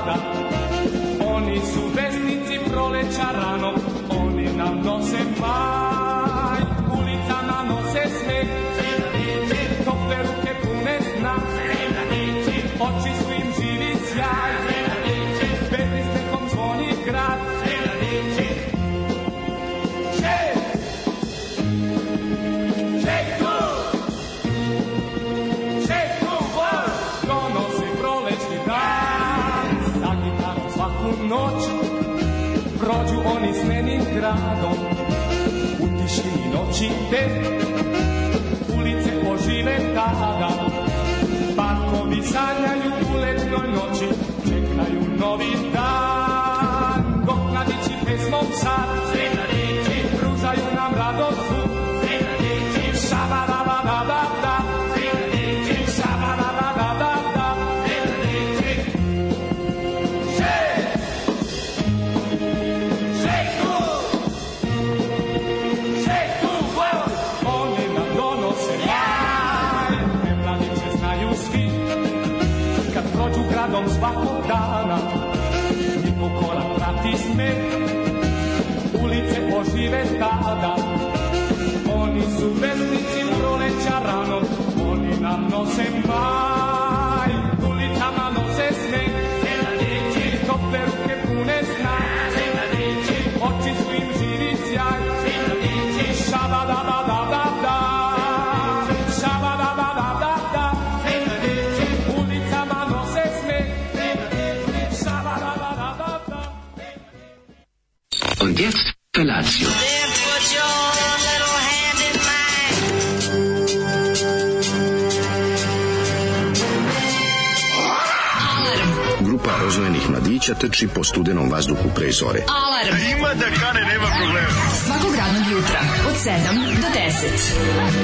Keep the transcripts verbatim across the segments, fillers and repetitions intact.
tada. Oni su vesnici proleća rano, oni nam nose maj, ulicama nose smeh, tople ruke pune sna, oči su im živi sjaj, petri stekom zvoni grad. Noć, prođu oni s menim gradom, u tišini noći te ulice ožive tada. Parkovi sanjaju u letnoj noći, čekaju novi dan, dok mladići pesmom sad pružaju nam radost. Šabadabadabada, šabadabadabada. Prođu gradom svakog dana, njihov korak prati smeh, ulice ožive tada. Oni su vesnici proleća rano, oni nam nose maj, ulicama nose smeh, tople ruke pune sna, oči su im živi sjaj. Šabadabadabada, šabadabadabada, ulicama nose smeh, šabadabadabada. Und jetzt Felatio. Grupa rozvojenih mladića trči po studenom vazduhu pre zore. Alarm! Ima da kane, nema problema. Svakog radnog jutra, od sedam do deset.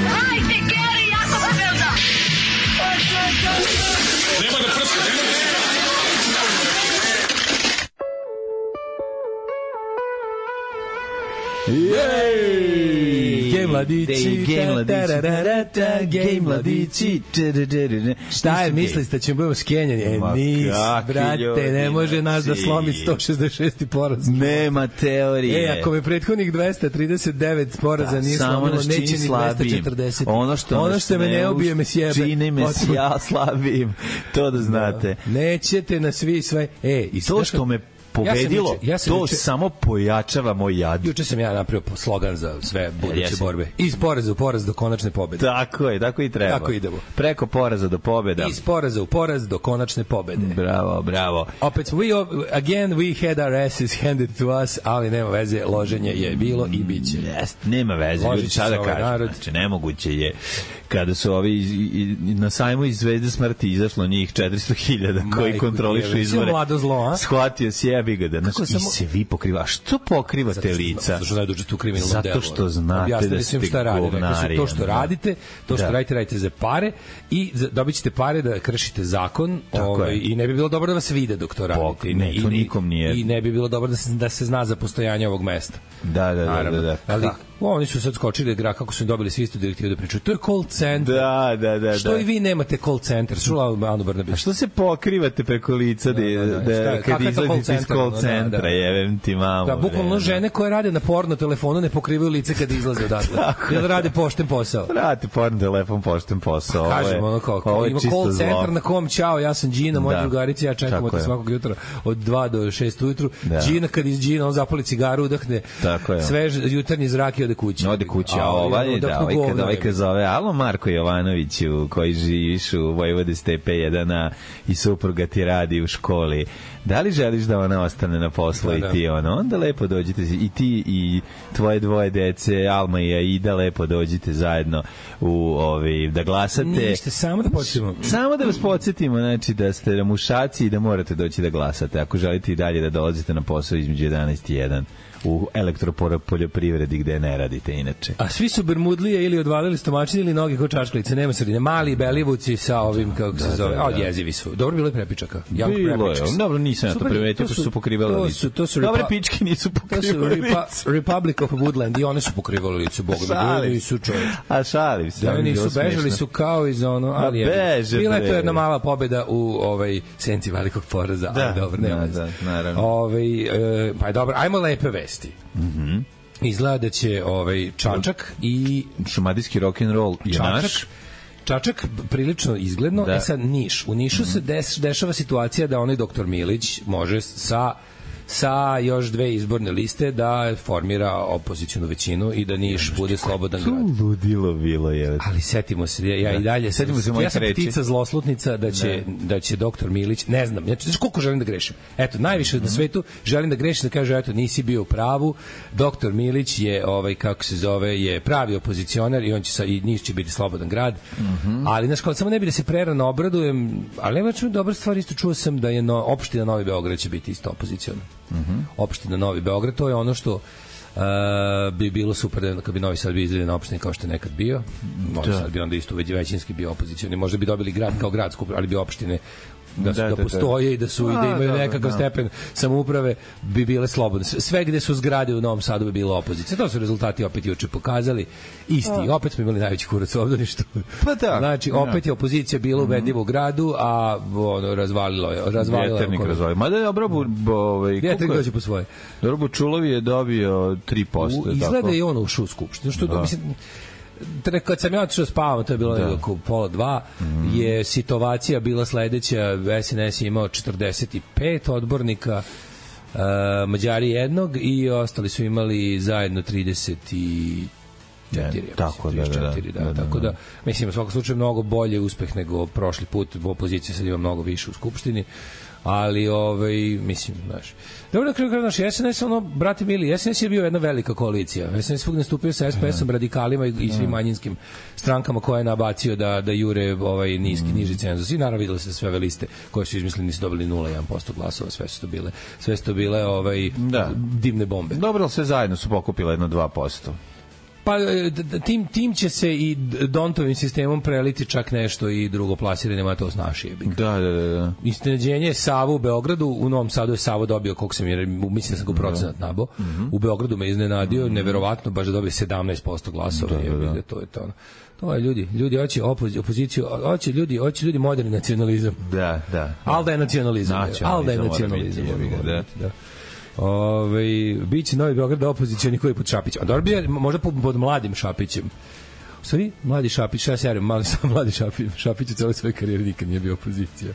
Hajde, Geri, jako se velda! Nema da prska, nema da prska! Jej! Gej mladići, Gej mladići, gej mladići. Šta je, mislili ste da ćemo budemo skenjani? E, nis, brate, ne može nas da slomi sto šezdeset šesti poraz. Nema teorije. E, ako me prethodnih dvesta trideset devet poraza nije slomilo, neće ni dvesta četrdeset. Ono što, ono što me ne ubije me sjebe. Čini me ja slabim. To da znate. Nećete na svi sve. E, i to što me pobedilo, ja sam, ja sam to juče, samo pojačava moj jad. Juče sam ja napravio slogan za sve buduće ja borbe. Iz poraza u poraz do konačne pobede. Tako je, tako i treba. Tako idemo. Preko poraza do pobeda. Iz poraza u poraz do konačne pobede. Bravo, bravo. Opet, we, again, we had our asses handed to us, ali nema veze, loženje je bilo i bit će. Yes, nema veze, ljudi sada ovaj kažu. Znači, nemoguće je. Kada su ovi iz, i, na sajmu iz Zvezde smrti izašlo njih četiristo hiljada koji Majku kontrolišu izvore. Shvatio si jebi ga da. Znači, i se vi pokriva. A što pokrivate lica? Zato što znaju tu kriminalno delo. Zato što znate da ste govnari. To što radite, to što da. radite, radite za pare i dobit ćete pare da kršite zakon ovaj, i ne bi bilo dobro da vas vide dok to radite. Ne, to nikom nije. I ne bi bilo dobro da se, da se zna za postojanje ovog mesta. Da, da, da. da, da. Ali, o, oni su sad skočili gra kako su dobili svi istu direktivu da pričaju. To je call center. Da, da, da. Što da. i vi nemate call center? Čula Anu Brnabić. A što se pokrivate preko lica da, da, da, da, da kad izlazite iz call centra, da, da. jevem ti mamu. Da, bukvalno žene koje rade na porno telefonu ne pokrivaju lice kad izlaze odatle. Jer rade pošten posao. Rade porno telefon pošten posao. Kažemo ono kako. Ima call centar na kom ćao, ja sam Đina, moja drugarica, ja čekamo te svakog jutra od dva do šest ujutru. Đina kad iz Đina on zapali cigaru, udahne svež jutarnji zrak i ode kući. Ode kući, a ovaj, da, ovaj kada ovaj kad zove, alo Marko Jovanoviću, koji živiš u Vojvode Stepe jedan i supruga ti radi u školi, da li želiš da ona ostane na poslu da, i ti ono, onda lepo dođite i ti i tvoje dvoje dece, Alma i Aida, lepo dođite zajedno u ovaj da glasate. Ništa, samo da podsjetimo. Samo da vas podsjetimo, znači da ste mušaci i da morate doći da glasate. Ako želite i dalje da dolazite na posao između jedanaest i jedan u elektropoljoprivredi gde ne radite inače. A svi su bermudlije ili odvalili stomačine ili noge kod čaškalice, nema sredine. Mali belivuci sa ovim, kako se da, zove, da, da. A, jezivi su. Dobro bilo je prepičaka. Bilo je, dobro, nisam ja to primetio. To su su pokrivale to lice. Su, to su Dobre pičke nisu pokrivale lice. To su Republic of Woodland i one su pokrivale lice, Bog da nisu čovječ. A šalim se. Da, oni nisu bežali su kao iz ono, ali je. Bila je to jedna mala pobeda u ovaj senci velikog poraza, da, ali dobro, nema. Da, da, naravno. Ovaj, e, pa je dobro, ajmo lepe vesti. Mhm. Mm Izgleda da će ovaj Čačak i šumadijski rock and roll je Čačak, naš. Čačak prilično izgledno, da. E sad Niš. U Nišu mm-hmm. se des, dešava situacija da onaj doktor Milić može sa sa još dve izborne liste da formira opozicionu većinu i da Niš bude slobodan grad. To ludilo bilo je. Ali setimo se, ja da. i dalje setimo se, ja sam reči. Ptica zloslutnica da će ne. da će doktor Milić, ne znam, znači znaš koliko želim da grešim. Eto, najviše mm-hmm. na svetu želim da grešim, da kaže eto nisi bio u pravu. Doktor Milić je ovaj kako se zove je pravi opozicionar i on će sa i Niš će biti slobodan grad. Mm-hmm. Ali znači kao samo ne bi da se prerano obradujem, ali nema čuo dobra stvar isto čuo sam da je no, opština Novi Beograd će biti isto opoziciona. Mm-hmm. Opština Novi Beograd, to je ono što uh, bi bilo super da kad bi Novi Sad bio izdeljen opština kao što je nekad bio. Novi Sad bi onda isto većinski bio opozicioni. Možda bi dobili grad kao gradsku, ali bi opštine da, su, da, da, da postoje da. i da su i da imaju nekakav stepen samouprave bi bile slobodne. Sve gde su zgrade u Novom Sadu bi bilo opozicija. To su rezultati opet juče pokazali. Isti. A. Opet smo imali najveći kurac u obdaništu. Pa da. Znači, opet je opozicija bila ubedljiva u gradu, a ono, razvalilo je. Razvalilo Vjeternik razvalio. Mada je dobro... Ovaj, Vjeternik dođe po svoje. Dobro, Bučulovi je dobio tri posto. Izgleda i ono ušao u skupštinu. Što, da. mislim, kad sam ja otišao spavam, to je bilo da. oko pola dva, mm. je situacija bila sledeća, S N S je imao četrdeset pet odbornika, uh, Mađari jednog i ostali su imali zajedno trideset četiri. Ja, tako da, da, da, da, tako da, mislim, u svakom slučaju mnogo bolje uspeh nego prošli put, opozicija sad ima mnogo više u Skupštini, ali ovaj mislim znaš dobro na kraju naš S N S ono brate mili S N S je bio jedna velika koalicija S N S svugde nastupio sa S P S-om, radikalima i, i svim manjinskim strankama koje je nabacio da da jure ovaj niski niži cenzus i naravno videli se sve ove liste koje su izmislili nisu dobili nula zarez jedan posto glasova, sve su to bile sve su to bile ovaj da. dimne bombe. Dobro, ali sve zajedno su pokupile jedno dva posto. Pa tim, tim će se i Dontovim sistemom preliti čak nešto i drugo plasiranje, to snaši je. Da, da, da, da. Iznenađenje Sava u Beogradu, u Novom Sadu je Savo dobio, koliko sam je, mislim da sam ga procenat nabo, mm-hmm. u Beogradu me iznenadio, mm-hmm. neverovatno, baš da dobije sedamnaest posto glasova, da, da, da. Je, to je to. To je ljudi, ljudi hoće opoziciju, hoće ljudi, hoće ljudi moderni nacionalizam. Da, da. Al da je nacionalizam. Al da je nacionalizam. Da, da. Ove, biće Novi Beograd opozicioni koji pod Šapićem. A dobro bi je možda pod, pod mladim Šapićem. U stvari, mladi Šapić, ja se javim, mali sam mladi Šapić, Šapić u celoj svojoj karijeri nikad nije bio opozicija.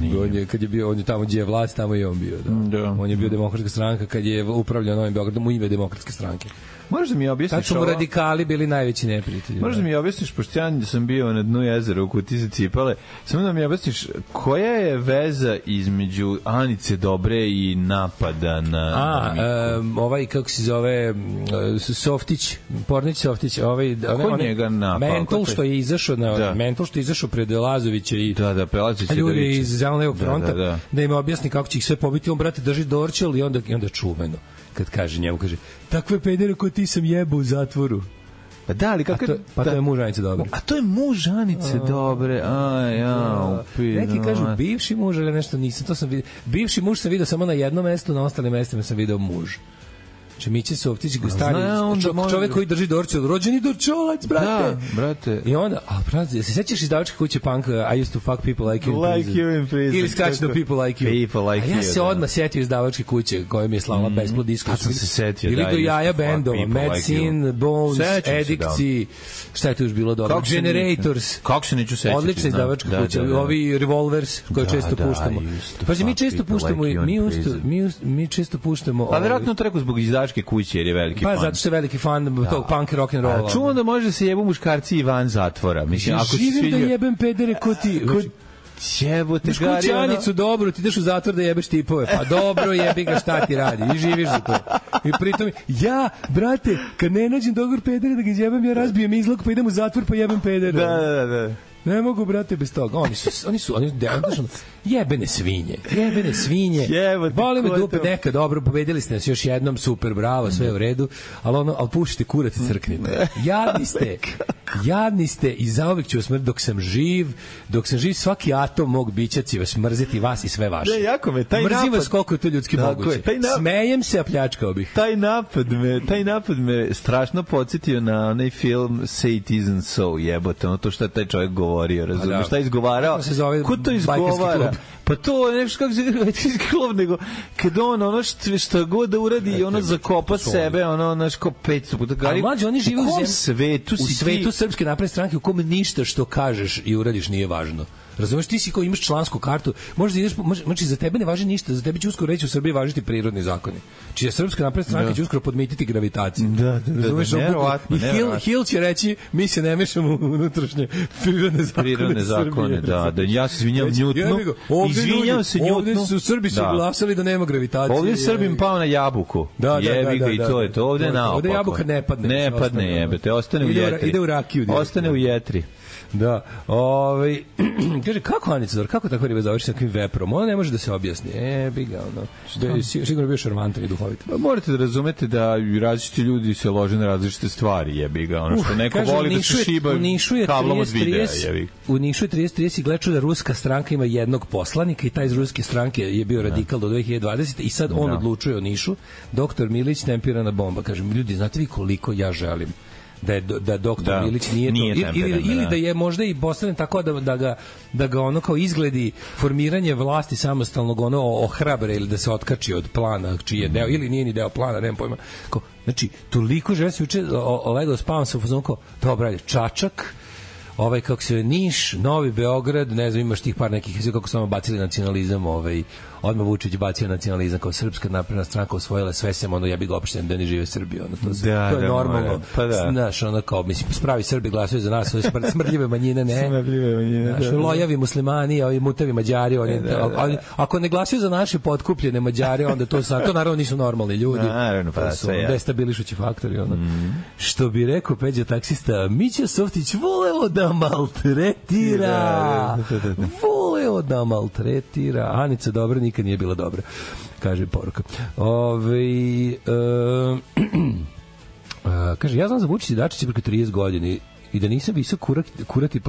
Nije. On je, kad je bio, on je tamo gdje je vlast, tamo i on bio. Da. Da. On je bio demokratska stranka kad je upravljao Novim Beogradom u ime demokratske stranke. Možeš da mi objasniš ovo? Tad su mu radikali bili najveći neprijatelji. Možeš da mi objasniš, pošto ja sam bio na dnu jezera u Kutiji za cipale, samo da mi objasniš koja je veza između Anice Dobre i napada na... A, um, ovaj, kako se zove, Softić, Pornić Softić, ovaj... Ko njega napao? Mentol što je izašao, na, da. Mentol što je izašao pred Lazovića i... Da, da, Prelazovića ljudi da iz Zeleno-levog fronta, da, da, da. da im objasni kako će ih sve pobiti, on, brate, drži Dorčel i onda, i onda čuveno. Kad kaže njemu, kaže, takve pedere ko ti sam jebao u zatvoru. Pa da, ali kako... To, pa to je muž Anice Dobre. A to je muž Anice Dobre, a ja, upi. Neki kažu bivši muž, ali nešto nisam, to sam vidio. Bivši muž sam vidio samo na jednom mestu, na ostalim mestima sam video muž. Znači Miće Softić, stari čo, može... čovek koji drži Dorčel, rođeni Dorčolac, brate. Da, brate. I onda, a brate, se sećaš izdavačke kuće Punk, I used to fuck people like you in like prison. You in prison. Ili skraćeno people like you. People like a ja you, se da. odmah setio izdavačke kuće koje mi je slala mm. Besplod disko. A sam se setio, ili da. Ili do jaja bendova, Medicine, like Bones, Edikci, šta je tu još bilo dobro? Generators. Kako se neću setiti? Odlična izdavačka kuća. Ovi Revolvers koje često puštamo. Pa mi često puštamo, mi mi često puštamo. Pa verovatno to rekao zbog izdavačke kuće jer je veliki fan. Pa zato što je veliki fan da. tog punk rock and rolla. A čuo da može se jebu muškarci i van zatvora. Mislim, ako si sviđa... da jebem pedere ko ti... Ko... Jebote, gari, kućanicu, dobro, ti ideš u zatvor da jebeš tipove. Pa dobro, jebi ga, šta ti radi? I živiš za to. I pritom, ja, brate, kad ne nađem dogovor pedere da ga jebem, ja razbijem izlog, pa idem u zatvor, pa jebem pedere. Da, da, da. Ne mogu, brate, bez toga. Oni su, oni su, oni su, jebene svinje. Jebene svinje. Boli me dupe, neka, dobro, pobedili ste nas još jednom, super, bravo, sve u redu, ali ono, ali pušite kurac i crknite. Jadni ste. Jadni ste i zauvek ću vas mrziti dok sam živ, dok sam živ svaki atom mog bića će vas mrziti, vas i sve vaše. Ne, jako me, taj Mrzim napad... vas koliko je to ljudski moguće. Je, nap... Smejem se, a pljačkao bih. Taj napad me, taj napad me strašno podsjetio na onaj film Say It Isn't So, jebote, ono to što je taj čovjek govorio, razumiješ, da. Šta je izgovarao? Kako se zove? Ko to izgovara? Pa to je nešto kako se bajkerski klub, nego kad on ono što, što god da uradi i ono zakopa sebe, ono naš ko petsto puta gari. A mlađe, oni žive u, u svetu, u svetu ti... Srpske napredne stranke u kome ništa što kažeš i uradiš nije važno. Razumeš, ti si ko imaš člansku kartu, možeš da ideš, može, znači za tebe ne važi ništa, za tebe će uskoro reći u Srbiji važiti prirodni zakoni. Čija Srpska napredna stranka da. Će uskoro podmititi gravitaciju. Da, da, da. Razumeš, nevjerovatno. I Hill, Hill će reći, mi se ne mešamo u unutrašnje prirodne zakone. Prirodne zakone, da, da. Ja se izvinjam Njutnu. Izvinjam se Njutnu. Ovdje su Srbi su glasali da nema gravitacije. Ovdje Srbim pao na jabuku. Da, da, jebi ga da, i to je to. Ovdje naopako. Ovdje jabuka ne padne. Ne padne, jebete, ostane u jetri. Ide u rakiju. Ostane u jetri. Da, ovaj kaže kako Anica Zor, kako tako riba završi sa takvim veprom? Ona ne može da se objasni. E, bi ga ono. Što je sigurno bio šarmantan i duhovit. Pa morate da razumete da različiti ljudi se lože na različite stvari, jebi ga. Ono što neko kaže, voli da se šiba kablom od videa, jebi. U Nišu je trideset trideset i gleču da ruska stranka ima jednog poslanika i taj iz ruske stranke je bio radikal do dve hiljade dvadesete i sad on odlučuje o Nišu. Doktor Milić tempirana bomba. Kažem, ljudi, znate vi koliko ja želim da je da doktor da, Milić nije, nije to ili, ili, ili da je možda i postavljen tako da, da ga da ga ono kao izgledi formiranje vlasti samostalnog ono ohrabre ili da se otkači od plana čiji je deo ili nije ni deo plana, nemam pojma. Kao, znači toliko želim se juče legao spavam sa fazon kao dobro, Čačak, ovaj kako se Niš, Novi Beograd, ne znam, imaš tih par nekih kako samo bacili nacionalizam, ovaj odmah Vučić bacio nacionalizam kao Srpska napredna stranka osvojila sve sem ono ja bih ga opšten da ne žive Srbija, ono to, se, da, to je da, normalno. Pa da. Znaš, ono kao mislim spravi Srbi glasaju za nas, ove smrdljive manjine ne. Smrdljive manjine. Znaš, da, da. lojavi muslimani, ovi mutavi Mađari, oni da, da, da. ako ne glasaju za naše potkupljene Mađare, onda to sa to naravno nisu normalni ljudi. Naravno, pa su ja. Destabilišući faktori, ono. Mm. Što bi rekao Peđa taksista, Mića Softić voleo da maltretira. Voleo da maltretira. Anica dobra nikad nije bila dobra, kaže poruka. Ove, e, a, kaže, ja znam za Vučića Dačića preko trideset godina i da nisam visok kurati, kurati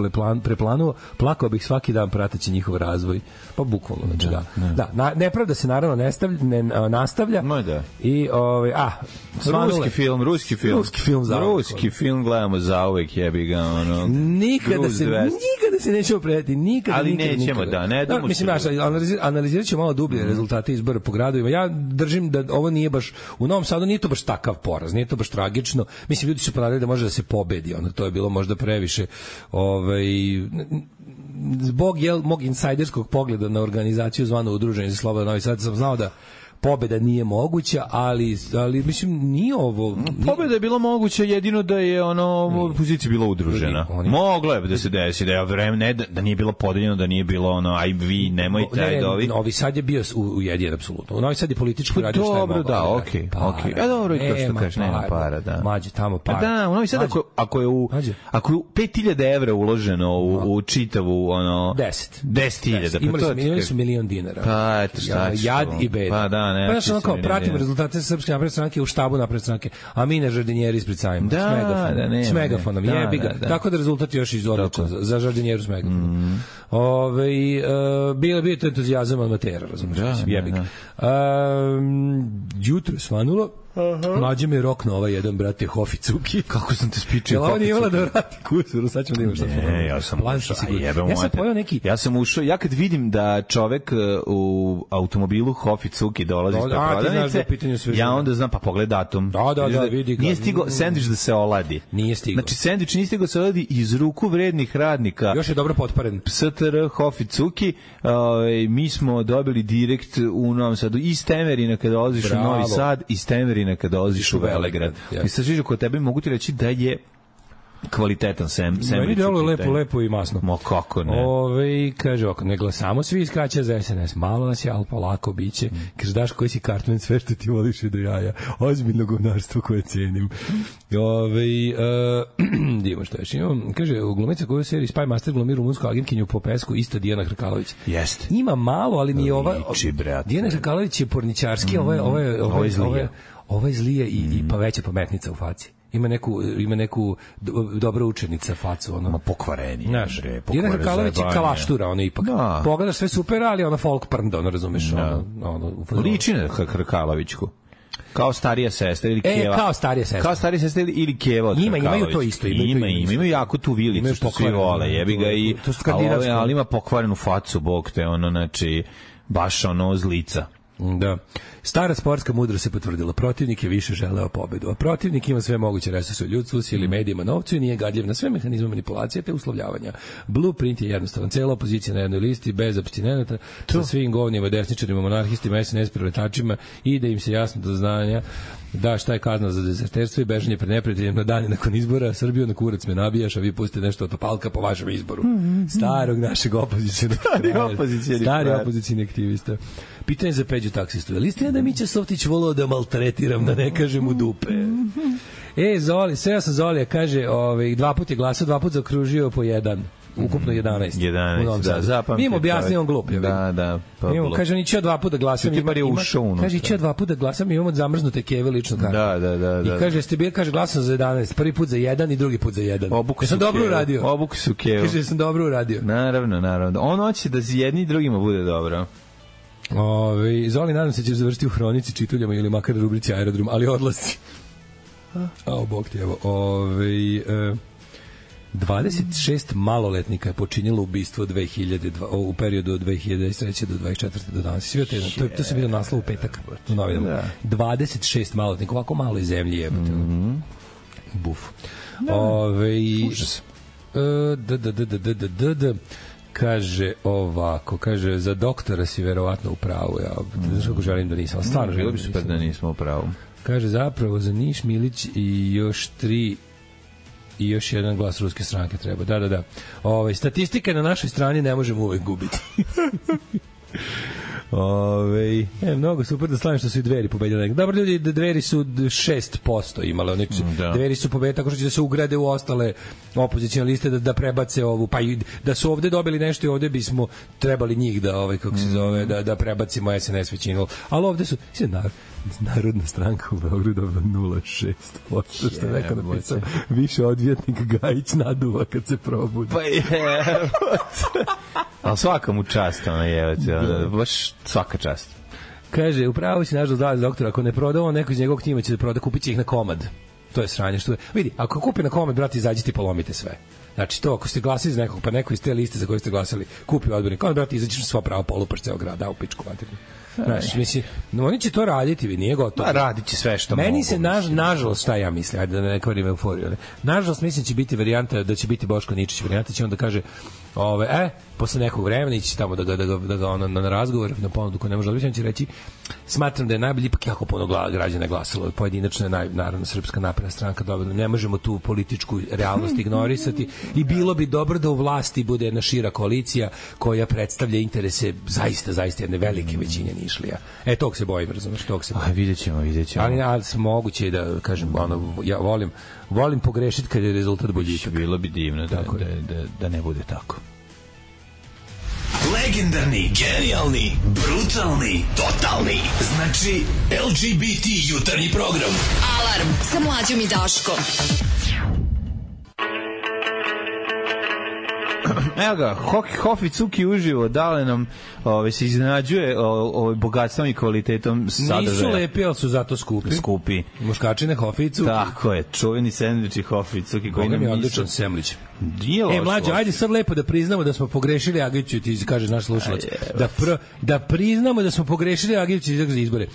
preplanuo, plakao bih svaki dan prateći njihov razvoj. Pa bukvalno, znači da. Da, da na, nepravda se naravno nestavlja, ne, nastavlja. No, da. I, ovaj, a, svanule. Ruski film, ruski film. Ruski film, za ruski film gledamo zauvek, jebi ga, ono. Nikada se, nikada se nećemo predati, nikada, ali nikada, nećemo, nikada. da, ne damo. Da, mislim, naš, analizir, analizirat ćemo malo dublje mm. rezultate izbora po gradovima. Ja držim da ovo nije baš, u Novom Sadu nije to baš takav poraz, nije to baš tragično. Mislim, ljudi su ponadali da može da se pobedi, ono, to je bilo možda previše ovaj zbog jel mog insajderskog pogleda na organizaciju zvano Udruženje za slobodan Novi Sad sam znao da pobeda nije moguća, ali ali mislim nije ovo. Nije... Pobeda je bila moguća jedino da je ono opozicija bila udružena. Oni... Moglo je da se desi da je vreme ne da, da nije bilo podeljeno, da nije bilo ono aj vi nemojte aj dovi. Novi Sad je bio ujedinjen apsolutno. U Novi Sad je politički radio šta je moglo. Dobro, da, okej, okej. Ja dobro i to što kažeš, nema para, da. Mađe tamo para. Da, u Novi Sad ako ako je u ako je pet hiljada evra uloženo u, u čitavu ono deset deset hiljada, pa to imali su milion dinara. Pa eto šta. Jad i bed. Pa da, ne. Pa ja sam kao pratim rezultate Srpske napredne stranke u štabu napredne stranke, a mi ne žardinjeri ispred sajma. Da, s megafonom, da, ne, s megafonom, da, jebi ga. Da, da. Tako da rezultat još iz odličan za, za žardinjeru s megafonom. Mm. Ove, uh, bilo bi to entuzijazam od matera, razumiješ, da, jebi ga. Um, jutro svanulo, uh-huh. Mlađe me rokno ovaj jedan, brate, Hofi Cuki. Kako sam te spičio? Jel ovo nije imala da vrati kusuru, sad ćemo da imamo šta. Ne, ja sam ušao, ja sam pojao neki... Ja sam ušao, ja kad vidim da čovek u automobilu Hofi Cuki dolazi iz prodavnice, ja onda znam, pa pogled datum. Da, da, da, vidi ga. Nije stigao sendvič da se oladi. Nije stigao. Znači, sendvič nije stigao da se oladi iz ruku vrednih radnika. Još je dobro potparen. S T R Hofi Cuki, mi smo dobili direkt u Novom Sadu iz Temerina kada dolaziš u Novi Sad, iz Temerina kada dolaziš u Velegrad. I sad sviđa kod tebe mogu ti reći da je kvalitetan sem, sem. Meni delo lepo, lepo i masno. Mo kako ne. Ove, kaže, oko, ne glasamo svi iskraća za S N S. Malo nas je, ali polako biće. Kaže, daš koji si Cartman, sve što ti voliš je do jaja. Ozbiljno govnarstvo koje cenim. Ove, uh, divo što još imam. Kaže, glumica koju u seriji Spy Master glumi rumunsku agentkinju po pesku, isto Dijana Hrkalović. Jeste. Ima malo, ali mi je ova... Liči, brate. Dijana Hrkalović je porničarski, mm, ovo je, ovo je, ovo je, ovo je, ovo je zlije i, mm. i pa veća pametnica u faci. ima neku ima neku dobra učenica facu, ono. Ma pokvareni. Znaš, Jelena Hrkalović je kalaštura, ono ipak. No. Pogledaš sve super, ali ona folk prnda, ono razumeš, no. ono, ono. Liči na Hrkalovićku. Kao starija sestra ili Keva. E, kao starija sestra. Kao starija sestra ili Keva od Ima, imaju to isto. Imaju, ima, ima, imaju jako tu vilicu što svi vole, jebi ga i... Ali, ali ima pokvarenu facu, bog te, ono, znači, baš ono z lica. Da. Stara sportska mudrost se potvrdila. Protivnik je više želeo pobedu. A protivnik ima sve moguće resurse u ljudstvu, sili, medijima, novcu i nije gadljiv na sve mehanizme manipulacije te uslovljavanja. Blueprint je jednostavan. Cela opozicija na jednoj listi, bez apstinenata, sa svim govnjima, desničarima, monarhistima, es en es preletačima i da im se jasno do znanja da šta je kazna za dezerterstvo i bežanje pred neprijateljem na dane nakon izbora. Srbiju na kurac me nabijaš, a vi pustite nešto od Topalka po vašem izboru. Starog našeg opozicijnog Stari opozicijni aktivista. Pitanje za Peđu taksistu. Je li istina da Mića Softić volao da maltretiram, da ne kažem u dupe? E, Zoli, sve ja sam Zolija, kaže, ovaj, dva put je glasao, dva put zakružio po jedan. Ukupno jedanaest. jedanaest, da, zapamtite. Mi im objasnimo on glup. Da, da. Pa imamo, kaže, on iće dva puta glasam. Ima, ima, kaže, iće dva puta glasam i imamo zamrznute keve lično kartu. Da, da, da, da. I kaže, ste bili, kaže, glasam za jedanaest. Prvi put za jedan i drugi put za jedan. Obuku sam dobro uradio. Obuku su kevu. Kaže, sam dobro uradio. Naravno, naravno. On hoće da za jedni i drugima bude dobro. Ove, Zoli, nadam se ćeš završiti u hronici čituljama ili makar rubrici Aerodrom, ali odlasci. A, bog ti, evo. Ove, e, dvadeset šest maloletnika je počinilo ubistvo dve hiljade dva, u periodu od dve hiljade treće do dvadeset četvrte do danas. Sve te, to, to se vidio naslov u petak u novinama. Da. dvadeset šest maloletnika, ovako malo iz zemlje jebate. Mm-hmm. Buf. Da. Ove, užas. E, da, da, da, da, da, da, da. Kaže ovako, kaže, za doktora si verovatno u pravu, ja, znaš kako želim da nisam, stvarno želim bi super da nismo u pravu. Kaže, zapravo za Niš, Milić i još tri i još jedan glas ruske stranke treba, da, da, da. Ove, statistika na našoj strani ne možemo uvek gubiti. Ove, e, mnogo super da slavim što su i Dveri pobedili. Dobro, ljudi, Dveri su šest posto imale, oni da. Dveri su pobedili tako što će da se ugrade u ostale opozicijne liste, da, da prebace ovu, pa i da su ovde dobili nešto i ovde bismo trebali njih da, ovaj, kako se zove, da, da prebacimo es en es većinu. Ali ovde su, sve narod, Narodna stranka u Beogradu dobila nula zarez šest posto, što je neko napisao, više odvjetnik Gajić naduva kad se probudi. Pa je, ali svaka mu čast, ona je, da. Baš svaka čast. Kaže, upravo si nažalost dali doktor, ako ne prodao, neko iz njegovog tima će da proda, kupit će ih na komad. To je sranje. Što je. Vidi, ako kupi na komad, brati, izađite i polomite sve. Znači to, ako ste glasili za nekog, pa neko iz te liste za koje ste glasali, kupi odbornik, onda, brati, izađeš sva prava, polupaš ceo grad, da u pičku materiju. Znaš, mislim, no, oni će to raditi, vi nije gotovo. Pa radit će sve što Meni mogu. se, naž, nažalost, šta ja mislim, ajde da ne kvarim euforiju, ali, nažalost, mislim će biti varijanta, da će biti Boško Ničić, varijanta će on da kaže, ove, e, posle nekog vremena ići tamo da ga, da ga, da ga ono, na razgovor, na ponudu ko ne može odbići, on će reći, smatram da je najbolji, ipak jako puno građana glasalo, pojedinačno je naj, naravno Srpska napredna stranka dobila, ne možemo tu političku realnost ignorisati i bilo bi dobro da u vlasti bude jedna šira koalicija koja predstavlja interese zaista, zaista jedne velike većine Nišlija. E, tog se bojim, razumeš, tog se bojim. Aj, vidjet ćemo, vidjet ćemo. Ali, ali moguće da, kažem, ono, ja volim, volim pogrešiti kad je rezultat boljitak. Bilo bi divno da, da, da, da ne bude tako. Legendarni, genijalni, brutalni, totalni. Znači, el ge be te jutarnji program. Alarm sa Mlađom i Daškom. Evo ga, Hofi Cuki uživo, dale nam ove, se iznenađuje ovaj bogatstvom i kvalitetom sadržaja. Nisu lepi, ali su zato skupi. Skupi. Muškačine Hofi i Cuki. Tako je, čuveni sendviči Hofi i Cuki. Koga mi je odličan semlić. E, mlađe, ajde sad lepo da priznamo da smo pogrešili Agiću, ti kažeš naš slušalac. Da, pr, da priznamo da smo pogrešili Agiću za izbore.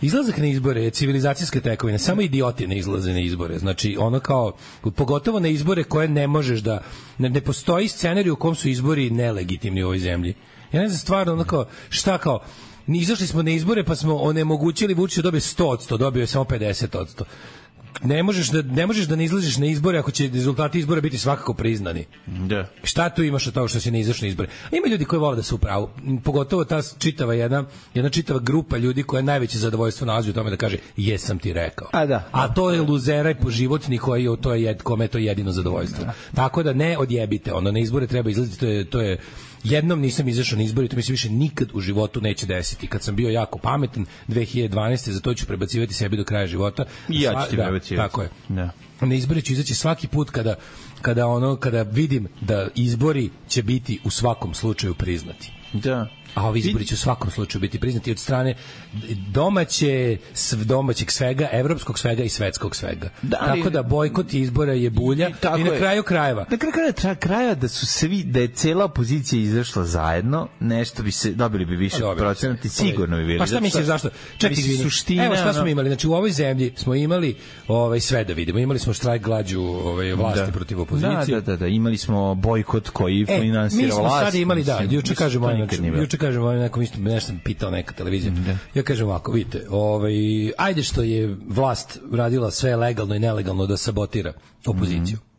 Izlazak na izbore je civilizacijska tekovina, samo idioti ne izlaze na izbore. Znači, ono kao, pogotovo na izbore koje ne možeš da, ne, ne postoji scenarij u kom su izbori nelegitimni u ovoj zemlji. Ja ne znam stvarno, ono kao, šta kao, izašli smo na izbore pa smo onemogućili Vučića da dobije sto odsto, dobio je samo pedeset odsto. Ne možeš da ne možeš da ne izlaziš na izbore ako će rezultati izbora biti svakako priznani. Da. Šta tu imaš od toga što se ne izašao na izbore? Ima ljudi koji vole da su u pravu, pogotovo ta čitava jedna jedna čitava grupa ljudi koja najveće zadovoljstvo nalazi u tome da kaže jesam ti rekao. A da. A to je luzera i poživotni koji to je jed, kome je to jedino zadovoljstvo. Da. Tako da ne odjebite, ono na izbore treba izlaziti, to je to je jednom nisam izašao na izbore, to mi se više nikad u životu neće desiti. Kad sam bio jako pametan dve hiljade dvanaeste za to ću prebacivati sebi do kraja života. I ja ću ti da, prebacivati. Tako je. Da. Na izbore ću izaći svaki put kada kada ono kada vidim da izbori će biti u svakom slučaju priznati. Da. A ovi izbori će u svakom slučaju biti priznati od strane domaće, domaćeg svega, evropskog svega i svetskog svega. Da, ali, tako da bojkot izbora je bulja i, i na kraju krajeva. Na kraju krajeva, krajeva da su svi, da je cela opozicija izašla zajedno, nešto bi se, dobili bi više procenati, sigurno bi bili. Pa šta misliš zašto? Čekaj, suština, evo šta smo imali, znači u ovoj zemlji smo imali ovaj, sve da vidimo, imali smo štrajk glađu ovaj, vlasti da. protiv opozicije. Da, da, da, da, imali smo bojkot koji e, finansira vlast. Mi smo sad imali, da, juče kažemo, juče kažem, ovaj nekom isto nešto sam pitao neka televizija. Mm, ja kažem ovako, vidite, ovaj ajde što je vlast radila sve legalno i nelegalno da sabotira opoziciju. Mm.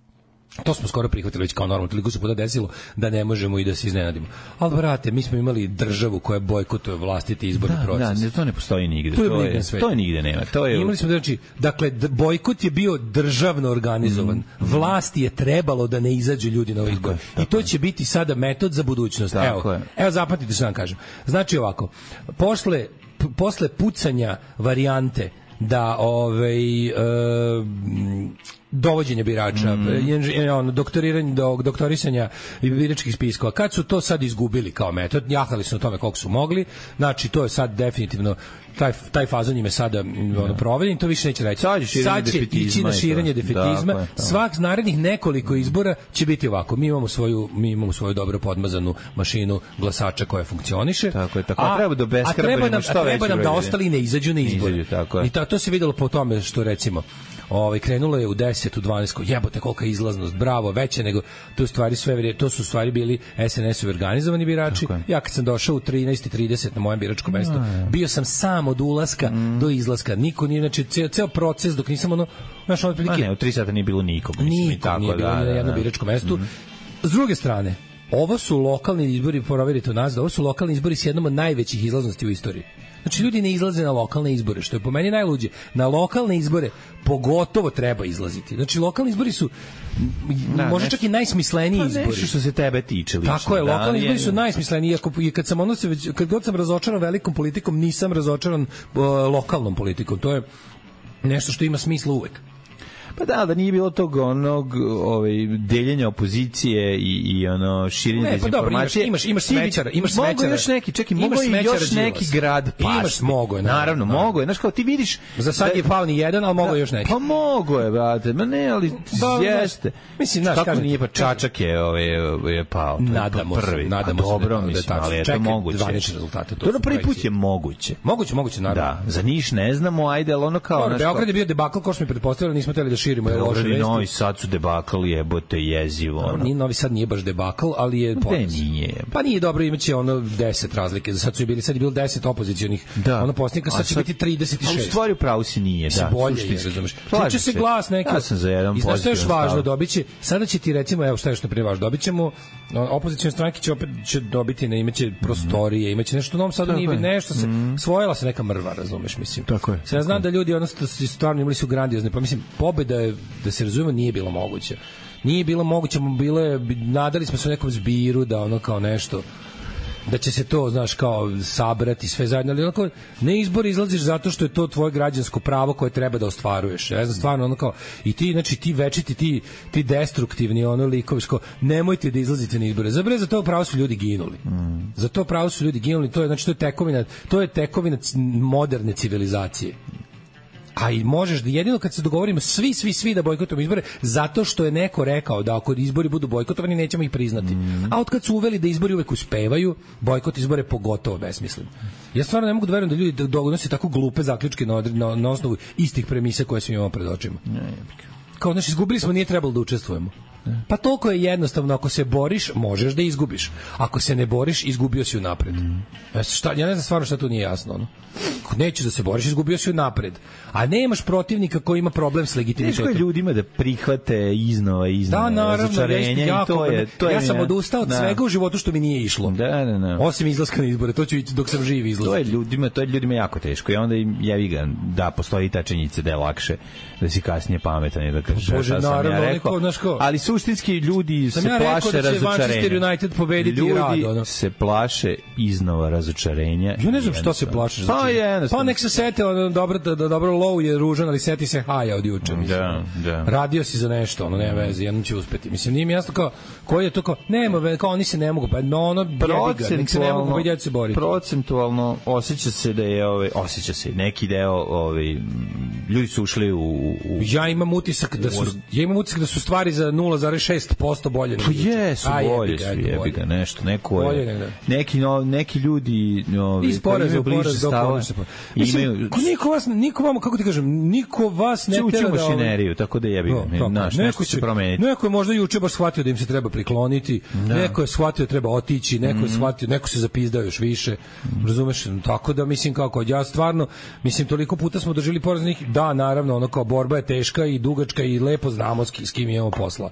To smo skoro prihvatili već kao normalno, toliko se puta desilo da ne možemo i da se iznenadimo. Ali brate, mi smo imali državu koja bojkotuje vlastiti izborni da, proces. Da, to ne postoji nigde. To je, to je, to je nigde nema. To je... Imali smo znači, dakle, bojkot je bio državno organizovan. Mm. Vlasti je trebalo da ne izađu ljudi na ovaj izbor. I to će biti sada metod za budućnost. Tako evo, je. evo zapamtite što vam kažem. Znači ovako, posle, posle pucanja varijante da ovaj e, dovođenje birača, mm. ono, doktoriranje, do, doktorisanja biračkih spiskova. Kad su to sad izgubili kao metod, jahali su na tome koliko su mogli, znači to je sad definitivno taj, taj fazon im je sada ono, proveden, to više neće reći. Sad, sad će ići na širenje defetizma. Da, svak narednih nekoliko izbora će biti ovako. Mi imamo svoju, mi imamo svoju dobro podmazanu mašinu glasača koja funkcioniše. Tako je, tako a, treba do a treba nam, a treba nam da ostali ne izađu na izbore. I ta, to se videlo po tome što recimo ovaj krenulo je u deset u dvanaest, jebote kolika izlaznost, bravo, veće nego to stvari sve to su stvari bili es en es-ovi organizovani birači. Ja kad sam došao u trinaest i trideset na mojem biračkom mestu, bio sam sam od ulaska mm. do izlaska. Niko nije, znači ceo, ceo proces dok nisam ono, znaš, ono prilike. A ne, u tri sata nije bilo nikog, mislim i tako nije bilo da, ni na jednom biračkom mestu. Mm. S druge strane, ovo su lokalni izbori, proverite u nas, da ovo su lokalni izbori s jednom od najvećih izlaznosti u istoriji. Znači, ljudi ne izlaze na lokalne izbore, što je po meni najluđe. Na lokalne izbore pogotovo treba izlaziti. Znači, lokalni izbori su da, možda čak i najsmisleniji pa izbori. Nešto što se tebe tiče lično. Tako je, lokalni da, izbori su najsmisleniji. Iako, kad, sam ono se već, kad god sam razočaran velikom politikom, nisam razočaran uh, lokalnom politikom. To je nešto što ima smisla uvek. Pa da, da nije bilo tog onog ovaj deljenja opozicije i i ono širenje dezinformacije. Pa imaš imaš smećara, imaš smećara. Mogu još neki, čekaj, mogu još neki grad pa. Imaš mogo je, naravno, mogo je. Znaš kao ti vidiš, za sad je pao ni jedan, al mogo još neki. Pa mogo je, brate. Ma ne, ali jeste. Mislim, znaš, kako nije pa Čačak je ovaj je pao. Nadamo se, nadamo se. Dobro, mislim, ali je to moguće. Zvanični rezultati to. To prvi put je moguće. Moguće, moguće, naravno. Da, za Niš ne znamo, ajde, al ono kao naš. Beograd je bio debakl, ko smo pretpostavili, nismo hteli da širimo je loše vesti. Novi Sad su debakl, jebote, jezivo. Ono. Nije Novi Sad nije baš debakl, ali je poraz. Nije. Pa nije dobro, imaće ono deset razlike. Sad su bili, sad je bilo deset opozicionih da. Ono poslanika, sad će sad, biti trideset šest. A u stvari u pravu si nije, da. Bolje je, razumeš. Tiče se glas neki. Ja sam za jedan pozitivan. I znaš što je još važno, dobiće, sada će ti recimo, evo šta je što prije važno, dobićemo, opozicione stranke će opet će dobiti, ne, imaće prostorije, imaće nešto u Novom Sadu, nije nešto se, mm. svojila se neka mrva, razumeš, mislim. Tako je. Sad ja znam da ljudi ono stvarno imali su grandiozne, pa mislim, pobeda je, da se razumemo, nije bilo moguće. Nije bilo moguće, bilo je, nadali smo se u nekom zbiru da ono kao nešto, da će se to, znaš, kao sabrati sve zajedno, ali onako, ne izbor izlaziš zato što je to tvoje građansko pravo koje treba da ostvaruješ. Ja znam, stvarno, ono kao, i ti, znači, ti večiti, ti, ti destruktivni, ono, likovi, kao, nemojte da izlazite na izbore. Za bre, za to pravo su ljudi ginuli. Mm. Za to pravo su ljudi ginuli, to je, znači, to je tekovina, to je tekovina moderne civilizacije. A i možeš da jedino kad se dogovorimo svi, svi, svi da bojkotujemo izbore, zato što je neko rekao da ako izbori budu bojkotovani, nećemo ih priznati. Mm. A od kad su uveli da izbori uvek uspevaju, bojkot izbore pogotovo besmislen. Ja stvarno ne mogu da verujem da ljudi donose tako glupe zaključke na, na, na osnovu istih premisa koje smo imamo pred očima. Kao, znači, izgubili smo, nije trebalo da učestvujemo. Pa toliko je jednostavno, ako se boriš, možeš da izgubiš. Ako se ne boriš, izgubio si unapred. Mm. Šta, ja ne znam stvarno šta tu nije jasno. Ono. Ako nećeš da se boriš, izgubio si unapred. A nemaš protivnika koji ima problem s legitimitetom. Teško je ljudima da prihvate iznova i iznova da, naravno, razočarenje. Jako, to je, to ja je, sam odustao od da. svega u životu što mi nije išlo. Da, da, da. Osim izlaska na izbore, to ću ići dok sam živ izlaziti. To je ljudima, to je ljudima jako teško. I onda im jevi ga, da, postoji ta činjenica da je lakše da si kasnije pametan i da kažeš šta sam ja rekao. Ko, ali suštinski ljudi se ja plaše da razočarenja. United pobediti ljudi rad, ono. se plaše iznova razočarenja. Ja ne znam što se plaše razočarenja. Pa, pa nek se sete, ono, dobro, da, da, dobro low je ružan, ali seti se haja od juče. Da, da. Radio si za nešto, ono, nema veze, jednom će uspeti. Mislim, nije mi jasno kao, koji je to kao, nema, kao oni se ne mogu, pa ono, jebi ga, nek se ne mogu, pa idete se boriti. Procentualno osjeća se da je, ovaj, osjeća se neki deo, ovaj, ljudi su ušli u, u... Ja imam utisak da su, ja imam utisak da su stvari za nula zarez šest posto bolje. Pa jesu, bolje su, jebi ga, nešto, neko je, neki, no, neki ljudi, ovi, koji imaju bliže stava, imaju... Niko vas, niko vama, kako ti kažem, niko vas ne tera da... mašineriju, tako da jebi ga, no, naš, nešto će promeniti. Neko je možda juče baš shvatio da im se treba prikloniti, da. Neko je shvatio da treba otići, neko je shvatio, neko se zapizdao još više, razumeš? Tako da, mislim, kako, ja stvarno, mislim, toliko puta smo doživjeli poraz njih, da, naravno, ono kao borba je teška i dugačka i lepo znamo s kim imamo posla.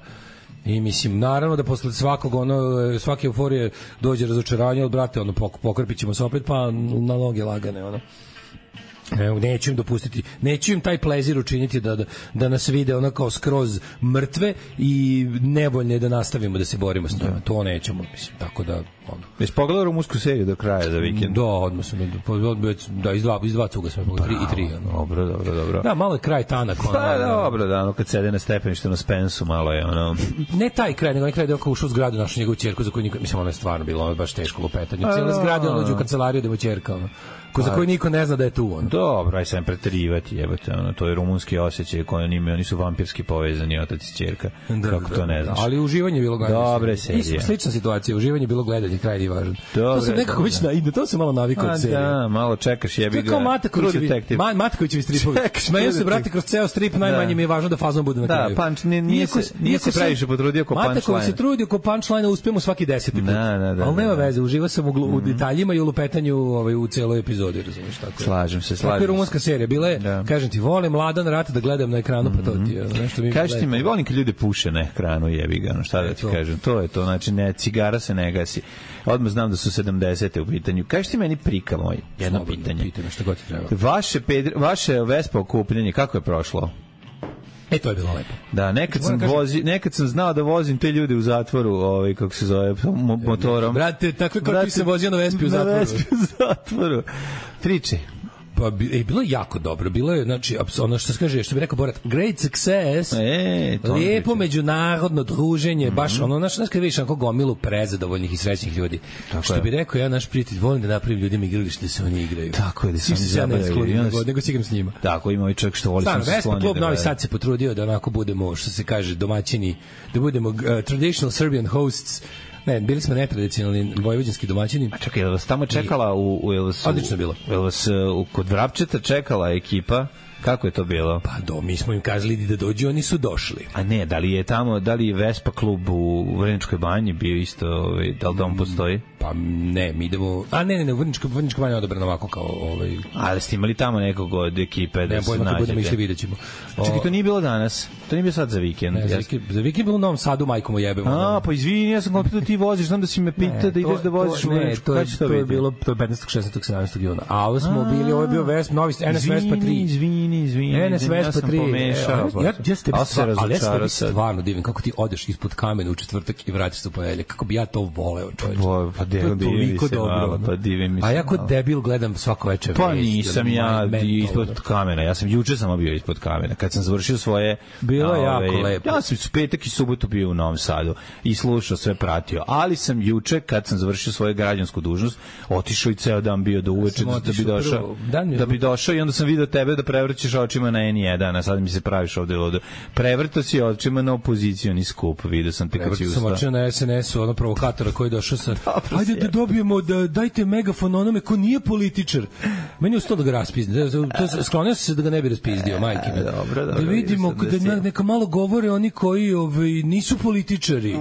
I mislim, naravno da posle svakog ono, svake euforije dođe razočaranje, od brate, ono, pokrpit ćemo se opet, pa na noge lagane, ono. Neću im dopustiti, neću im taj plezir učiniti da, da, da nas vide ono kao skroz mrtve i nevoljne da nastavimo da se borimo s njima. To nećemo, mislim, tako da ono. Jesi pogledao rumunsku seriju do kraja za vikend? Da, odmah sam, da, iz dva, iz dva cuga sam pogledao, tri i tri. Ono. Dobro, dobro, dobro. Da, malo je kraj tanak. Ono, pa dobro, da, ono kad sede na stepeništu na Spensu, malo je ono... Ne taj kraj, nego onaj kraj da je oko ušao u zgradu našu njegovu ćerku, za koju niko, mislim, ono je stvarno bilo, ono je baš teško lupetanje. Cijela zgrada, ono dođe u kancelariju da mu ćerka, ono. Ko za koji niko ne zna da je tu on. Dobro, aj sam preterivati, jebote, ono, to je rumunski osjećaj koji oni imaju, oni su vampirski povezani, otac i ćerka. Da, kako da, to ne znaš. Ali uživanje je bilo gledanje. Dobre serije. Slična situacija, uživanje je bilo gledanje, kraj nije važan. Dobre, to se nekako već na ide, to se malo navikao od serije. Da, malo čekaš, jebi ga. Kao Matakovićevi, Matakovićevi stripovi. Smeju se, brate, kroz ceo strip, najmanje mi je važno da fazon bude na kraju. Da, punch, nije se, nije se previše potrudio ko punchline. Mataković se trudio ko punchline, uspemo svaki deseti put. Ali nema veze, uživa sam u detaljima i u lupetanju u celoj epizodi, razumiješ tako. Slažem se, slažem. Tako je rumunska serija. Bila je, da. Kažem ti, volim Mladan Rat da gledam na ekranu, mm -hmm. pa to ti je nešto mi... Kaži ti me, volim kad ljude puše na ekranu, jebi ga, no šta da ti to. Kažem. To je to, znači, ne, cigara se ne gasi. Odmah znam da su sedamdesete u pitanju. Kaži ti meni prika moj, jedno Slobodno pitanje. pitanje. Šta god ti treba. Vaše, pedri, vaše Vespa okupljanje, kako je prošlo? E, to je bilo lepo. Da, nekad sam, kažem, vozi, nekad sam znao da vozim te ljude u zatvoru, ovaj, kako se zove, motorom. Brate, tako kao ti se vozio na Vespi u zatvoru. Na Vespi u zatvoru. Priči. Pa e, bilo je jako dobro, bilo je, znači, ono što se kaže, što bi rekao Borat, great success, e, lijepo međunarodno druženje, mm -hmm. baš ono, znaš, znaš kad vidiš onako gomilu prezadovoljnih i srećnih ljudi. Tako što je. Bi rekao ja, naš prijatelj, volim da napravim ljudima igralište da se oni igraju. Tako je, da se oni zabavljaju. Nego, nego si igram s njima. Tako, ima i čovjek što voli sam se skloniti. Klub Novi Sad se potrudio da onako budemo, što se kaže, domaćini, da budemo uh, traditional Serbian hosts. Ne, bili smo netradicionalni vojvođanski domaćini. A čekaj, je li vas tamo čekala u... u, u odlično bilo. Je li vas u, kod Vrapčeta čekala ekipa? Kako je to bilo? Pa do, mi smo im kazali da dođu, oni su došli. A ne, da li je tamo, da li je Vespa klub u Vrničkoj banji bio isto, ovaj, da li dom postoji? Pa ne, mi idemo... A ne, ne, ne, u Vrničkoj banji je odabrano ovako kao... Ovaj... Ali ste imali tamo nekog od ekipe da ne, se nađete? Ne, budemo išli, vidjet ćemo. Čekaj, to nije bilo danas? To nije bilo sad za vikend? Ne, za vikend, za vikend bilo u Novom Sadu, majkom ujebemo. A, pa izvini, ja sam kao pitao ti voziš, znam da si me pitao da ideš da voziš u Vrničku. Ne, to je bilo petnaestog, šesnaestog, sedamnaestog juna. A ovo smo bili, ovo je bio Vespa, novi N S Vespa tri. Izvini, izvini, Vespa tri. Pomešao, ja, ja, ja ste ali ja se tebi stvarno divim kako ti odeš ispod kamena u četvrtak i vratiš se u ponedeljak, kako bi ja to voleo, čoveče. Pa divim divim se malo, pa divim mi se. A ja kod debil gledam svako večer. Pa nisam ja ispod kamena, ja sam juče samo bio ispod kamena, kad sam završio svoje... Bilo je jako lepo. Ja sam petak i subotu bio u Novom Sadu i slušao, sve pratio, ali sam juče, kad sam završio svoju građansku dužnost, otišao i ceo dan bio do uveče da bi došao, da bi došao i onda sam video tebe da prevrćeš očima na N jedan, a sad mi se praviš ovde ludo. Prevrto si očima na opozicioni skup, vidio sam te kad si ustao. Prevrto sam očima na S N S-u, ono provokatora koji je došao sa, ajde da dobijemo, da dajte megafon onome ko nije političar. Meni je ustao da ga raspizne. Sklonio se da ga ne bi raspizdio, majke me. Dobro, dobro, da vidimo, da neka malo govore oni koji ovaj, nisu političari.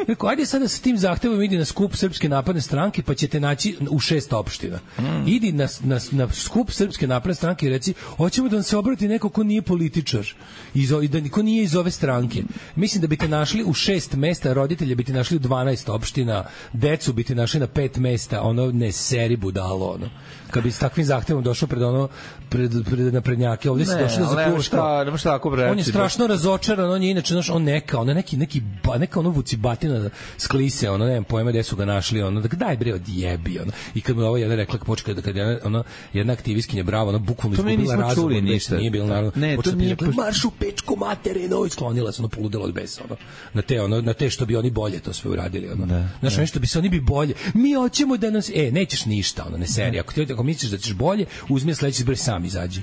Rekao, ajde sada sa tim zahtevom idi na skup Srpske napredne stranke, pa ćete naći u šest opština. Mm. Idi na, na, na skup Srpske napredne stranke i reci, hoćemo da nam se obrati neko ko nije političar, iz, da ko nije iz ove stranke. Mislim da biste našli u šest mesta, roditelje biste našli u dvanaest opština, decu biste našli na pet mesta, ono, ne seri budalo, ono. Kad bi s takvim zahtevom došao pred ono pred pred naprednjake, ovde se došao da zakuva šta, nema šta tako reći. On je strašno razočaran, on je inače naš on neka, ona neki neki ba, neka ono vucibatina sklise, ono nemam pojma gde su ga našli, ono da daj bre odjebi, ono. I kad mu ovo jedna rekla počka da kad je ona jedna aktivistkinja bravo, ona bukvalno izgubila razum, nije bilo naravno. Ne, to nije marš u pečku materinu, isklonila se, ono poludela od besa, ono. Na te ono na te što bi oni bolje to sve uradili, ono. Znaš, nešto bi se oni bi bolje. Mi hoćemo da nas e nećeš ništa, ono, ne serija. Ako ti ako misliš da ćeš bolje, uzmi sledeći izbor sam izađi.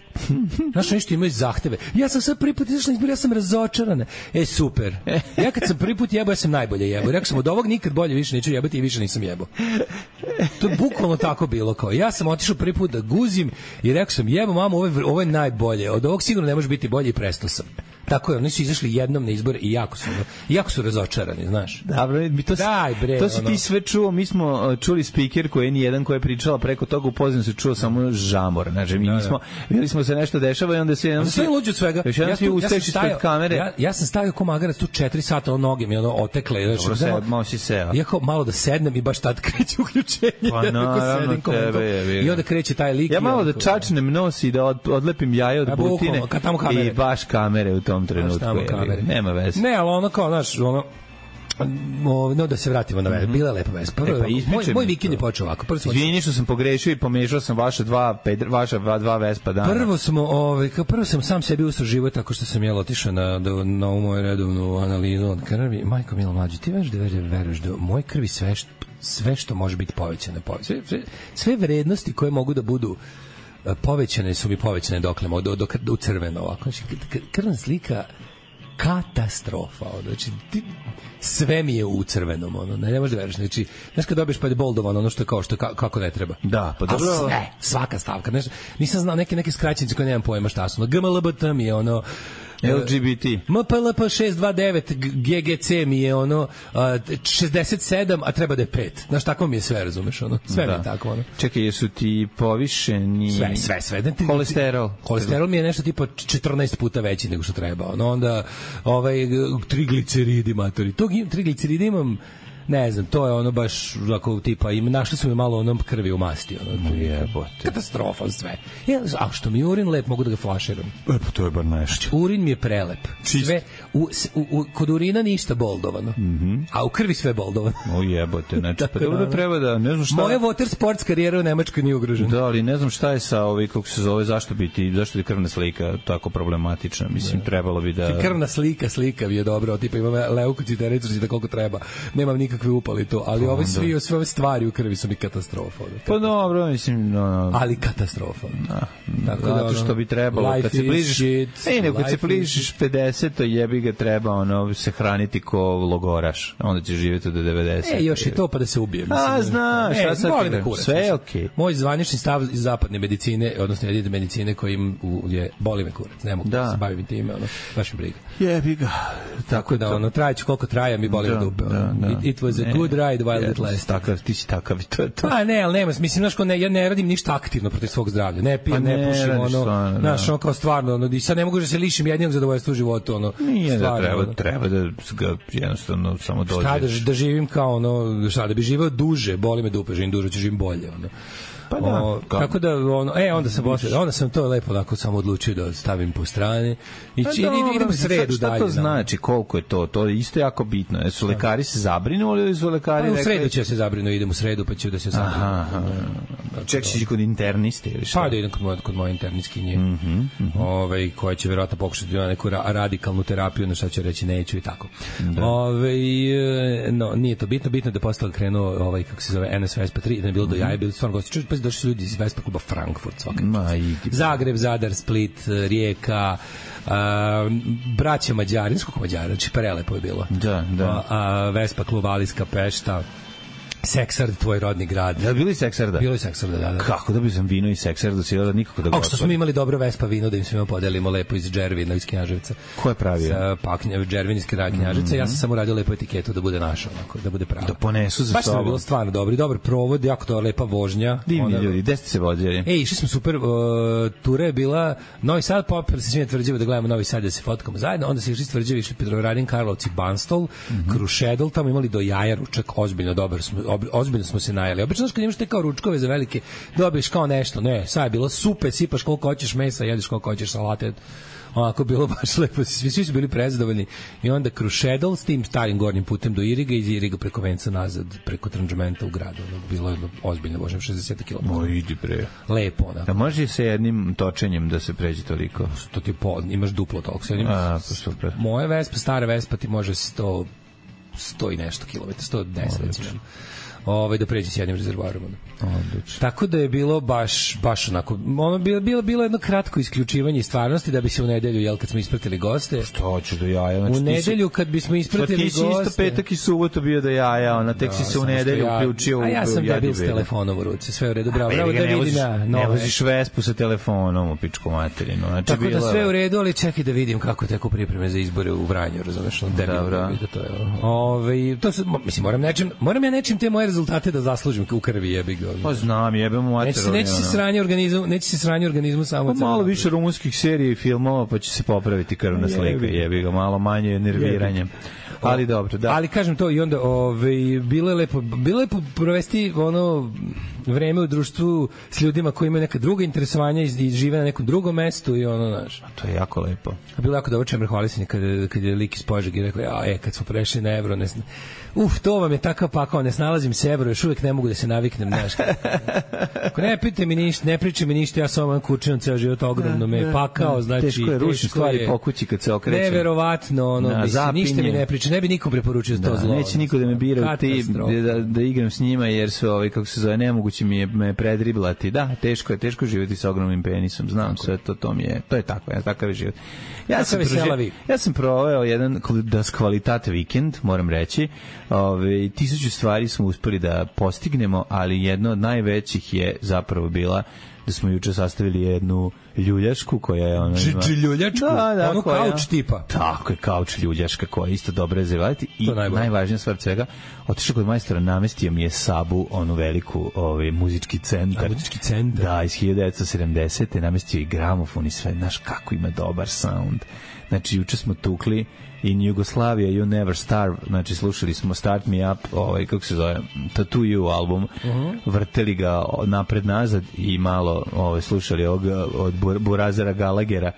Znaš, nešto imaju zahteve. Ja sam sad prvi put izašla izbor, ja sam razočarana. E, super. Ja kad sam prvi put jebao, ja sam najbolje jebao. Rekao sam, od ovog nikad bolje više neću jebati i više nisam jebao. To je bukvalno tako bilo. Kao. Ja sam otišao prvi put da guzim i rekao sam, jebo mamo, ovo je, ovo je najbolje. Od ovog sigurno ne može biti bolje i prestao sam. Tako je, oni su izašli jednom na izbore i jako su, jako su razočarani, znaš. Dobro, mi to, Daj, bre, to si ono... ti sve čuo, mi smo čuli speaker koji je nijedan koji je pričala preko toga, u pozadini se čuo samo žamor, znači mi da, nismo, vidjeli smo se nešto dešava i onda se... Onda sve luđe od svega. Još jedan ja svi usteći ispred kamere. Ja, ja sam stavio ko magarac tu četiri sata, o noge mi ono otekle. Dobro, se, malo si seo. Ja kao malo da sednem i baš tad kreće uključenje. Pa naravno, tebe je. I onda kreće taj lik. Ja malo da čačnem nos i da odlepim jaje od butine i baš kamere u tom trenutku. Nema veze. Ne, ali ono kao, znaš, ono, no da se vratimo na veze. Bila je lepa vez. Prvo, e pa moj, moj vikend je počeo ovako. Prvo smo Izvini što sam pogrešio i pomešao sam vaše dva pedra, vaša dva, dva Vespa dana. Prvo smo, ovaj, kao prvo sam sam sebi usro život tako što sam jel otišao na na, na moju redovnu analizu od krvi. Majko milo mlađi, ti veš da veruješ da moj krvi sve što, sve što može biti povećano, sve, sve, sve vrednosti koje mogu da budu povećane su mi povećane dokle do, do, do, u crveno ovako. Znači, krvna slika katastrofa, znači ti, sve mi je u crvenom, ono, ne, ne možeš da veriš, znači, znaš kad dobiješ pa je boldovan, ono što je kao, što je ka, kako ne treba. Da, pa dobro. Sve, svaka stavka, znaš, nisam znao neke, neke skraćenice koje nemam pojma šta su, ono, G M L B T mi je ono, L G B T. M P L P šest dva devet G G C mi je ono šezdeset sedam, a treba da je pet. Znaš, tako mi je sve, razumeš, ono. Sve da. Mi je tako, ono. Čekaj, jesu ti povišeni... Sve, sve, sve. Da ti, kolesterol. Kolesterol mi je nešto tipa četrnaest puta veći nego što treba. Ono, onda, ovaj, trigliceridi, matori. Tog trigliceridi imam... Ne znam, to je ono baš ako tipa im našli su mi malo onom krvi u masti, ono. Jebote. Katastrofa sve. Ja, a što mi urin lep, mogu da ga flaširam. E pa to je bar nešto. Urin mi je prelep. Čist. Sve u, u, u kod urina ništa boldovano. Mhm. A u krvi sve boldovano. O jebote, znači pa dobro treba da ne znam šta. Moja water sports karijera u Nemačkoj nije ugrožena. Da, ali ne znam šta je sa ovi kako se zove, zašto biti, zašto je krvna slika tako problematična. Mislim da. Trebalo bi da krvna slika, slika bi je dobro, tipa imam leukocitericu da koliko treba. Nemam nikakve upali to, ali ove svi sve ove stvari u krvi su mi katastrofa. Pa dobro, mislim, no, no. Ali katastrofa. Da. Tako zato što bi trebalo kad se bližiš, ej, ne, kad se bližiš pedeset, jebi ga treba ono se hraniti ko logoraš. Onda ćeš živjeti do devedeset. E, još i to pa da se ubije. Mislim. A, znaš, šta sad sve je okej. Okay. Moj zvanični stav iz zapadne medicine, odnosno jedine medicine kojim je boli me kurac. Ne mogu da, da se bavim time, ono, baš mi briga. Jebi ga. Tako da ono traje koliko traje, mi boli me dupe. Da, da. It, it was a good ride while yeah, it lasted. Takav, ti si takav, to je to. A ne, ali nema, mislim, znaš, ne, ja ne radim ništa aktivno protiv svog zdravlja. Ne pijem, ne, ne pušim, ono, stvarno, znaš, ono kao stvarno, ono, i sad ne mogu da se lišim jednog zadovoljstva u životu, ono. Nije stvarno, da treba, ono. Treba da ga jednostavno samo dođeš. Šta da, da živim kao, ono, šta, da bi živeo duže, boli me dupe, živim duže, ću živim bolje, ono. Pa da, o, tako da ono, e onda sam posle, onda sam to lepo onako samo odlučio da stavim po strani i pa idem sredu šta dalje. Šta to znači, koliko je to? To je isto jako bitno. Jesu lekari se zabrinuli ili su lekari rekli? Pa u sredu će se zabrinu, idem u sredu pa ću da se zabrinu. Aha, čekaj, si kod interniste ili šta? Pa da idem kod moje, kod moje internistkinje, mm -hmm, mm -hmm. Ove, koja će vjerojatno pokušati da neku ra radikalnu terapiju, na šta će reći neću i tako. Da. Ove, no, nije to bitno, bitno da posle krenuo ovaj, kako se zove, N S Vespa tri, da ne bilo do jaja, bilo stvarno gosti. Pa došli su ljudi iz Vespa kluba Frankfurt svaki Zagreb, Zadar, Split, Rijeka, uh, braća Mađari, skолько Mađara, znači prelepo je bilo. Da, da. Uh, Vespa klub Aliska Pešta, Seksard, tvoj rodni grad. Ja, bilo i Seksarda? Bilo i Seksarda, da, da. Kako da bi sam vino i Seksarda, sjela nikako da ga otvorim. Što smo imali dobro Vespa vino, da im svima podelimo lepo iz Džervina, iz Knjaževca. Ko je pravio? Sa, pa, Džervin iz Knjaževca, mm-hmm. ja sam samo radio lepo etiketu da bude naša, onako, da bude pravo. Da ponesu za baš sobom. Baš je bilo stvarno dobro, dobar provod, jako to lepa vožnja. Divni onda, ljudi, gde ste se vozili? Ej, išli smo super, uh, tura je bila Novi Sad, popili se svima Tvrđeva da gledamo Novi Sad, da se fotkamo zajedno, onda se išli s Tvrđeva, išli Petrovaradin, Karlovci, Banstol, mm-hmm. Krušedol, tamo imali do jaja ručak, ozbiljno dobar smo, ob, ozbiljno smo se najeli. Obično kad imaš te kao ručkove za velike, dobiješ kao nešto, ne, sad je bilo super, sipaš koliko hoćeš mesa, jedeš koliko hoćeš salate, onako bilo baš lepo, svi, svi su bili prezadovoljni. I onda Krušedol s tim starim gornjim putem do Iriga i iz Iriga preko Venca nazad, preko Tranžmenta u gradu. Ono, bilo je ozbiljno, možem šezdeset kilometara. Moj, idi bre. Lepo, onako. A može se jednim točenjem da se pređe toliko? To ti po, imaš duplo toliko. A, pa super. Moje Vespa, stara Vespa ti može sto, sto i nešto kilometara, sto deset recimo. Ovaj da pređe s jednim rezervoarom. Odlično. Tako da je bilo baš baš onako, ono bilo bilo bilo jedno kratko isključivanje iz stvarnosti da bi se u nedelju, jel, kad smo ispratili goste. Što hoćeš do jaja? Znači, u nedelju kad bismo ispratili goste. Ti si isto petak i subotu bio do jaja, ona tek da, si se u nedelju ja, uključio u. A ja sam debil s telefonom u ruci, sve u redu, bravo. Bravo da ne vidim ja. Ne voziš Vespu sa telefonom u pičku materinu. Znači tako bilo da sve u redu, ali čekaj da vidim kako teku pripreme za izbore u Vranju, razumeš, on debil da to je. Ovaj to se mislim moram nečim, moram ja nečim te moje rezultate da zaslužim u krvi, jebi ga. Pa znam, jebemo mater. Neće, neće se sranje organizmu, neće se sranje organizmu samo. Pa malo više rumunskih serija i filmova, pa će se popraviti krvna slika, jebi ga, malo manje nerviranje. Ali dobro, da. Ali kažem to i onda, ovaj bilo je lepo, bilo je lepo provesti ono vreme u društvu s ljudima koji imaju neka druga interesovanja i žive na nekom drugom mestu i ono, znaš. To je jako lepo. A bilo je jako dobro, Čemer hvalisanje kad kad je lik iz Požege rekao, ja, e, kad smo prešli na evro, ne znam. Uf, to vam je takav pakao, ne snalazim se evro, još uvijek ne mogu da se naviknem, znaš. Ako ne pitajte mi ništa, ne pričaj mi ništa, ja sam vam kučinom ceo život ogromno me pakao, znači teško je rušiti stvari po kući kad se okrećem. Neverovatno, ono, mislim, ništa mi ne priča, ne bi nikom preporučio da, to zlo. Neće niko da me bira u tim, da, da igram s njima, jer su, ovaj, kako se zove, nemoguće mi je me predriblati. Da, teško je, teško živjeti sa ogromnim penisom, znam tako. Sve to, to mi je, to je tako, ja, takav je život. Ja sam, proži, ja sam proveo jedan das kvalitat vikend, moram reći. Ove, tisuću stvari smo uspeli da postignemo, ali jedno od najvećih je zapravo bila da smo juče sastavili jednu ljuljašku koja je ona ima... Ljuljačku? Da, da, ono kauč tipa. Tako je, kauč ljuljaška koja je isto dobro rezervati i najvažnija stvar svega, otišao kod majstora, namestio mi je Sabu, onu veliku ovaj, muzički centar. A, muzički centar? Da, iz hiljadu devetsto sedamdesete namestio i gramofon i sve, znaš kako ima dobar sound. Znači, juče smo tukli In Yugoslavia You Never Starve, znači slušali smo Start Me Up, ovaj, kako se zove, Tattoo You album, uh-huh. vrteli ga napred nazad i malo ovaj, slušali ovog od Burazera Galagera.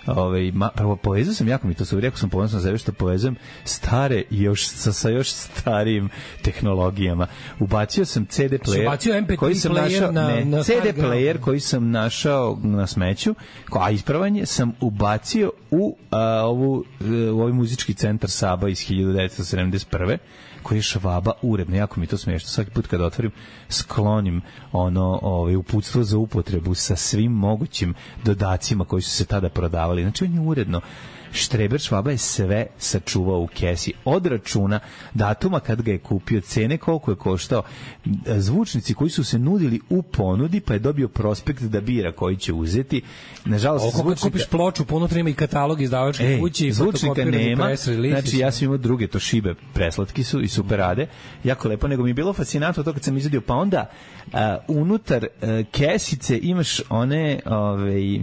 Ovaj ma, prvo povezao sam, jako mi to su rekao sam ponosan za što povezujem stare još sa, sa još starijim tehnologijama. Ubacio sam ce de player koji sam našao na, ne, na ce de player koji sam našao na smeću, a ispravanje sam ubacio u a, ovu u ovaj muzički centar Saba iz hiljadu devetsto sedamdeset prve koji je Švaba uredno, jako mi to smiješno. Svaki put kada otvorim, sklonim ono, ovaj, uputstvo za upotrebu sa svim mogućim dodacima koji su se tada prodavali. Znači, on je uredno. Štreber Švaba je sve sačuvao u kesi. Od računa datuma kad ga je kupio, cene koliko je koštao, zvučnici koji su se nudili u ponudi, pa je dobio prospekt da bira koji će uzeti. Nažalost, zvučnika... kupiš ploču, ponutra ima i katalog izdavačke e, kući, zvučnika nema. Znači, ja sam imao druge Toshibe, preslatki su i super rade. Jako lepo, nego mi je bilo fascinantno to kad sam izvadio. Pa onda, uh, unutar uh, kesice imaš one... Ove,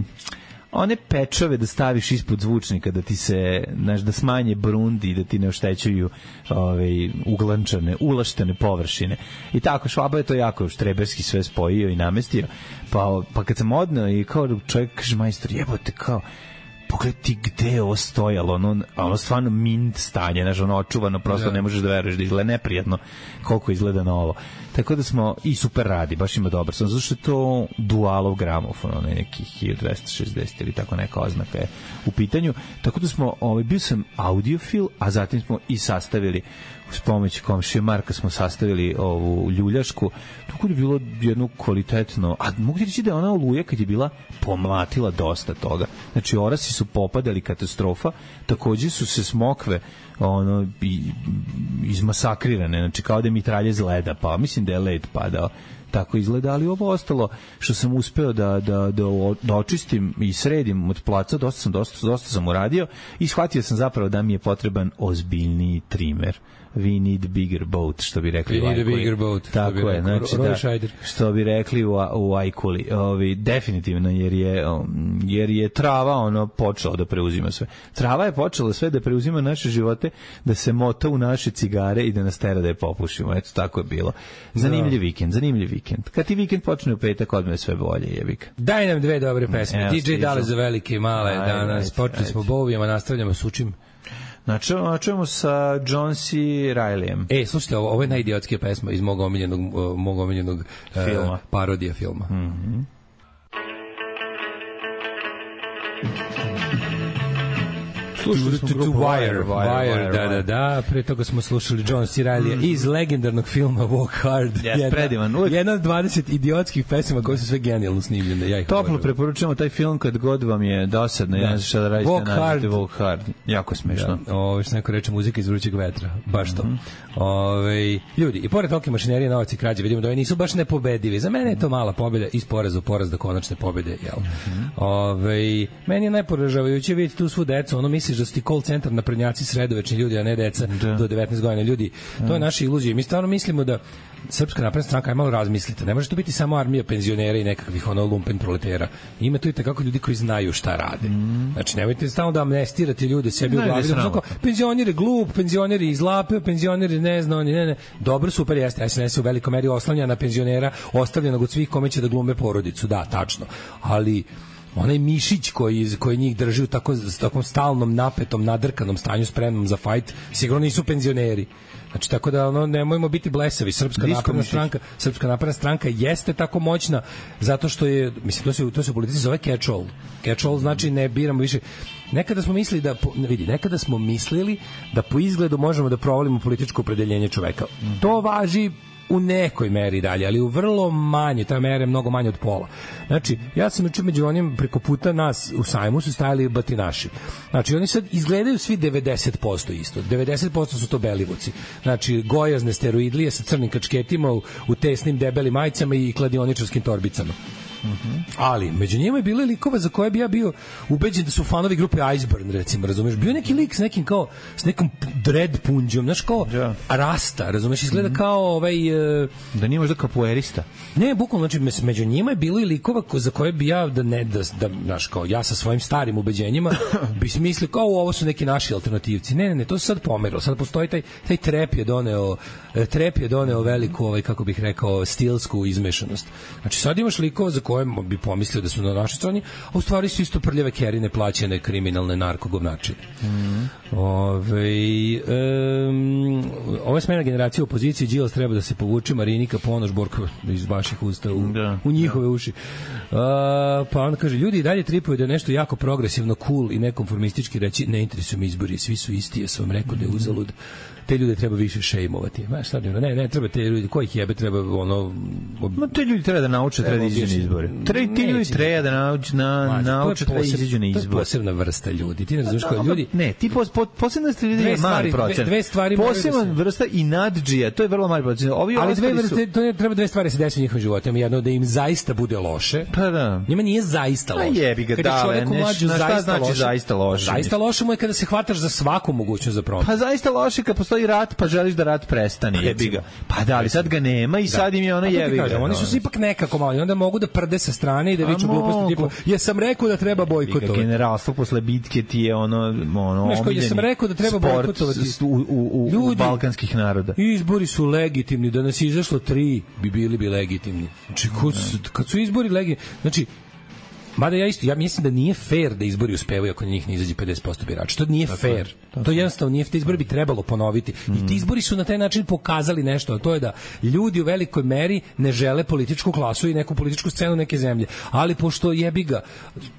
one pečove da staviš ispod zvučnika da ti se, znaš, da smanje brundi, da ti ne oštećuju ove, uglančane, ulaštene površine. I tako, Švaba je to jako štreberski sve spojio i namestio. Pa, pa kad sam odneo i kao čovjek kaže, majstor, jebote, kao, pogledaj ti gde je ovo stojalo, ono, ono stvarno mint stanje, znaš, ono očuvano, prosto ne možeš da veruješ da izgleda neprijatno koliko izgleda novo. Tako da smo i super radi, baš ima dobar sam, zato što je to dualov gramofon, onaj neki hiljadu dvesta šezdeset ili tako neka oznaka je u pitanju. Tako da smo, ovaj, bio sam audiofil, a zatim smo i sastavili uz pomoć komšije Marka smo sastavili ovu ljuljašku, tako da je bilo jedno kvalitetno, a mogu ti reći da je ona Oluja kad je bila pomlatila dosta toga. Znači, orasi su popadali, katastrofa, takođe su se smokve ono, izmasakrirane, znači kao da je mitralje z leda, pa mislim da je led padao. Tako izgleda, ali ovo ostalo što sam uspeo da, da, da, da očistim i sredim od placa, dosta sam, dosta, dosta sam uradio i shvatio sam zapravo da mi je potreban ozbiljniji trimer. We need bigger boat, što bi rekli We u Ajkuli. need a bigger boat. Tako je, znači da, što bi rekli u, u Ajkuli. Ovi, definitivno, jer je, jer je trava ono počela da preuzima sve. Trava je počela sve da preuzima naše živote, da se mota u naše cigare i da nas tera da je popušimo. Eto, tako je bilo. Zanimljiv vikend, zanimljiv vikend. Kad ti vikend počne u petak, odme je sve bolje, jebik. Daj nam dve dobre pesme. Evo, D J Dale za velike i male. Aj, danas počeli smo Bovijama, nastavljamo s učim. Načujemo sa John C. Reillyem. E, slušajte, ovo, ovo je najidiotskija pesma iz mog omiljenog, mog omiljenog filma. Uh, parodija filma. Mhm. Slušali smo grupu Wire, Wire, da, da, da. Pre toga smo slušali John C. Reilly iz legendarnog filma Walk Hard. Yes, predivan. Jedna od dvadeset idiotskih pesama koje su sve genijalno snimljene. Ja Toplo preporučujemo taj film kad god vam je dosadno. Ja ne znam šta da radite. Walk Hard. Walk Hard. Jako smešno. Da. Ovo što neko reče, muzika iz vrućeg vetra. Baš to. Mm-hmm. Ove, ljudi, i pored tolike mašinerije, novac i krađe, vidimo da ovi nisu baš nepobedivi. Za mene je to mala pobjeda iz poraza u poraz do konačne pobjede. Jel? Mm-hmm. Ove, meni je najporažavajuće vidjeti tu svu decu. Ono misliš da su ti call centar naprednjaci sredovečni ljudi, a ne deca da. do devetnaest godina ljudi. To je naša iluzija. Mi stvarno mislimo da Srpska napredna stranka, aj malo razmislite. Ne može to biti samo armija penzionera i nekakvih ono lumpen proletera. Ima tu i takako ljudi koji znaju šta rade. Mm. Znači, nemojte stalno da amnestirate ljude sebi u glavi. Da penzioner je glup, penzioner je izlapio, penzioner je ne zna, ne, ne. Dobro, super, jeste. S N S u velikoj meri oslanja na penzionera, ostavljenog od svih kome će da glume porodicu. Da, tačno. Ali onaj mišić koji, koji njih drži u tako, takom stalnom, napetom, nadrkanom stanju, spremnom za fajt, sigurno nisu penzioneri. Znači, tako da ono, nemojmo biti blesavi. Srpska napredna stranka, Srpska napredna stranka jeste tako moćna zato što je, mislim, to se, to se u politici zove catch-all. Catch-all znači ne biramo više. Nekada smo mislili da, vidi, nekada smo mislili da po izgledu možemo da provalimo političko opredeljenje čoveka. To važi u nekoj meri dalje, ali u vrlo manje, ta mera je mnogo manje od pola. Znači, ja sam juče među onim preko puta nas u sajmu su stajali batinaši. Znači, oni sad izgledaju svi devedeset posto isto. devedeset posto su to belivuci. Znači, gojazne steroidlije sa crnim kačketima u, u tesnim debelim majicama i kladioničarskim torbicama. Mm-hmm. Ali među njima je bilo likova za koje bi ja bio ubeđen da su fanovi grupe Iceburn, recimo, razumeš? Bio neki lik s nekim kao s nekom dread punđom, znaš, kao yeah. Rasta, razumeš? Izgleda mm-hmm. kao ovaj uh, da nije možda kapoeirista. Ne, bukvalno, znači među njima je bilo i likova za koje bi ja da ne da, da znaš, kao ja sa svojim starim ubeđenjima bi smislio kao ovo su neki naši alternativci. Ne, ne, ne, to se sad pomerilo. Sad postoji taj taj trep je doneo trep je doneo veliku, ovaj, kako bih rekao, stilsku izmešanost. Znači sad imaš likova za koje bi pomislio da su na našoj strani, a u stvari su isto prljave kerine plaćene kriminalne narkogovnačine. Mm. Ove, um, ova smena generacija opozicije, Đilas treba da se povuče, Marinika Ponoš, Borko iz vaših usta u, da, u njihove da. uši. Uh, pa on kaže, ljudi i dalje tripuju da je nešto jako progresivno, cool i nekonformistički reći, ne interesuju mi izbori, svi su isti, ja sam vam rekao da je uzalud. Te ljude treba više šejmovati. Ma šta ne, ne treba te ljudi, kojih jebe treba ono ob... Ma te ljudi treba da nauče treba da izađu na izbore. Tre ti ljudi treba da nauče na nauče da izađu na izbore. To je posebna vrsta ljudi. Ti ne znaš koji ljudi. Ne, ti pos, po, posebna vrsta ljudi je mali procent. Dve stvari posebna vrsta i nadđija, to je vrlo mali procent. Ovi ali dve vrste, to je treba dve stvari se desi u njihovim životima, jedno da im zaista bude loše. Pa da. Njima nije zaista loše. A jebi ga, da, šta znači zaista loše? Zaista loše mu je kada se hvataš za svaku mogućnost za promenu. Pa zaista loše kad postoji rat, pa želiš da rat prestane, jebi ga. Pa da, ali sad ga nema i da. Sad im je ono jebi ga. Oni su se ipak nekako malo, onda mogu da prde sa strane i da viču gluposti tipa, ja sam rekao da treba bojkotovati. Generalstvo posle bitke ti je ono, ono, omiljeni. Ja sam rekao da treba bojkotovati u, u, u, u balkanskih naroda. Izbori su legitimni, da nas izašlo tri, bi bili bi legitimni. Znači, kad su izbori legitimni, znači, Mada ja isto, ja mislim da nije fair da izbori uspevaju ako na njih ne izađe pedeset posto birača. To nije tako fair. Je, to jednostavno nije, te izbori bi trebalo ponoviti. Mm. I ti izbori su na taj način pokazali nešto, a to je da ljudi u velikoj meri ne žele političku klasu i neku političku scenu neke zemlje. Ali pošto jebi ga,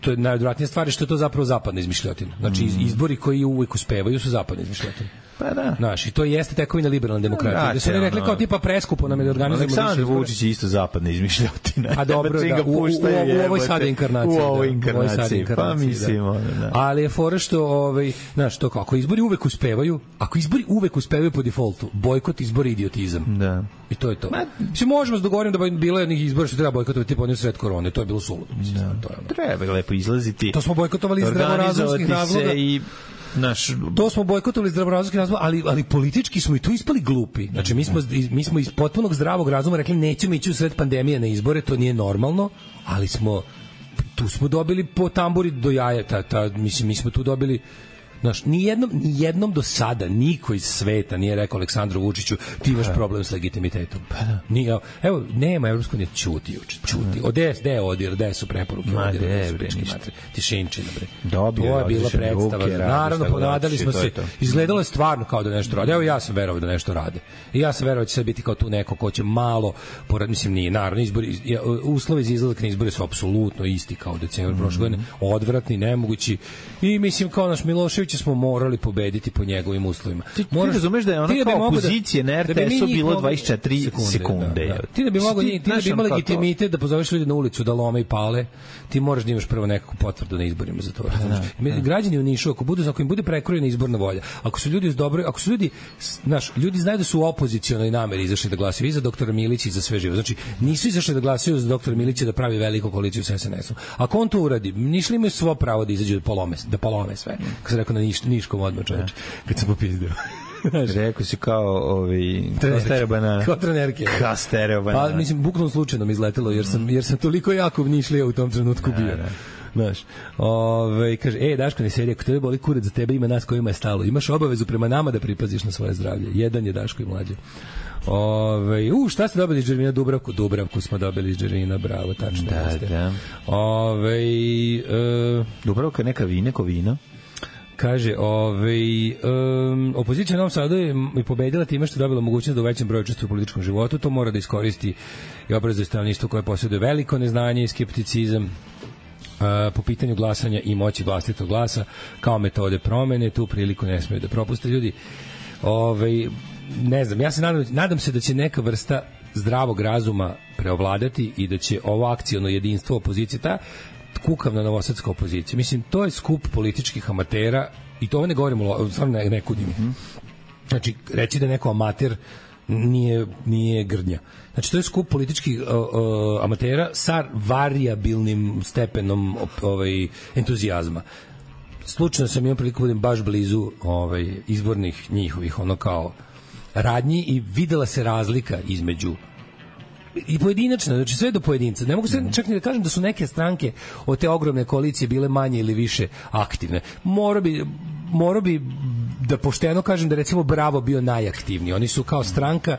to je najodvratnija stvar što je to zapravo zapadna izmišljotina. Znači mm. izbori koji uvek uspevaju su zapadne izmišljotine. Pa da. Znaš, i to jeste tekovina liberalne demokratije. Da su oni rekli kao tipa preskupo nam je da organizujemo više. Aleksandar Vučić je isto zapadna izmišljotina. A dobro, da, u, u, u, u ovoj sada inkarnaciji. U ovoj inkarnaciji, pa mislimo. Da. Ali je fora što, ovaj, znaš, to kako izbori uvek uspevaju, ako izbori uvek uspevaju po defaultu, bojkot izbori idiotizam. Da. I to je to. Svi možemo se dogovoriti da bi bilo jednih izbora što treba bojkotovati tipa oni u sred korone, to je bilo suludo. Da. To je ono. Treba lepo izlaziti. To smo bojkotovali iz zdravorazumskih razloga. I naš to smo bojkotovali iz zdravorazumskih razloga, ali ali politički smo i tu ispali glupi. Znači mi smo mi smo iz potpunog zdravog razuma rekli nećemo ići u sred pandemije na izbore, to nije normalno, ali smo tu smo dobili po tamburi do jaja, ta, ta mislim mi smo tu dobili. Znaš, ni jednom, ni jednom do sada niko iz sveta nije rekao Aleksandru Vučiću ti imaš problem s legitimitetom. Pa da. Nije, evo, nema Evropsko unije, ćuti juče, ćuti. Ode, de odir, de su preporuke. Ma, de, bre, ništa. Tišinčina, bre. Dobio, to je bila predstava. Ruke, Naravno, ponadali smo se. Izgledalo je stvarno kao da nešto rade. Evo, ja sam verovao da nešto rade. I ja sam verovao da će sad biti kao tu neko ko će malo, porad, mislim, nije, naravno, izbori, uslovi za izlazak na izbore su apsolutno isti kao u decembru mm. prošle godine, odvratni, nemogući. I mislim, kao naš Milošević smo morali pobediti po njegovim uslovima. Ti, ti razumeš da je ona kao opozicije da, na er te esu da bilo dvadeset četiri sekunde. sekunde da, da. Ti da bi mogao, ti, ti da bi imali legitimitet da pozoveš ljudi na ulicu da lome i pale, ti moraš da imaš prvo nekakvu potvrdu na izborima za to. Da, da. Građani u Nišu, ako budu, ako im bude prekrojena izborna volja, ako su ljudi uz dobro, ako su ljudi, znaš, ljudi znaju da su u opozicionoj nameri izašli da glasaju i za doktora Milića i za sve živo. Znači, nisu izašli da glasaju za doktora Milića da pravi veliku koaliciju sa es en esom. Ako on to uradi, Nišli imaju svo pravo da izađu da polome, da polome sve. Kako se rekao na Niš, Niškom odmah, čoveče, kad sam popizdeo. Rekao si kao ovi stereo banana. Kao trenerke. Kao stereo banana. Pa, mislim, bukvalno slučajno mi izletelo, jer sam, jer sam toliko jako Nišlija u tom trenutku bio. Znaš, ove, kaže, e, Daško ne sedi, ako tebe boli kurac, za tebe ima nas kojima je stalo. Imaš obavezu prema nama da pripaziš na svoje zdravlje. Jedan je Daško i mlađe. Ove, u, šta ste dobili iz Džervina? Dubravku? Dubravku smo dobili iz Džervina, bravo, tačno. Da, da. Ove, e, Dubravka je neka vina, neko vino. Kaže, ovaj, um, opozicija na Novom Sadu je i pobedila time što je dobila mogućnost da u većem broju učestvuje u političkom životu. To mora da iskoristi i obrazuje stanovništvo koje posjeduje veliko neznanje i skepticizam uh, po pitanju glasanja i moći vlastitog glasa kao metode promene. Tu priliku ne smiju da propuste ljudi. Ovaj, ne znam, ja se nadam, nadam se da će neka vrsta zdravog razuma preovladati i da će ovo akciono jedinstvo opozicije, ta kukavna novosadska opozicija. Mislim, to je skup političkih amatera i to ovo ne govorimo, stvarno ne, ne kudim. Mm-hmm. Znači, reći da je neko amater nije, nije grdnja. Znači, to je skup političkih uh, uh, amatera sa variabilnim stepenom ovaj, entuzijazma. Slučajno sam imao priliku budem baš blizu ovaj, izbornih njihovih, ono kao radnji i videla se razlika između i pojedinačno, znači sve do pojedinca. Ne mogu se čak ni da kažem da su neke stranke od te ogromne koalicije bile manje ili više aktivne. Mora bi, mora bi da pošteno kažem da recimo Bravo bio najaktivniji. Oni su kao stranka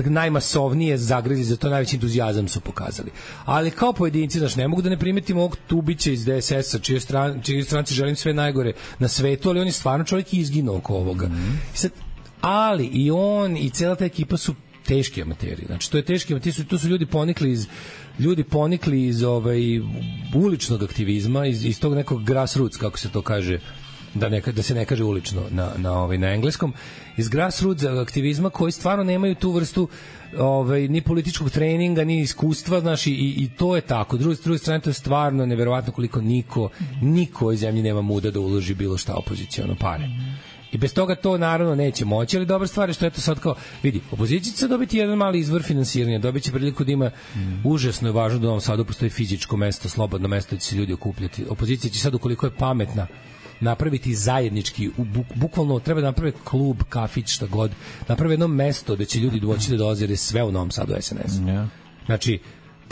najmasovnije zagrezi, za to najveći entuzijazam su pokazali. Ali kao pojedinci, znači, ne mogu da ne primetim ovog Tubića iz de es es-a, čije, stran, čije stranci želim sve najgore na svetu, ali on je stvarno čovjek izginuo oko ovoga. Mm-hmm. Sad, ali i on i cela ta ekipa su teški amateri. Znači, to je teški amateri, su, tu su ljudi ponikli iz ljudi ponikli iz ovaj, uličnog aktivizma, iz, iz tog nekog grassroots, kako se to kaže, da, ne, da se ne kaže ulično na, na, ovaj, na engleskom, iz grassroots aktivizma koji stvarno nemaju tu vrstu ovaj, ni političkog treninga, ni iskustva, znaš, i, i to je tako. Drugi, drugi strane, to je stvarno neverovatno koliko niko, niko iz zemlji nema muda da uloži bilo šta opoziciono pare. I bez toga to naravno neće moći, ali dobra stvar je što eto sad kao, vidi, opozicija će dobiti jedan mali izvor finansiranja, dobit će priliku da ima, mm. užasno je važno da u Novom Sadu postoji fizičko mesto, slobodno mesto gde će se ljudi okupljati. Opozicija će sad, ukoliko je pametna, napraviti zajednički, buk, bukvalno treba da naprave klub, kafić, šta god, naprave jedno mesto gde će ljudi doći da dolaze, jer je sve u Novom Sadu es en es. Yeah. Znači,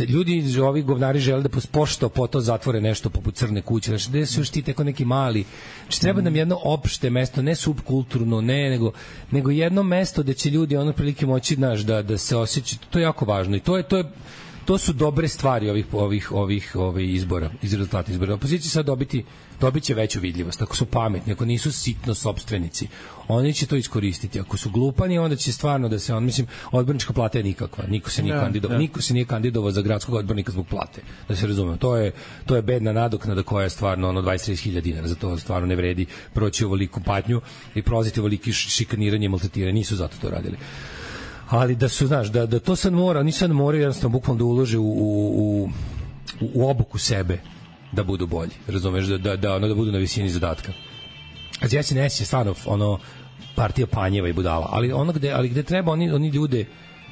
ljudi, ovi govnari žele da pošto po to zatvore nešto poput Crne kuće, znači gde su još ti teko neki mali, znači treba nam jedno opšte mesto, ne subkulturno, ne, nego, nego jedno mesto gde će ljudi ono prilike moći, znaš, da, da se osjećaju, to je jako važno i to je, to je to su dobre stvari ovih ovih ovih ovih izbora, iz rezultata izbora. Opozicija sad dobiti dobiće veću vidljivost. Ako su pametni, ako nisu sitno sopstvenici, oni će to iskoristiti. Ako su glupani, onda će stvarno da se on, mislim, odbornička plata je nikakva. Niko se nije kandidovao, niko se nije kandidovao za gradskog odbornika zbog plate. Da se razumemo, to je to je bedna nadoknada koja je stvarno ono dvadeset do trideset hiljada dinara. Za to stvarno ne vredi proći ovoliku patnju i prolaziti ovoliki šikaniranje i maltretiranje. Nisu zato to radili. Ali da su, znaš, da, da to sad mora, oni sad moraju jednostavno bukvalno da ulože u, u, u, u obuku sebe da budu bolji, razumeš, da, da, da, ono, da budu na visini zadatka. A S N S je stvarno ono, partija panjeva i budala, ali ono gde, ali gde treba, oni, oni ljude,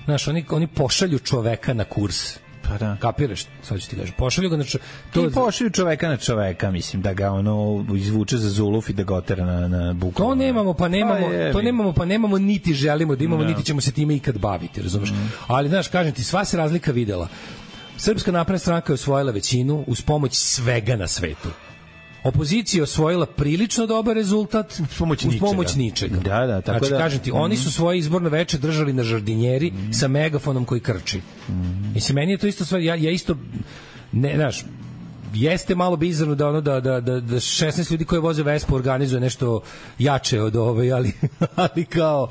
znaš, oni, oni pošalju čoveka na kurs. Pa da. Kapiraš? Sad ću ti kažem. Pošalju ga na čoveka. To... I pošalju čoveka na čoveka, mislim, da ga ono izvuče za zuluf i da ga otera na, na buku. To nemamo, pa nemamo, pa to nemamo, pa nemamo, niti želimo da imamo, no. niti ćemo se time ikad baviti, razumeš? Mm. Ali, znaš, kažem ti, sva se razlika videla. Srpska napredna stranka je osvojila većinu uz pomoć svega na svetu. Opozicija je osvojila prilično dobar rezultat uz pomoć, uz pomoć ničega. Da, da, tako znači, da. kažem ti, mm-hmm. oni su svoje izborno veče držali na žardinjeri mm-hmm. sa megafonom koji krči. Mm-hmm. Mislim, meni je to isto stvar, ja, ja isto, ne, znaš, jeste malo bizarno da ono da da da, da šesnaest ljudi koji voze Vespu organizuje nešto jače od ove, ali ali kao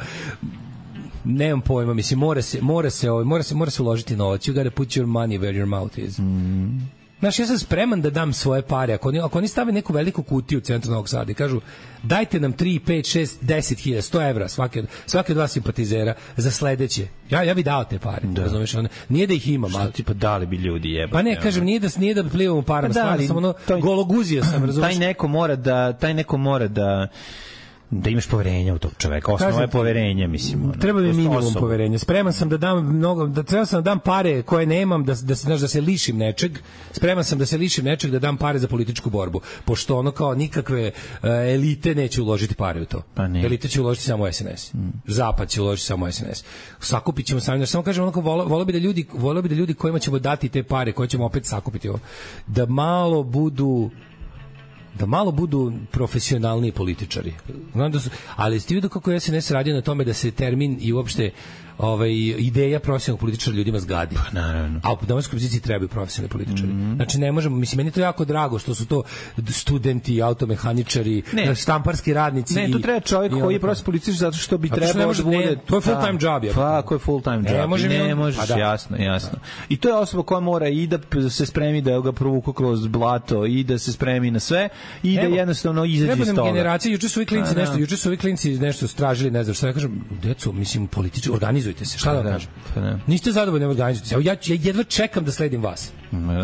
nemam pojma, mislim, mora se mora se ovaj mora se mora se uložiti novac. You gotta put your money where your mouth is. Mm. Znaš, ja sam spreman da dam svoje pare. Ako oni, ako oni stave neku veliku kutiju u centru Novog Sada i kažu dajte nam tri, pet, šest, deset hiljada, sto evra svake, svake dva simpatizera za sledeće. Ja, ja bih dao te pare. Da. Razumeš, one, nije da ih imam. Šta tipa dali bi ljudi jebati. Pa ne, ja, kažem, nije da, nije da plivamo parama. Pa da, stvarno sam ono, taj, gologuzija sam, razumeš. Taj neko mora da, taj neko mora da da imaš poverenja u tog čoveka. Osnova je poverenje, mislim. Ono, treba mi minimum osobu. Poverenja. Spreman sam da dam mnogo, da treba sam da dam pare koje nemam, da da se znaš da se lišim nečeg. Spreman sam da se lišim nečeg, da dam pare za političku borbu, pošto ono kao nikakve uh, elite neće uložiti pare u to. Pa elite će uložiti samo S N S. Mm. Zapad će uložiti samo S N S. Sakupićemo sami, samo kažem onako voleo vole bi da ljudi, voleo bi da ljudi kojima ćemo dati te pare, koje ćemo opet sakupiti, da malo budu da malo budu profesionalniji političari. Znam da su, ali ste vidio kako S N S radi na tome da se termin i uopšte ovaj, ideja profesionalnog političara ljudima zgadi. Pa naravno. A u domaćoj opoziciji trebaju profesionalni političari. Mm-hmm. Znači ne možemo, mislim, meni je to jako drago što su to studenti, automehaničari, ne. štamparski radnici. Ne, to treba čovjek koji je profesionalni političar zato što bi trebao da bude... To je full time job. Ja. Pa, ko je full time job. Ne, može ne možeš, da. jasno, jasno. Da. I to je osoba koja mora i da se spremi da ga provuku kroz blato i da se spremi na sve i da jednostavno izađe iz toga. Generacije, juče su ovi klinci nešto, juče su ovi klinci nešto stražili, ne znam šta ja kažem, deco, mislim, politički organizujte se, šta da vam kažem? Niste zadovoljni, organizujte se. Evo, ja, ja jedva čekam da sledim vas.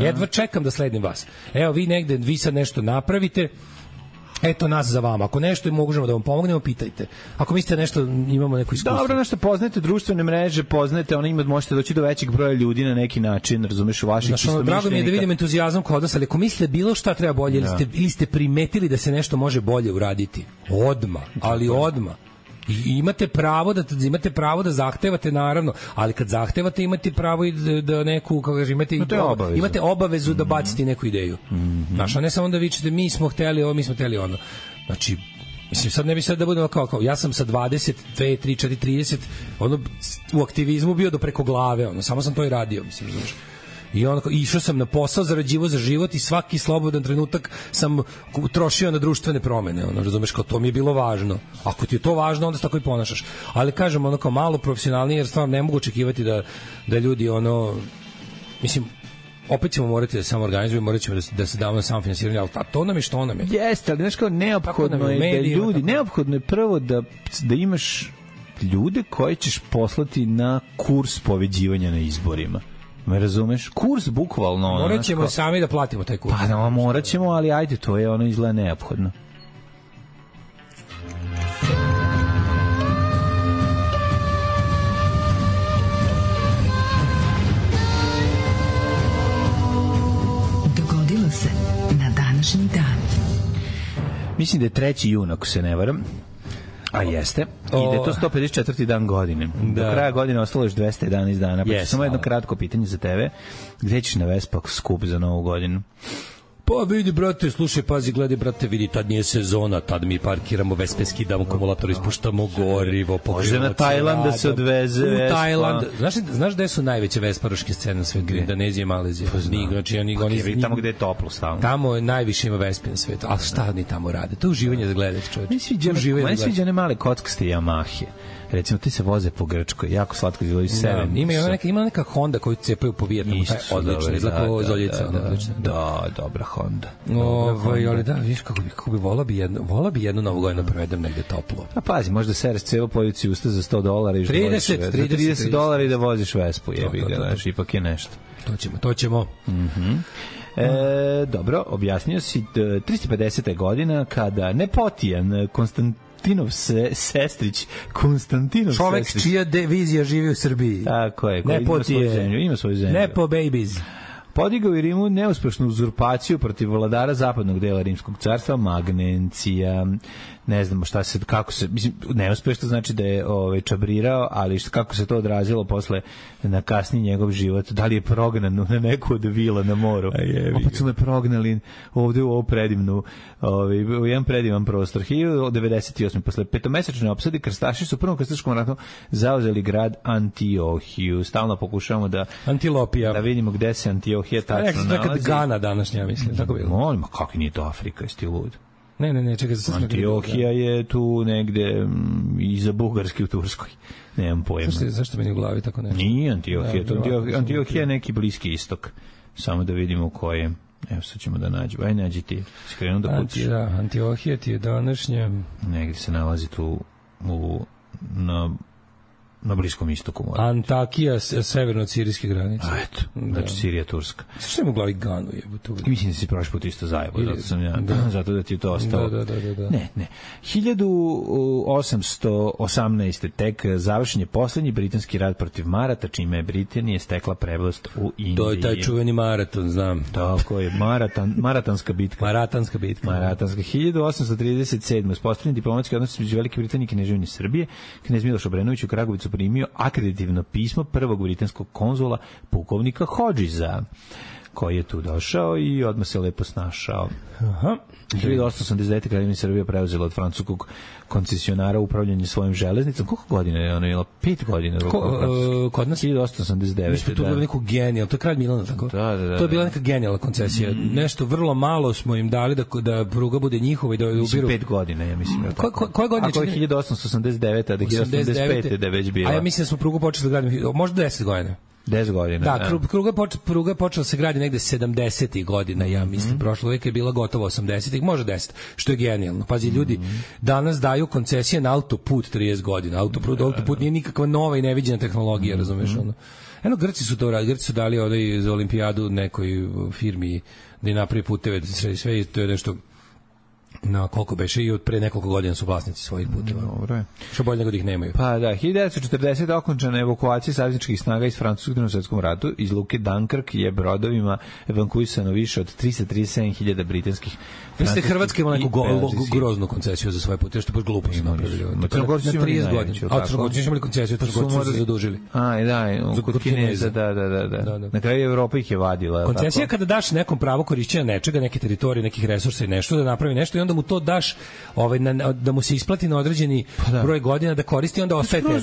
Jedva čekam da sledim vas. Evo, vi negde, vi sad nešto napravite, eto nas za vama. Ako nešto možemo da vam pomognemo, pitajte. Ako mislite nešto, imamo neko iskustvo. Dobro, nešto poznajete društvene mreže, poznajete, ona ima, možete doći do većeg broja ljudi na neki način, razumeš, u vaših istomišljenika. Drago mi je da vidim entuzijazam kod vas, ali ako mislite bilo šta treba bolje, ili ste, ili ste primetili da se nešto može bolje uraditi, odma, ali odma. I imate pravo da imate pravo da zahtevate, naravno, ali kad zahtevate imate pravo i da, da neku, kako kažem, imate obavezu. imate obavezu mm-hmm. da bacite neku ideju. Mm-hmm. Znaš, a ne samo da vičete mi smo hteli ovo, mi smo hteli ono. Znači, mislim, sad ne bi sad da budemo kao, kao ja sam sa dvadeset, dve, tri, četiri, trideset ono, u aktivizmu bio do preko glave, ono, samo sam to i radio, mislim, znaš. I onako, išao sam na posao, zarađivao za život i svaki slobodan trenutak sam trošio na društvene promene, ono, razumeš, kao to mi je bilo važno. Ako ti je to važno, onda se tako i ponašaš. Ali kažem, ono, kao malo profesionalnije, jer stvarno ne mogu očekivati da, da ljudi, ono, mislim, opet ćemo morati da samo organizujemo, morat ćemo da, da se damo na samo finansiranje, ali to nam je što nam je. Jeste, ali znaš kao, neophodno je da ljudi, neophodno je prvo da, da imaš ljude koje ćeš poslati na kurs pobeđivanja na izborima. Me razumeš? Kurs bukvalno. Morat ćemo ko... sami da platimo taj kurs. Pa da, morat ćemo, ali ajde, to je ono izgleda neophodno. Dogodilo se na današnji dan. Mislim da je treći jun, ako se ne varam. A jeste. I da je to sto pedeset četvrti dan godine. Da. Do kraja godine ostalo još dvesta jedanaest dana. Pa yes, samo jedno kratko pitanje za tebe. Gde ćeš na Vespa skup za Novu godinu? Pa vidi, brate, slušaj, pazi, gledaj, brate, vidi, tad nije sezona, tad mi parkiramo vespe, skidamo akumulator, ispuštamo gorivo, može na Tajland da se odveze u Tajland. Znaš, znaš gde su najveće vesparoške scene na svetu? Indonezija i Malezija. Pa znam. Znači, oni, pa, oni, je, tamo gde je toplo stalno. Tamo najviše ima vespe na svetu. A šta oni tamo rade? To je uživanje da gledate, čovječ. Meni sviđa one male kockaste Yamahe. Recimo, ti se voze po Grčkoj, jako slatko izgledaju sedam. Ima neka, ima neka Honda koju cepaju po Vijetnamu, taj odlično, izgleda kao Zoljica. Da, da, da, da, dobra Honda. Ovaj, ali da, vidiš kako bi, kako bi vola bi jedno, vola bi jednu novu godinu provedem negde toplo. Pa pazi, možda sereš celu policiju usta za sto dolara i trideset, trideset dolara i da voziš Vespu, jebi ga, znaš, ipak je nešto. To ćemo, to ćemo. Mhm. E, dobro, objasnio si tristo pedeseta godina kada nepotijan Konstantin Konstantinov se, sestrić, Konstantinov čovek sestrić. Čija divizija živi u Srbiji. Tako je, koji ima svoju zemlju. Ima svoju zemlju. Nepo babies. Podigao i Rimu neuspešnu uzurpaciju protiv vladara zapadnog dela Rimskog carstva, Magnencija. Ne znamo šta se, kako se, mislim, neuspešno znači da je ovaj, čabrirao, ali šta, kako se to odrazilo posle na kasniji njegov život, da li je prognan na neku od vila na moru. Opet su me prognali ovde u ovu predivnu, ovaj, u jedan predivan prostor. hiljadu devedeset osme posle petomesečne opsade, krstaši su u prvom krstaškom ratu zauzeli grad Antiohiju. Stalno pokušavamo da Antilopija. Da vidimo gde se Antiohija tačno nalazi. Nekad Gana današnja, mislim. Tako bilo. Molim, kako nije to Afrika, jesi lud? Ne, ne, ne, čekaj, sad Antiohija je tu negde m, iza Bugarske u Turskoj. Nemam pojma. Zašto, zašto meni u glavi tako nešto? Nije Antiohija, da, Antiohija, Antiohija je neki Bliski istok. Samo da vidimo ko je. Evo sad ćemo da nađemo. Aj, nađi ti. Skrenu da puciš. Anti, da, Antiohija ti je današnja. Negde se nalazi tu u, na... na Bliskom istoku. Mora. Antakija, severno od sirijske granice. A eto, znači da. Sirija, Turska. Što je mu glavi Ganu jebote? Mislim da si prošli put isto zajebo, zato sam ja, da. zato da ti je to ostalo. Da, da, da, da. Ne, ne. hiljadu osamsto osamnaeste tek završen je poslednji britanski rat protiv Marata, čime je Britanija stekla prevlast u Indiji. To je taj čuveni maraton, znam. Tako je, maratan, maratanska bitka. Maratanska bitka. Maratanska. hiljadu osamsto trideset sedme uspostavljen diplomatski odnos između Velike Britanije i Kneževine Srbije. Knez Miloš Obrenović u Kragovicu primio akreditivno pismo prvog britanskog konzula pukovnika Hodžiza, koji je tu došao i odmah se lepo snašao. Aha. hiljadu osamsto osamdeset devete. Kraljevina Srbija preuzela od francuskog koncesionara upravljanje svojim železnicom. Koliko godina je ono imala? Pet godina. Ko, uh, kod nas? hiljadu osamsto osamdeset devete. Mi smo tu bilo neku genijal, to je kralj Milana, tako? Da, da, da. To je bila neka genijalna koncesija. Mm. Nešto vrlo malo smo im dali da, da pruga bude njihova i da ubiru. Mislim, pet godina, ja mislim. Ko, ko, koje godine? Ako je hiljadu osamsto osamdeset devete. da hiljadu osamsto osamdeset pete. da je već bila. A ja mislim da smo prugu počeli da gradimo, možda deset godina. deset godina. Da, da. Pruga, poč, pruga je počela se gradi negde sedamdesetih godina, ja mislim, mm -hmm. prošlo uvijek je bila gotovo osamdesetih, može deset, što je genijalno. Pazi, ljudi danas daju koncesije na autoput trideset godina. Autoput, autoput nije nikakva nova i neviđena tehnologija, razumeš, ono. Eno, Grci su to radili, Grci su dali ovdje za olimpijadu nekoj firmi da je napravi puteve, sve, sve to je nešto na koliko beše i od pre nekoliko godina su vlasnici svojih puteva. Dobro je. Što bolje nego da ih nemaju. Pa da, hiljadu devetsto četrdesete. okončana evakuacija savezničkih snaga iz Francuskog drugom svetskom ratu. Iz luke Dunkirk je brodovima evakuisano više od tristo trideset sedam hiljada britanskih. Mislim da Hrvatska ima neku go, groznu koncesiju za svoje puteve, što baš glupo su napravili. Na trideset godina. A Crnogorci su imali koncesiju, Crnogorci su se zadužili. A, da, kod Kineza, da, da, da, da. Na kraju Evropa ih je vadila. Koncesija kada daš nekom pravo korišćenja nečega, neke teritorije, nekih resursa i nešto da napravi nešto i onda mu to daš, ovaj, na, da mu se isplati na određeni pa broj godina da koristi, onda ostaje tebi.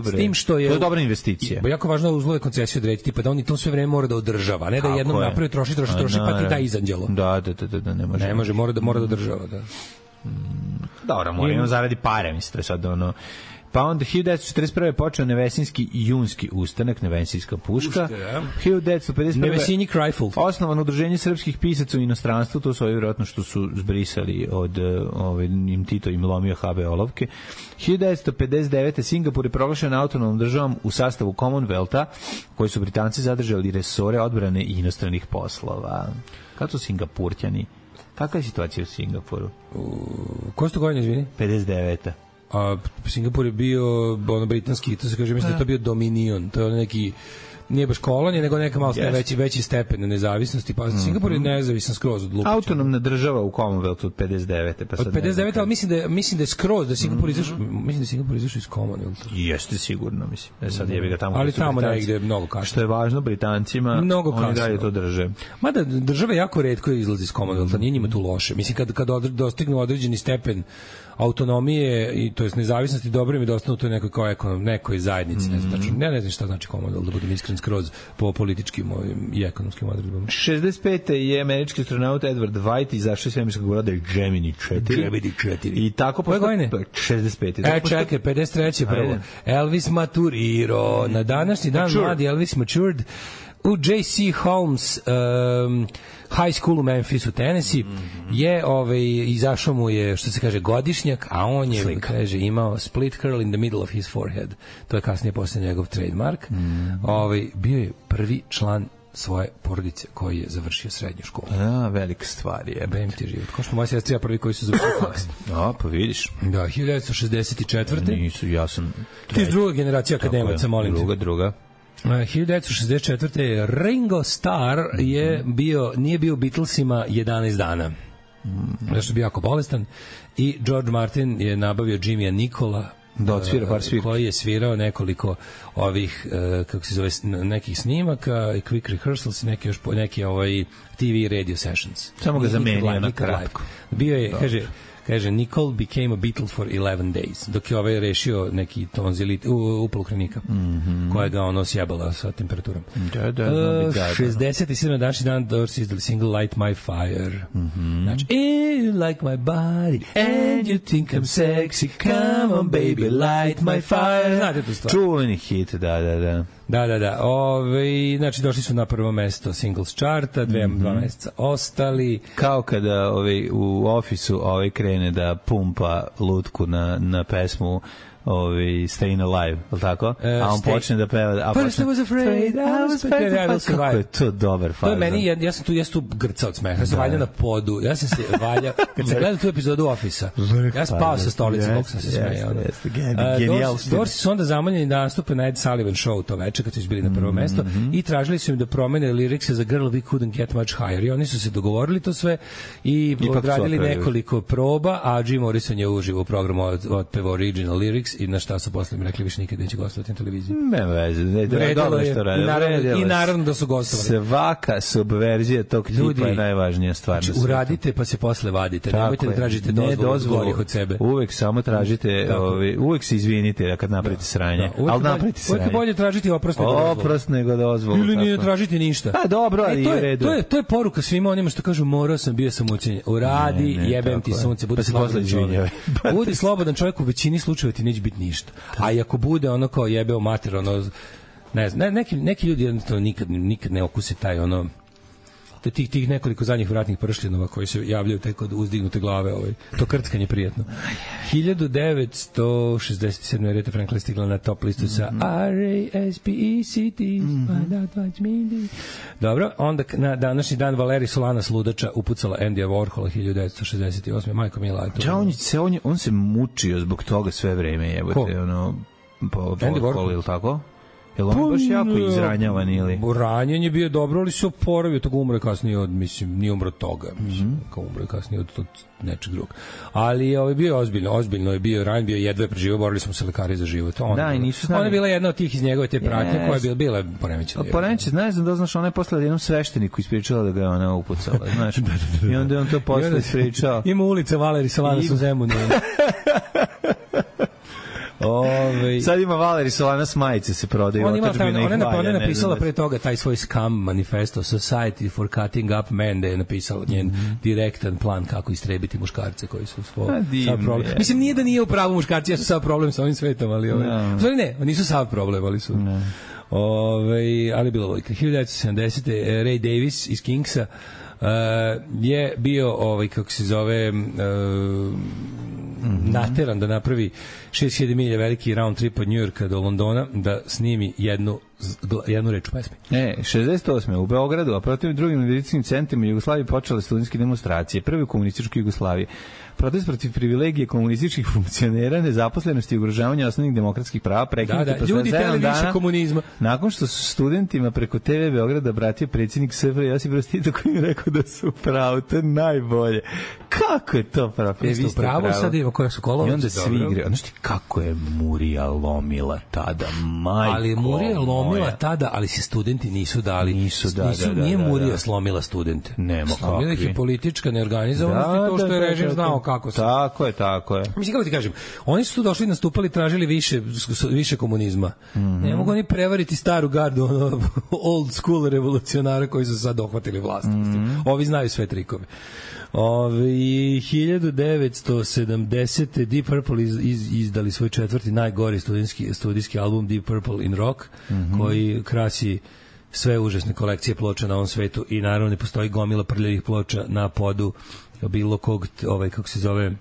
S tim što je... To je dobra investicija. Bo jako važno uslove koncesije odrediti, pa da on i to sve vreme mora da održava, ne da kako jednom je? Napravi, troši, troši, troši, pa ti da izanđelo. Da, da, da, da, ne može. Ne može, mora da, mora da održava, da. Dobro, mora imam zaradi pare, mislim, to je sad ono... Pa onda hiljadu devetsto četrdeset prve. je počeo Nevesinski i junski ustanak, Nevesinska puška. hiljadu devetsto pedeset prve. Nevesinji Krajful. Osnovano udruženje srpskih pisaca u inostranstvu, to su ovi vjerojatno što su zbrisali od ove, im Tito im lomio ha be olovke. hiljadu devetsto pedeset devete. Singapur je proglašen autonomnom državom u sastavu Commonwealtha, koji su Britanci zadržali resore odbrane i inostranih poslova. Kako su Singapurćani? Kakva je situacija u Singapuru? Ko ste godine, izvini? pedeset devete. A Singapur je bio ono britanski, to se kaže, mislim da je to bio Dominion, to je ono neki nije baš kolonija, nego neka malo yes. veći, veći stepen nezavisnosti. Pa mm-hmm. Singapur je nezavisan skroz od Lupića. Autonomna država u Commonwealthu od pedeset devete Pa sad od pedeset devete ali mislim da je, mislim da je skroz, da Singapur mm-hmm. izašao, mislim da je Singapur izašao iz Commonwealtha. Jeste sigurno, mislim. E sad jebi ga tamo. Ali tamo negde mnogo kasnije. Što je važno Britancima, mnogo oni dalje to drže. Mada države jako retko izlazi iz Commonwealtha, nije njima tu loše. Mislim, kad, kad dostignu određeni stepen autonomije i to jest nezavisnosti, dobro mi dostanu to nekoj kao ekonom, nekoj zajednici, ne znam, tačno, ne, ne znam šta znači Commonwealth, da budem iskren skroz po političkim ovim i ekonomskim odredbama. šezdeset pete je američki astronaut Edward White izašao iz svemirskog broda Gemini četiri. Gemini četiri. I tako posle šezdeset pete E, čekaj, pedeset treće prvo. Elvis maturirao. Na današnji dan mladi Elvis matured u J C Holmes um, High School u Memphisu, Tennessee, mm-hmm. je ovaj, izašao mu je, što se kaže, godišnjak, a on je, Slika. kaže, imao split curl in the middle of his forehead. To je kasnije posle njegov trademark. Mm-hmm. Ovaj, bio je prvi član svoje porodice koji je završio srednju školu. A, velika stvar je. Bem ti život. Ko što moja sestra prvi koji su završili faks. A, pa vidiš. Da, hiljadu devetsto šezdeset četvrte Nisu, ja sam... Ti je druga generacija akademaca, molim te. Druga, druga. hiljadu devetsto šezdeset četvrte Ringo Starr je bio, nije bio u Beatlesima jedanaest dana. Zašto je bio jako bolestan. I George Martin je nabavio Jimmya Nicola, da odsvira par svira, koji je svirao nekoliko ovih uh, kako se zove, nekih snimaka i quick rehearsals i neki još neki ovaj T V radio sessions. Samo ga zamenio na kratko. Bio je, kaže, kaže, Nicole became a Beatle for eleven days, dok je ovaj rešio neki tonzilit, upal ukrenika, mm-hmm. koja ga ono sjebala sa temperaturom. Da, da, uh, šezdeset sedam današnji dan Doors izdali single Light My Fire. Mm-hmm. Znači, you like my body and you think I'm sexy, come on baby, light my fire. Znate tu stvar? Čuveni hit, da, da, da. Da, da, da. Ove, znači, došli su na prvo mesto singles charta, dve, mm-hmm. dva meseca ostali. Kao kada ovaj, u ofisu ovaj krene da pumpa lutku na, na pesmu ovi Staying Alive, je li tako? Uh, a on stay... počne da peva... A First počne, I was afraid, I was afraid, I was afraid. Kako je to dobar fazon. To je meni, ja, ja sam tu, ja sam tu grcao od smeha, ja sam valjao na podu, ja sam se valjao, kad sam gledao tu epizodu Office-a, ja spao sa stolice, kako sam se smejao. Dorsi su onda zamoljeni da nastupe na Ed Sullivan show to veče, kad su izbili na prvo mesto, mm-hmm. i tražili su im da promene lirikse za Girl We Couldn't Get Much Higher, i oni su se dogovorili to sve i odradili nekoliko proba, a Jim Morrison je uživo u programu otpevao original lyrics i na šta su posle mi rekli više nikad neće gostovati na televiziji. Ne veze, ne, dobro što rade. I naravno, i naravno da su gostovali. Svaka subverzija tog tipa je najvažnija stvar. Znači, uradite pa se posle vadite. Tako nemojte je. Da tražite dozvolu od sebe. Uvek samo tražite, ovi, uvek se izvinite kad napravite da. sranje. Da. Ali napravite sranje. Uvek bolje tražiti oprost nego dozvolu. Oprost nego dozvolu. Ili nije tražiti ništa. Pa dobro, ali e, to je, u redu. To je, to je poruka svima onima što kažu morao sam, bio sam učenje. Uradi, ne, ne, jebem ti sunce, budi slobodan čovjek. Budi slobodan čovjek, u većini slučajeva ti neće biti ništa. A i ako bude ono kao jebeo mater, ono, ne znam, neki, neki ljudi jednostavno nikad, nikad ne okuse taj ono, tih, tih nekoliko zadnjih vratnih pršljenova koji se javljaju tek od uzdignute glave, ovaj, to krckanje prijetno. hiljadu devetsto šezdeset sedme Aretha Franklin stigla na top listu sa R A S P E C T. Dobro, onda na današnji dan Valeri Solanas ludača upucala Andyja Warhola hiljadu devetsto šezdeset osme Majko Mila. Ja, on, se, on, on se mučio zbog toga sve vreme, jebote, ono, po, Andy Warhol, ili tako? Jel on baš jako izranjavan ili? Ranjen je bio dobro, ali se oporavio, toga umre kasnije od, mislim, nije umro toga, mislim, mm-hmm. kao umre kasnije od, od nečeg drugog. Ali ovaj bio je ozbiljno, ozbiljno je bio ranjen, bio jedva je preživio, borili smo se lekari za život. On, da, i nisu znali. Ona je bila jedna od tih iz njegove te pratnje, yes. koja je bila, bila poremećena. Poremećena, ne znam da znaš, ona je posle jednom svešteniku ispričala da ga je ona upucala, znaš. I onda je on to posle ispričao. Ima ulica Valeri Solanas u Zemunu. Ove, sad ima Valeri Solanas majice se prodaju. On ima ta, ona, ona, ona je napisala pre toga taj svoj Scam manifesto Society for Cutting Up Men, da je napisala njen mm-hmm. direktan plan kako istrebiti muškarce koji su svo, sav problem. Je. Mislim, nije da nije u pravu muškarci, ja su sav problem sa ovim svetom, ali ove, no. Zove, ne, nisu sav problem, ali su no. ove, ali bilo vojka. hiljadu devetsto sedamdesete Ray Davis iz Kingsa uh, je bio ovaj, kako se zove uh, mm-hmm. nateran da napravi šest hiljada milja veliki round trip od New Yorka do Londona da snimi jednu jednu reč u pesmi. E, šezdeset osme u Beogradu, a protiv drugim medicinskim centrima Jugoslavije počele studentske demonstracije, prve u komunističkoj Jugoslaviji. Protest protiv privilegije komunističkih funkcionera, nezaposlenosti i ugrožavanja osnovnih demokratskih prava prekinuti da, da, ljudi teli više komunizma. Nakon što su studentima preko te ve Beograda obratio predsjednik S F R J Josip Broz Tito, koji je rekao da su pravo, to je najbolje. Kako je to pravo? E, vi ste pravo, sad imamo koja su kolova. I onda svi igre. Znaš ti kako je Murija lomila tada, majko. Ali Murija lomila tada, ali se studenti nisu dali. Nisu, da, nisu, da, da. Nije da, Murija da. slomila studente. Nemo kakvi. Slomila ih je politička neorganizovanost da, i to što da, je režim da, znao kako se. Tako je, tako je. Mislim, kako ti kažem, oni su tu došli, nastupali, tražili više, više komunizma. Mm -hmm. Ne mogu oni prevariti staru gardu, ono, old school revolucionara koji su sad dohvatili vlast. Mm -hmm. Ovi znaju sve trikove. Ovi, hiljadu devetsto sedamdesete Deep Purple iz, iz, izdali svoj četvrti najgori studijski, studijski album Deep Purple in Rock, mm -hmm. koji krasi sve užasne kolekcije ploča na ovom svetu i naravno ne postoji gomila prljavih ploča na podu bilo kog, ovaj, kako se zove,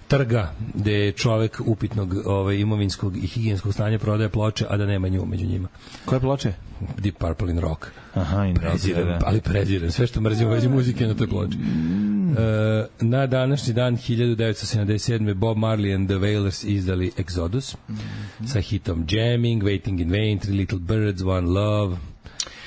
trga gde je čovek upitnog ovaj, imovinskog i higijenskog stanja prodaje ploče, a da nema nju među njima. Koje ploče? Deep Purple in Rock. Aha, in preziram, rock, da. Ali preziram. Sve što mrzim u vezi muzike na toj ploči. Mm. E, na današnji dan hiljadu devetsto sedamdeset sedme Bob Marley and the Wailers izdali Exodus mm -hmm. sa hitom Jamming, Waiting in Vain, Three Little Birds, One Love.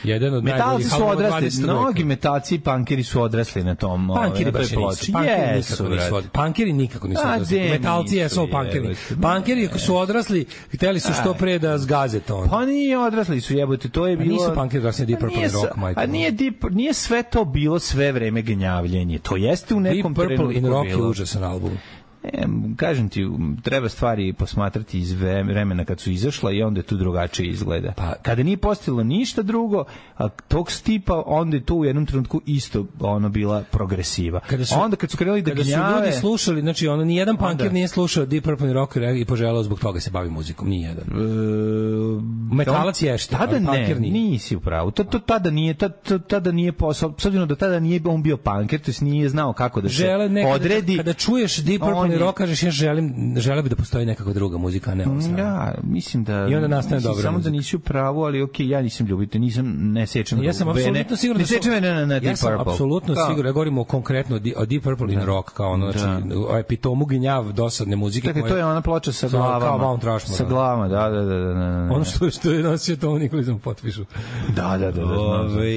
Jedan od metalci su odrasli, mnogi metalci i punkeri su odrasli na tom punkeri baš nisu. Punkeri nikako nisu odrasli. Punkeri nikako nisu odrasli. Metalci jesu punkeri. Punkeri ako su odrasli, hteli su što pre da zgaze to. Pa nije odrasli su, jebote, to je bilo. Nisu punkeri odrasli Deep Purple Rock, majko. A nije Deep, nije sve to bilo sve vreme gnjavljenje. To jeste u nekom trenutku. Deep Purple in Rock je užasan album. E, kažem ti, treba stvari posmatrati iz vremena kad su izašla i onda je tu drugačije izgleda. Pa, kada nije postojalo ništa drugo, a tog stipa, onda je to u jednom trenutku isto ono bila progresiva. Kada su, onda kad su krenuli da kada gnjave... Kada su ljudi slušali, znači ono, nijedan punker nije slušao Deep Purple Rock i poželao zbog toga se bavi muzikom, nijedan. E, Metalac ješte, tada ali punker nije. Nisi u pravu. To, to, tada nije, tada, tada nije posao, s obzirom da tada nije on bio punker, to nije znao kako da se Žele odredi. Kada čuješ Deep Purple rock, kažeš ja želim, želeo bi da postoji nekakva druga muzika, a ne ovo sad. Ja, mislim da... I onda nastane dobra samo muzika. Da nisi u pravu, ali okej, okay, ja nisam ljubitelj, nisam, ne sečem ja sam apsolutno siguran ne sečem vene na, na Deep Purple. Ja sam apsolutno siguran, ja govorimo konkretno o Deep Purple in Rock, kao ono, znači, o epitomu gnjav dosadne muzike. Dakle, to je ona ploča sa glavama. Kao Mount Rushmore. Sa glavama, da, da, da. da, da. Ono što, što je nosio Tom Nikolizam potpišu. Da, da, da. Ove,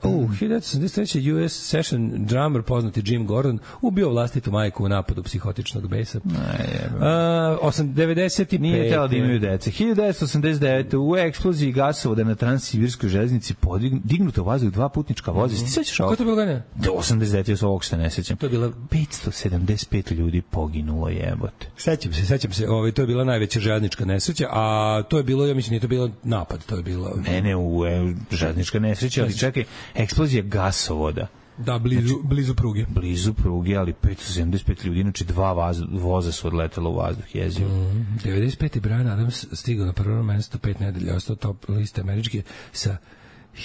u hiljadu devetsto osamdeset treće U S session drummer poznati Jim Gordon ubio vlastitu majku u napadu psihotičnog besa. Uh, devedeset pete Nije tela da imaju dece. hiljadu devetsto osamdeset devete u eksploziji gasovoda na Transsibirskoj železnici podignuto u vazduh dva putnička voza. Ti sećaš ovo? Ko to bilo godine? Do osamdeset devete ja se ovog se ne sećam. To je bilo petsto sedamdeset pet ljudi poginulo, jebote. Sećam se, sećam se. Ovaj to je bila najveća željeznička nesreća, a to je bilo, ja mislim, nije to bilo napad, to je bilo Ne, ne, u e, željeznička nesreća, ali čekaj, eksplozija gasovoda. Da, blizu, znači, blizu pruge. Blizu pruge, ali petsto sedamdeset pet ljudi, znači dva vaz, voza su odletela u vazduh, jezio. Mm, devedeset pete Brian Adams stigao na prvo mesto pet nedelja, ostao top liste američke sa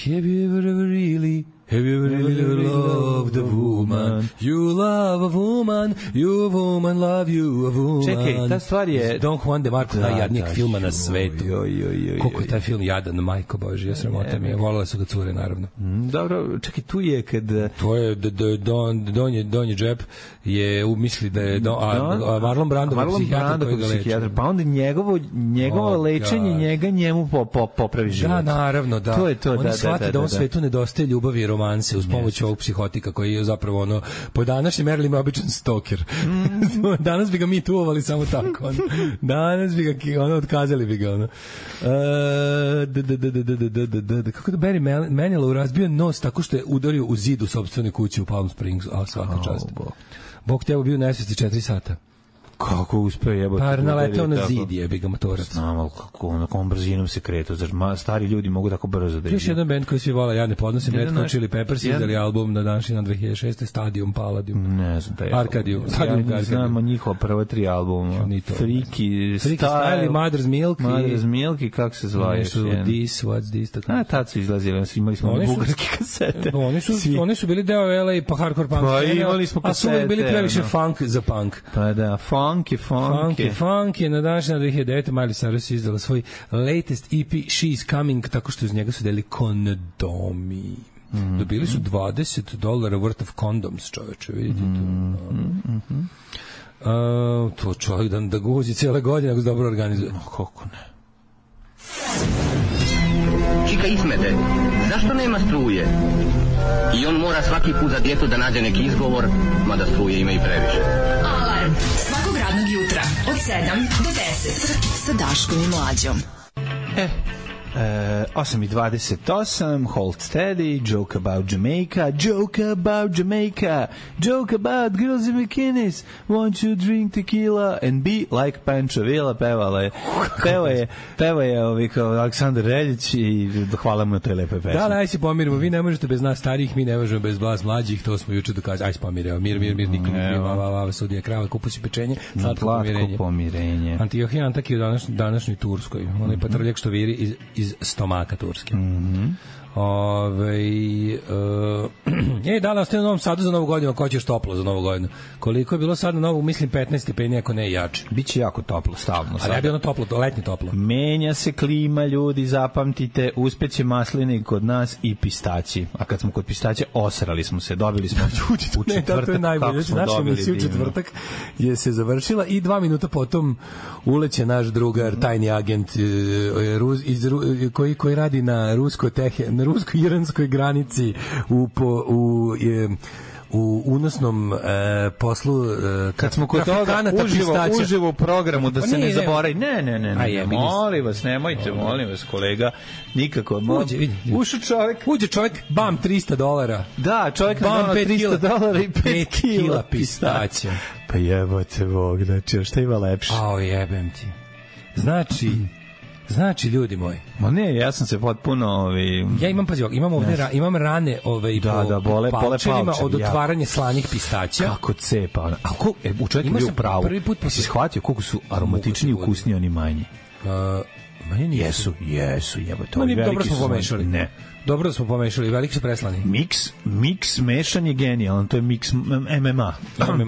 Have you ever, ever really Have you ever really ever loved a woman? You love a woman, you a woman love you a woman. Čekaj, ta stvar je... Don Juan de Marco, da, najjadnijeg da, filma na svetu. Joj, joj, joj, koliko je taj film jadan, majko Bože, ja sramota mi je. Volele su ga cure, naravno. Mm, dobro, čekaj, tu je kad... To je, d, d, don, donji, donji džep je umisli da je... Don, a, a Marlon Brando, Marlon psihijatar koji ga leče. Pa onda njegovo, njegovo oh, lečenje, God. njega njemu po, po, popravi život. Da, naravno, da. To je to, on da, shvati da, da, da, da on da. svetu nedostaje ljubavi i romanse uz pomoć ovog psihotika koji je zapravo ono po današnjim merilima običan stoker. Mm. Danas bi ga mi tuvovali samo tako. Ono. Danas bi ga ono otkazali bi ga ono. Uh, kako da Barry Manilow razbio nos tako što je udario u zid u sopstvene kuće u Palm Springs, a svaka čast. Oh, Bog. Bog tebe bio nesvesti četiri sata. Kako uspeo jebote? Pa naleteo na zid, jebi ga motorac. Znam, ali kako, na kom brzinom se kretu. Znači, stari ljudi mogu tako brzo da idu. Još jedan band koji svi vole, ja ne podnosim, Red Hot Chili Peppers izdali album na današnji dan dve hiljade šeste. Stadium Palladium. Ne znam, taj Arcadium. Stadium ja ne znam njihova prva tri albuma. Freaky, Freaky Style, Mother's Milk. Mother's Milk i kako se zvala još jedan. This, What's This. Tako. A, tad su izlazili, imali smo oni bugarske kasete. Oni su, oni su bili deo L A pa hardcore punk. Pa imali smo kasete. A su bili previše funk za punk. Pa da, funk Funky, funky. Funky, funky. Na današnji dve hiljade devete. Miley Cyrus izdala svoj latest E P She's Coming, tako što iz njega su deli kondomi. Mm-hmm. Dobili su dvadeset dolara worth of condoms, čoveče, vidite to. Mm-hmm. Uh, to čovjek da, da guzi cijele godine ako se dobro organizuje. No, kako ne. Čika Ismete, zašto nema struje? I on mora svaki put za djetu da nađe neki izgovor, mada struje ima i previše. Alarm svakog radnog jutra od sedam do deset sa Daškom i Mlađom. E, e osam i dvadeset osam, Hold Steady, Joke About Jamaica, Joke About Jamaica, Joke About Girls in Bikinis, Won't You Drink Tequila and Be Like Pancho Villa, pevala je, peva je, peva je ovi kao Aleksandar Reljić i hvala mu na toj lepoj pesmi. Da, da, aj se pomirimo, vi ne možete bez nas starijih, mi ne možemo bez vas mlađih, to smo juče dokazali, aj se pomirimo, mir, mir, mir, nikom ne kriva, va, va, va, sudija krava, kupusi pečenje, slatko pomirenje. pomirenje. Antiohija Antak je u današnj, današnjoj Turskoj, mm-hmm. onaj patrljak što viri iz, iz stomaka Turske. Mhm. Ove, uh, e, da li ostaje u Novom Sadu za Novu godinu, ko ćeš toplo za Novu godinu? Koliko je bilo sad na Novu, mislim petnaest stepeni, ako ne jače. Biće jako toplo, stavno. Ali je bilo toplo, to letnje toplo. Menja se klima, ljudi, zapamtite, uspeće masline kod nas i pistaći. A kad smo kod pistaća, osrali smo se, dobili smo u četvrtak. Ne, najbolje. Kako smo naša emisija u četvrtak je se završila i dva minuta potom uleće naš drugar, tajni agent iz, koji, koji radi na rusko tehe, na rusko-iranskoj granici u, po, u je, u unosnom e, poslu e, kad smo kod toga uživo, uživo u programu da se ne, ne zaboravi ne, ne, ne, ne, ne molim vas, nemojte, molim vas kolega, nikako uđe, vidi, ušao čovjek uđe čovjek, bam, trista dolara da, čovjek bam, trista dolara i pet kila pistaća pa jebote Bog, znači, šta ima lepše ao, jebem ti znači Znači, ljudi moji. Ma ne, ja sam se potpuno... Ovi... Ja imam, pazi, imam, ovdje, ra, imam rane ove, da, po, da, bole, po palčevima od otvaranja jako. Slanih pistaća. Kako cepa. A ko, e, u čovjeku bio pravo. Prvi put posle... si shvatio koliko su aromatični i ukusni oni manji. Uh, manje nisu. Jesu, jesu, jebote. Ma nije, dobro smo pomešali. Ne. Dobro da smo pomešali, veliki su preslani. Miks, miks mešan je genijalan, to je miks M M A.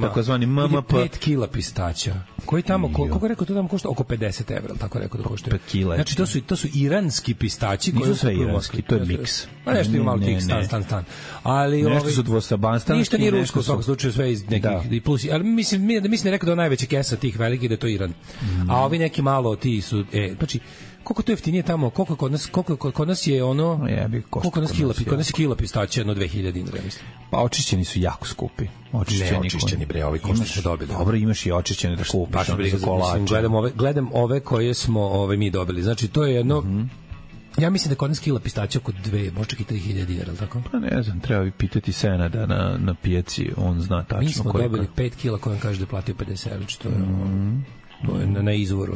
Tako zvani M M P. pet kila pistaća. Koji tamo, koliko je rekao, to tamo košta oko pedeset evra, tako rekao da košta. pet kila. Znači, to su, to su iranski pistaći. Nisu sve iranski, to je miks. Ma nešto ima malo tih stan, stan, stan. Ali, nešto ovi, su dvostabanstanski. Ništa nije rusko, u svakom slučaju sve iz nekih da. Plus. Ali mislim, mislim da je rekao da je najveća kesa tih velikih da je to Iran. Mm. A ovi neki malo, ti su, e, znači, koliko to jeftinije tamo, koliko kod nas, koliko kod nas je ono, jebi, koliko kod nas kila, kod nas je kila pistaća jedno dve hiljade dinara, mislim. Pa očišćeni su jako skupi. Očišćeni, ne, očišćeni bre, ovi koji smo dobili. Dobro, imaš i očišćene da kupiš, pa, ono za kolače. Gledam ove, gledam ove koje smo ove mi dobili. Znači to je jedno mm-hmm. Ja mislim da kod nas kila pistaća oko dve, možda i tri hiljade dinara, tako? Pa ne znam, treba bi pitati Senada na, na pijaci, on zna tačno. Mi smo koliko. Dobili pet kila koji on kaže da je platio pedeset evra, što je, mm-hmm. to je na, na izvoru.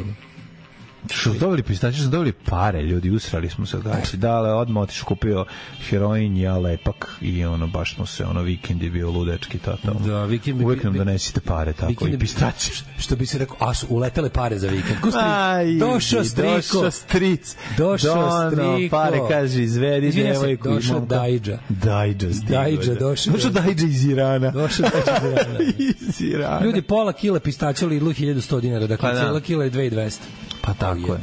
Što su dobili pistaće, su dobili pare, ljudi, usrali smo se, znači, dale, odmah otiš kupio heroin, ja lepak i ono, baš smo se, ono, vikend je bio ludečki, tata, da, vikend uvijek nam donesite pare, tako, i pistaće. Što bi se rekao, a su uletele pare za vikend. Aj, došao striko. Došao stric. Došao striko. Pare, kaže, izvedi devojku. Došao Dajđa. Dajđa stigo. Dajđa, došao. Došao Dajđa iz Irana. Došao Dajđa iz Irana. iz Irana. Ljudi, pola kila pistaća u Lidlu hiljadu sto dinara, dakle, pa cijela kila je dve hiljade dvesta. Pa tako je.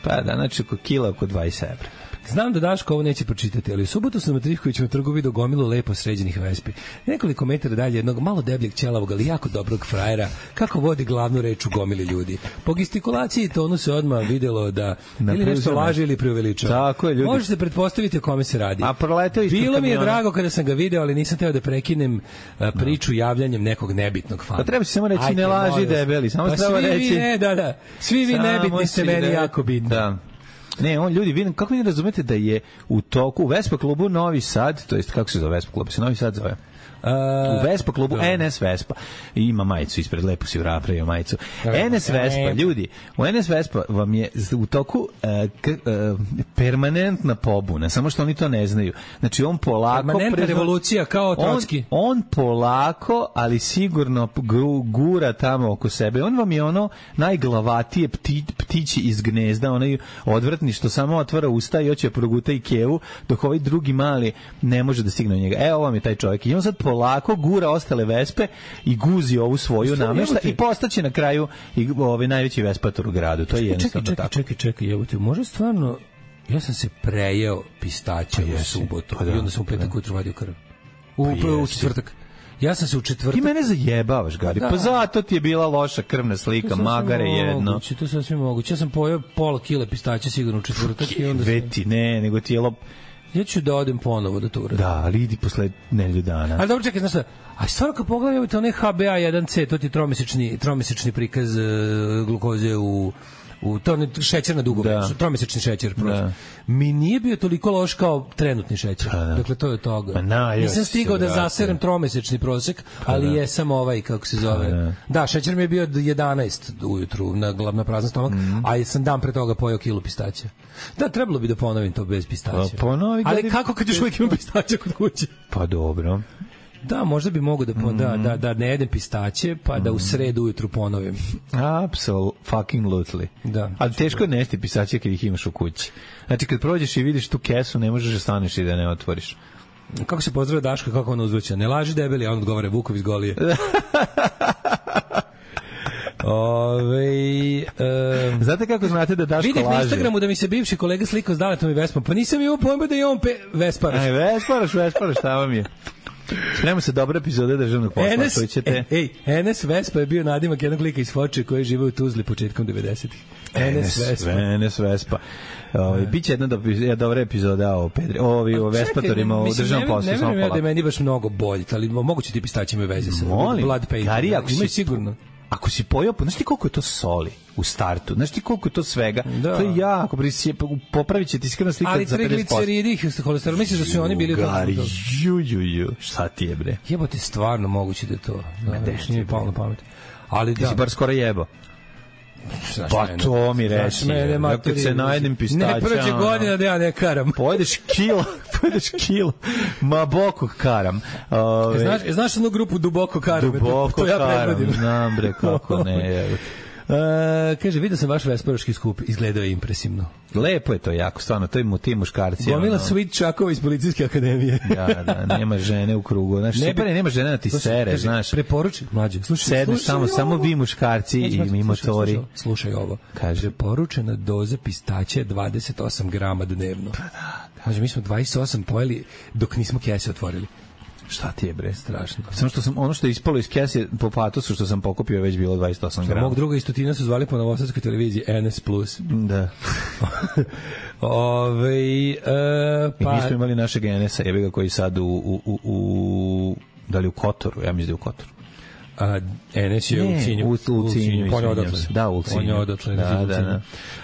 Pa da, znači oko kila oko dvadeset evra. Znam da Daško ovo neće pročitati, ali u subotu sam na Trifkovićevom trgu vidio gomilu lepo sređenih vespi. Nekoliko metara dalje jednog malo debljeg ćelavog, ali jako dobrog frajera, kako vodi glavnu reč u gomili ljudi. Po gestikulaciji tonu se odmah videlo da na ili nešto laže ili preuveličava. Tako je, ljudi. Možete pretpostaviti o kome se radi. A proletao ispred Bilo mi je drago kada sam ga video, ali nisam teo da prekinem a, priču javljanjem nekog nebitnog fana. Pa treba se samo reći Ajde, ne laži debeli, samo pa treba reći. Vi, ne, da, da. Svi vi nebitni ste meni re... jako bitni. Da. Ne, on ljudi, vi, kako vi ne razumete da je u toku u Vespa klubu Novi Sad, to jest kako se zove Vespa klub, se Novi Sad zove? Uh, u Vespa klubu N S Vespa ima majicu ispred, lepo si napravio majicu. N S Vespa, ljudi, u N S Vespa vam je u toku uh, k, uh, permanentna pobuna, samo što oni to ne znaju. Znači on polako permanentna prezna, revolucija kao Trotski. On, on polako, ali sigurno gura tamo oko sebe. On vam je ono najglavatije pti, ptići iz gnezda, onaj odvrtni što samo otvara usta i hoće proguta i kevu, dok ovaj drugi mali ne može da stigne od njega. Evo vam je taj čovjek. I on sad sad polako gura ostale vespe i guzi ovu svoju namešta i postaće na kraju i ovaj najveći vespator u gradu. To je jednostavno čekaj, tako. Čekaj, čekaj, čekaj, jebote, može stvarno... Ja sam se prejeo pistaća pa u subotu pa da, i onda sam u petak pa ujutru vadio krv. U, pa u četvrtak. Ja sam se u četvrtak... Ti mene zajebavaš, Gari. Da. Pa zato ti je bila loša krvna slika, magare jedno. Moguće, to sasvim moguće. Ja sam pojeo pola kile pistaća sigurno u četvrtak i onda sam... Veti, ne, nego ti je lop... Ja ću da odem ponovo da to uradim. Da, ali idi posle nedelju dana. Ali dobro, čekaj, znaš šta, a stvarno kad pogledajte onaj H B A jedan C, to ti je tromesečni, tromesečni prikaz uh, glukoze u... u to ne šećer na dugo da. tromesečni šećer prosto. Mi nije bio toliko loš kao trenutni šećer. Pa, da. Dakle to je od toga. Na, nisam stigao da zaserem tromesečni prosek, pa, ali da. je samo ovaj kako se zove. Pa, da. da, šećer mi je bio jedanaest ujutru na na prazan stomak, mm. a sam dan pre toga pojeo kilu pistaća. Da, trebalo bi da ponovim to bez pistaća. Pa, ponovi, ali kako kad još uvijek imam pistaća kod kuće? Pa dobro. Da, možda bi mogu da, mm. da, da, da ne jedem pistaće, pa mm. da u sredu ujutru ponovim. Absolutely fucking lutely. Da. Ali teško je nesti pistaće kad ih imaš u kući. Znači, kad prođeš i vidiš tu kesu, ne možeš da staneš i da ne otvoriš. Kako se pozdravlja Daška, kako on uzvraća? Ne laži debeli, a on odgovara Vukov iz Golije. Ove, um, znate kako znate da Daško laže? Vidih na Instagramu da mi se bivši kolega slikao s Daletom i Vespom, pa nisam imao pojma da je on pe... Vesparaš. Aj, Vesparaš, Vesparaš, šta vam je? Spremamo se dobra epizode državnog posla. Enes, ćete... Ej, Enes Vespa je bio nadimak jednog lika iz Foče koji žive u Tuzli početkom devedesetih. Enes Vespa. Enes Vespa. Ovaj biće jedna, do, jedna dobra epizoda o Pedri, ovi o Vespatorima u državnom poslu. Ne vjerujem da je meni baš mnogo bolje, ali moguće ti pistaći imaju veze sa blood paint. Kari, ako si, sigurno. Ako si pojeo, znaš ti koliko je to soli u startu, znaš ti koliko je to svega, da. To je jako, popravit će ti skrvna slika za pedeset posto. Ali trigliceridi, holesterol, misliš da su oni bili u tom? Ju, ju, ju, šta ti je bre? Jebote, stvarno moguće da je to. Da, da, nije mi palo na pamet. Ali ti da. si bar skoro jebo. Pa to mi reći, kad se najedem pistaća... Ne prođe godina da ja ne karam. Pojedeš kilo, pojedeš kilo, ma boko karam. Ove, znaš, znaš onu grupu Duboko karam? Duboko to, to ja karam, znam bre, kako ne, je. Uh, kaže, vidio sam vaš vesparoški skup, izgledao je impresivno. Lepo je to jako, stvarno, to je mu ti muškarci. Gomila ono... Sweet Čakova iz Policijske akademije. Da, da, nema žene u krugu. Znaš, ne, ne, nema žene na ti slušaj, sere, kaže, znaš. Preporuči, mlađe, slušaj. Sedneš samo, samo vi muškarci i mi motori. Slušaj, slušaj ovo. Kaže. Preporučena doza pistaća je dvadeset osam grama dnevno. Pa da. Mlađe, mi smo dvadeset osam pojeli dok nismo kese otvorili. Šta ti je bre, strašno. Samo što sam ono što je ispalo iz kese po patosu što sam pokupio je već bilo dvadeset osam grama. Mog druga istotina su zvali po novosadskoj televiziji N S plus. Da. Ove, e, pa... I mi smo imali našeg N S-a, jebi ga koji sad u, u, u, u da li u Kotoru, ja mislim da je u Kotoru. A N S je ne, u Cinju. U, u Cinju. On je odatle. Da, u Cinju. On je odatle. Da, da, da.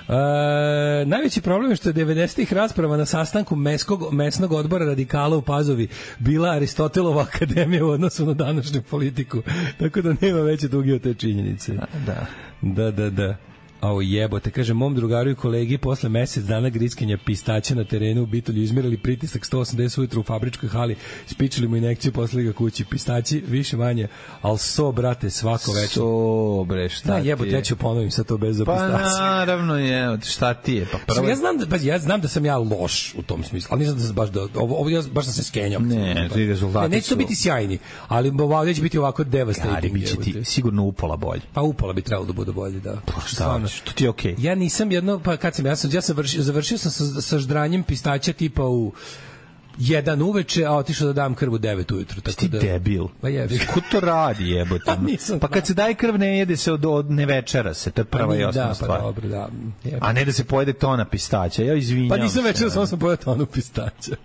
A, najveći problem je što je devedesetih rasprava na sastanku meskog, mesnog odbora radikala u Pazovi bila Aristotelova akademija u odnosu na današnju politiku. Tako da nema veće duge od te činjenice. Da, da. Da, da, da. Ao jebote, kaže, mom drugaru i kolegi posle mesec dana griskenja pistaća na terenu u Bitolju izmerili pritisak sto osamdeset ujutru u fabričkoj hali, spičili mu injekciju posle ga kući. Pistaći više manje, al so, brate, svako večer. So, bre, šta da, ti jebote, ja ću ponovim sad to bez za pa, pistaći. Pa naravno je, šta ti je? Pa prvo... Ja znam da, ja znam da sam ja loš u tom smislu, ali nisam da sam baš, da, ovo, ovo ja baš sam se skenjao. Ne, ti rezultati ne, neće to biti sjajni, ali ovdje će biti ovako devastating. Biće ti sigurno upola bolje. Pa upola bi trebalo da bude bolje, da. Pa šta, to ti je okej. Ja nisam jedno, pa kad sam, ja sam, ja sam vršio, završio sam sa, sa ždranjem pistaća tipa u jedan uveče, a otišao da dam krv u devet ujutru. Tako ti da, debil. Pa jebi. Ko to radi, jebote? Pa, pa kad se daje krv ne jede se od, od ne večera se, to je prva i osnovna da, stvar. Pa dobro, da. Jebe. A ne da se pojede tona pistaća, ja izvinjam se. Pa nisam večera, samo sam pojeo tonu pistaća.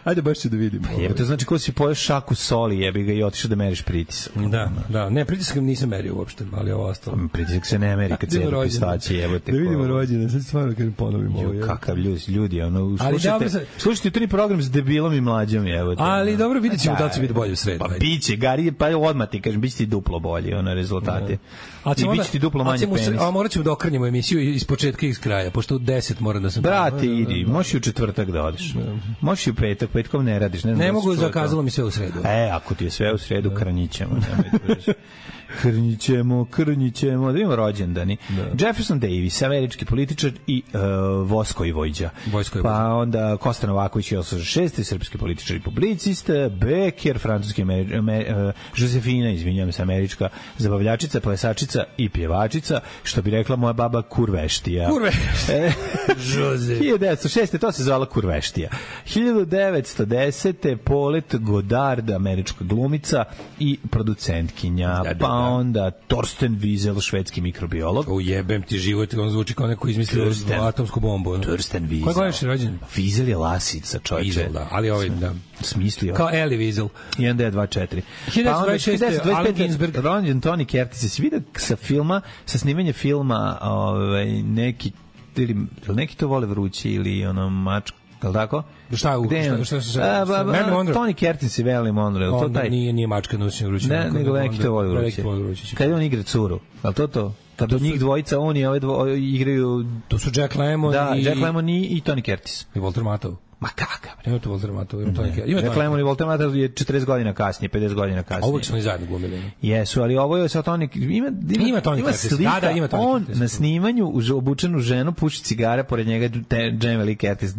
Ajde baš ću da vidim. Pa jebote, znači ko si pojeo šaku soli, jebi ga i otišao da meriš pritisak. Da, da, ne, pritisak nisam merio uopšte, ali ovo ostalo. Pritisak se ne meri kad se jede pistaće, jebote. Da vidimo rođene, sad stvarno kad ponovimo ovo. Kakav ljudi, ljudi, ono, slušajte, slušajte jutrini program s debilom i mlađom, jebote. Ali dobro, vidjet ćemo da će biti bolje u sredu. Pa biće, Gari, pa odmah ti kažem, biće ti duplo bolje, ono, rezultate. I biće ti duplo manje penis. A morat ćemo da okrenjemo emisiju iz početka i iz kraja, pošto u deset moram da sam... Brate, idi, možeš i u četvrtak da odeš. Možeš i petak, petkom ne radiš. Ne, ne mogu, zakazalo mi sve u sredu. E, ako ti je sve u sredu, krnjićemo. Krnjićemo, krnjićemo, da imamo rođendani. Da. Jefferson Davis, američki političar i uh, Voskoj Vojđa. Vojskoj pa onda Kosta Novaković, osamdeset šesti srpski političar i publicista, Becker, francuski Ameri Amer uh, Josefina, izvinjam se, američka zabavljačica, plesačica i pjevačica, što bi rekla moja baba, kurveštija. Kurveštija. hiljadu devetsto šeste to se zvala kurveštija. hiljadu devetsto desete Paulette Goddard, američka glumica i producentkinja. Da, da, da. Pa onda Torsten Wiesel, švedski mikrobiolog. Ujebem ti život, on zvuči kao neko izmislio atomsku bombu. Torsten Wiesel. Koji godiš je rođen? Wiesel je lasica, čovječe. Wiesel, da, ali ovaj, da. Smislio. Kao Elie Wiesel. jedan D dvadesет četiri. hiljadu devetsto dvadeset šeste Allen Ginsberg. Rođen Tony Curtis. Se vidi sa filma, sa snimanja filma, ovaj, neki, ili, neki to vole vrući ili ono mačka, je li tako? Šta je u šta šta šta? Tony Curtis i Marilyn Monroe, to taj. Nije nije mačka noćni vrući. Ne, nego neki to vole vrući. Kad on igra curu, al to to. Kad do njih dvojica oni ove dvoje igraju, to su Jack Lemmon i Jack Lemmon i Tony Curtis i Walter Matthau. Ma kakav? Nema to Walter Matthau, ima Tony Curtis. Jack Lemmon i Walter Matthau je četrdeset godina kasnije, pedeset godina kasnije. Ovo su oni zajedno glumili. Jesu, ali ovo je sa Tony ima ima Tony Curtis. Da, da, ima Tony Curtis. On na snimanju uz obučenu ženu puši cigare, pored njega Jamie Lee Curtis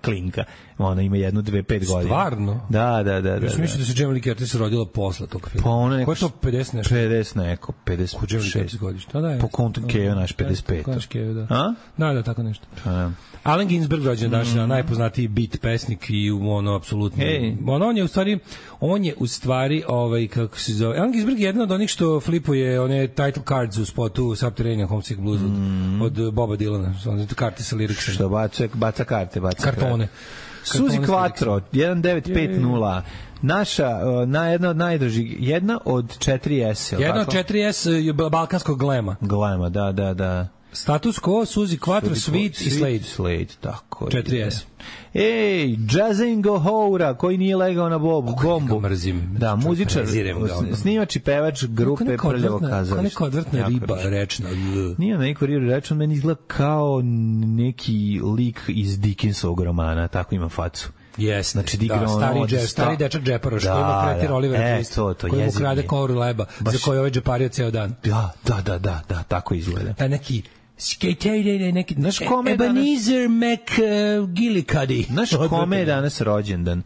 klinka. Ona ima jednu, dve, pet godina. Stvarno? Da, da, da. Ja sam mislio da se Jamie Lee Curtis rodila posle tog filma. Pa ona neko... Ko je to pedeset nešto? pedeset neko, pedeset šest godišta. Da, po kontu Keo naš pedeset pet. Kaš Keo, da. A? Da, da, tako nešto. A, Allen Ginsberg rođen danas, mm. najpoznatiji beat pesnik i ono apsolutno. Hey. On, on je u stvari on je u stvari ovaj kako se zove. Allen Ginsberg je jedan od onih što flipuje one title cards u spotu Subterranean Homesick Blues mm. od, od Boba Dylana, one karte sa liricsom. Što baca baca karte, baca kartone. Suzi Quattro jedan devet pet nula. Naša na jedna od najdražih, jedna od četiri S. Jedna od četiri S balkanskog glema. Glema, da, da, da. Status quo, Suzi Quattro, Sweet i Slade. Slade, tako. četiri S. Ej, Jazingo Houra, koji nije legao na bobu, bombu. Mrzim. Da, muzičar, snimač i pevač grupe Prljavo kazalište. Kao neka odvrtna riba rečna. Nije neko riba rečna, meni izgleda kao neki lik iz Dickensovog romana, tako ima facu. Yes, znači, da, stari, džep, sta... stari dečak džeparoš, da, koji ima kretir Oliver e, Twist, to, to, koji mu krade koru leba, baš... za koji ovaj džepario ceo dan. Da, da, da, da, da, tako izgleda. Ta neki neki, znaš kome je Ebenezer McGillicuddy. Znaš kome je danas rođendan?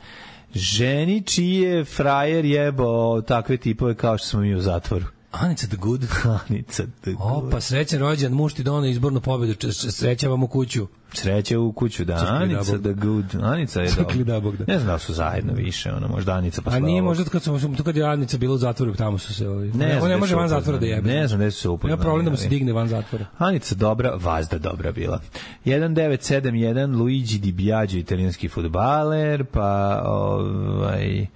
Ženi čiji je frajer jebao takve tipove kao što smo mi u zatvoru. Anica the Good. Anica the Good. Opa, srećan rođendan, muž ti dono izbornu pobedu, sreća vam u kuću. Sreće u kuću, da. Crkli Anica the Good. Anica je Crkli da Bog, da. Ne znam da su zajedno više, ono, možda Anica posle. A nije možda kad sam tu kad je Anica bila u zatvoru, tamo su se ovi. Ne, on ne može van zatvora da jebe. Ne znam da su se upoznali. Nema problem da mu se digne van zatvora. Anica dobra, Vazda dobra bila. jedan devet sedam jedan Luigi Di Biagio, italijanski fudbaler, pa ovaj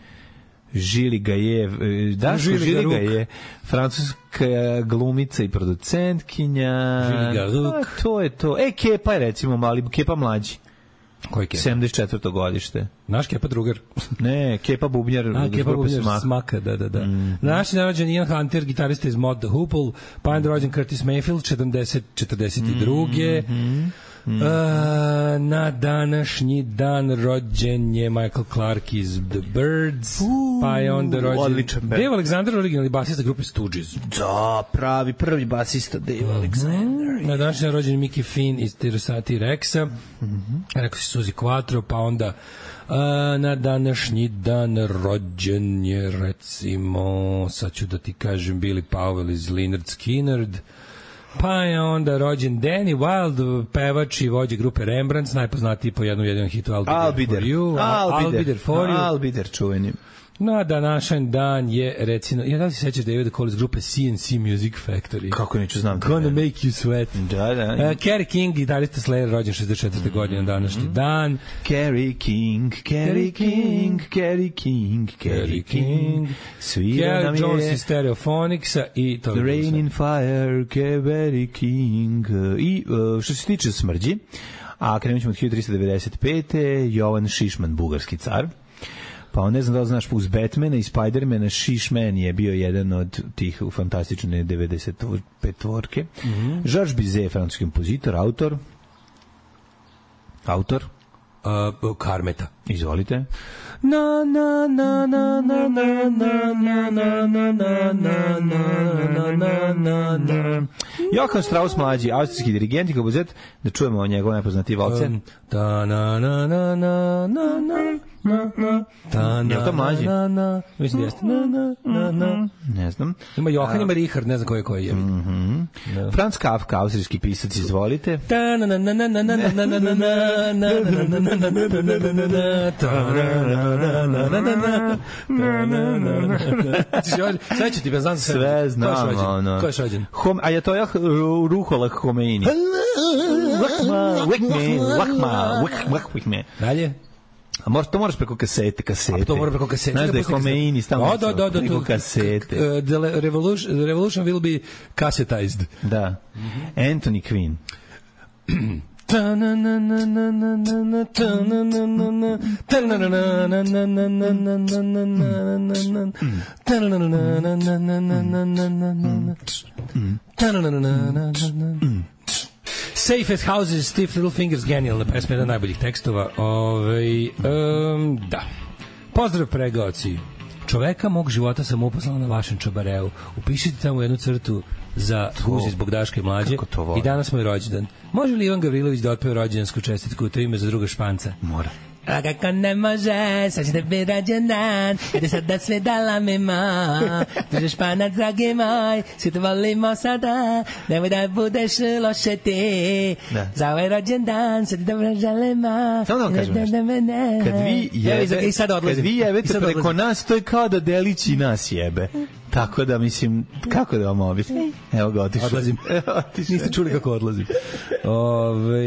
Žili Gajev, da, Žili, Žili Gajev, francuska glumica i producentkinja. Žili Garuk. A, to je to. E, Kepa je recimo mali, Kepa mlađi. Koji Kepa? sedamdeset četvrto godište. Naš Kepa drugar. Ne, Kepa Bubnjar. A, Kepa Bubnjar Smaka. Smaka, da, da, da. Mm. Naš je rođen Ian Hunter, gitarista iz Mod the Hoople, pa je rođen Curtis Mayfield, četrdeset četrdeset dva. Mm. Mm. Uh, na današnji dan rođen je Michael Clark iz The Birds, uh, pa je onda rođen Dave Alexander, originalni basista grupe Stooges. Da, pravi prvi basista Dave mm-hmm. Alexander. Na današnji dan rođen Mickey Finn iz Tirosati Rexa, mm-hmm. rekao si Suzi Quattro, pa onda uh, na današnji dan rođen je recimo, sad ću da ti kažem, Billy Powell iz Lynyrd Skynyrd. Pa je onda rođen Danny Wilde, pevač i vođa grupe Rembrandts, najpoznatiji po jednom jedinom hitu I'll Be There For You. I'll Be There For You. I'll Be There čuveni. No, današnji dan je, recimo, ja da li se sećaš Davida Cole iz grupe C N C Music Factory? Kako neću znam. Gonna Make You Sweat. Da, da. Uh, Kerry King, gitarista Slayer, rođen šezdeset četvrte Mm-hmm. godine na današnji dan. Kerry King, Kerry King, Kerry King, Kerry King. Svira nam je... Kerry Jones iz Stereophonics-a i to... The Rain in Fire, Kerry King. I uh, što se tiče smrđi, a krenut ćemo od hiljadu tristo devedeset pete. Jovan Šišman, bugarski car. Pa on ne znam da li znaš, uz Batmana i Spidermana Šišman je bio jedan od tih u fantastične devedeset pet tvorke. Mm-hmm. Georges Bizet, francuski kompozitor, autor. Autor. uh, Karmeta. Izvolite. Na na na na na na na na na na na na na na na. Johann Strauss mlađi, austrijski dirigent i kompozit, da čujemo o njegove najpoznatije valce. Ta na na na na na na na ta na. Je to mlađi? Na na. Mislim jeste. Na na na na. Ne znam. Ima Johann, ima Richard, ne znam koji je koji je. Mhm. Franz Kafka, austrijski pisac, izvolite. Ta na na na na na na na na na na na na. Sve ću ti bez znam sve. Sve znam. Ko je šođen? Ajatollah Ruhollah Khomeini. Dalje? A moraš, to moraš preko kasete, kasete. A to moraš preko kasete. Znaš da je Khomeini stalno da, da, da, preko kasete. The revolution, the revolution will be cassetized. Da. Anthony Quinn. Safest Houses, Stiff Little Fingers, genijalna pesma, jedan najboljih tekstova. Ove, um, da. Pozdrav pregaoci. Čoveka mog života sam uposlala na vašem čabareu. Upišite tamo jednu crtu za guzi zbog Daške mlađe. I danas moj rođendan. Može li Ivan Gavrilović da otpeva rođendansku čestitku, to ime za druga Španca? Mora. A kako ne može, sad će da bi rođendan, ajde sad da sve dala mi ma, druže Španac, dragi moj, svi te volimo sada, nemoj da budeš loše ti, za ovaj rođendan, sad ti dobro želima. Samo da vam kažem nešto, kad vi jebe, kad vi jebete preko nas, to je kao da Delići nas jebe. Tako da, mislim, kako da vam objasnim? Evo ga, otišao. Odlazim. Niste čuli kako odlazim. Ove,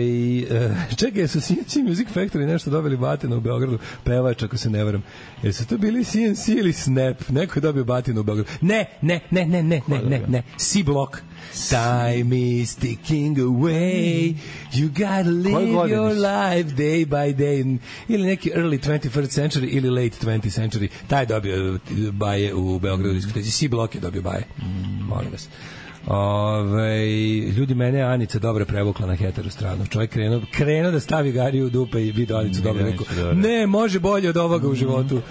čekaj, su C N C Music Factory nešto dobili batinu u Beogradu, pevač, ako se ne varam. Jesu to bili C N C ili Snap? Neko je dobio batinu u Beogradu. Ne, ne, ne, ne, ne, ne, ne, ne. C-Block. Time is ticking away, you gotta live your life day by day. Ili neki early twenty-first century ili late twentieth century. Taj je dobio baje u Beogradu diskoteci. C-Block je dobio baje. Mm. Molim vas. Ove, ljudi, mene je Anica dobro prevukla na hetero stranu. Čovjek krenuo, krenuo da stavi gariju u dupe i vidio Anicu dobro. Rekao, ne, može bolje od ovoga u životu.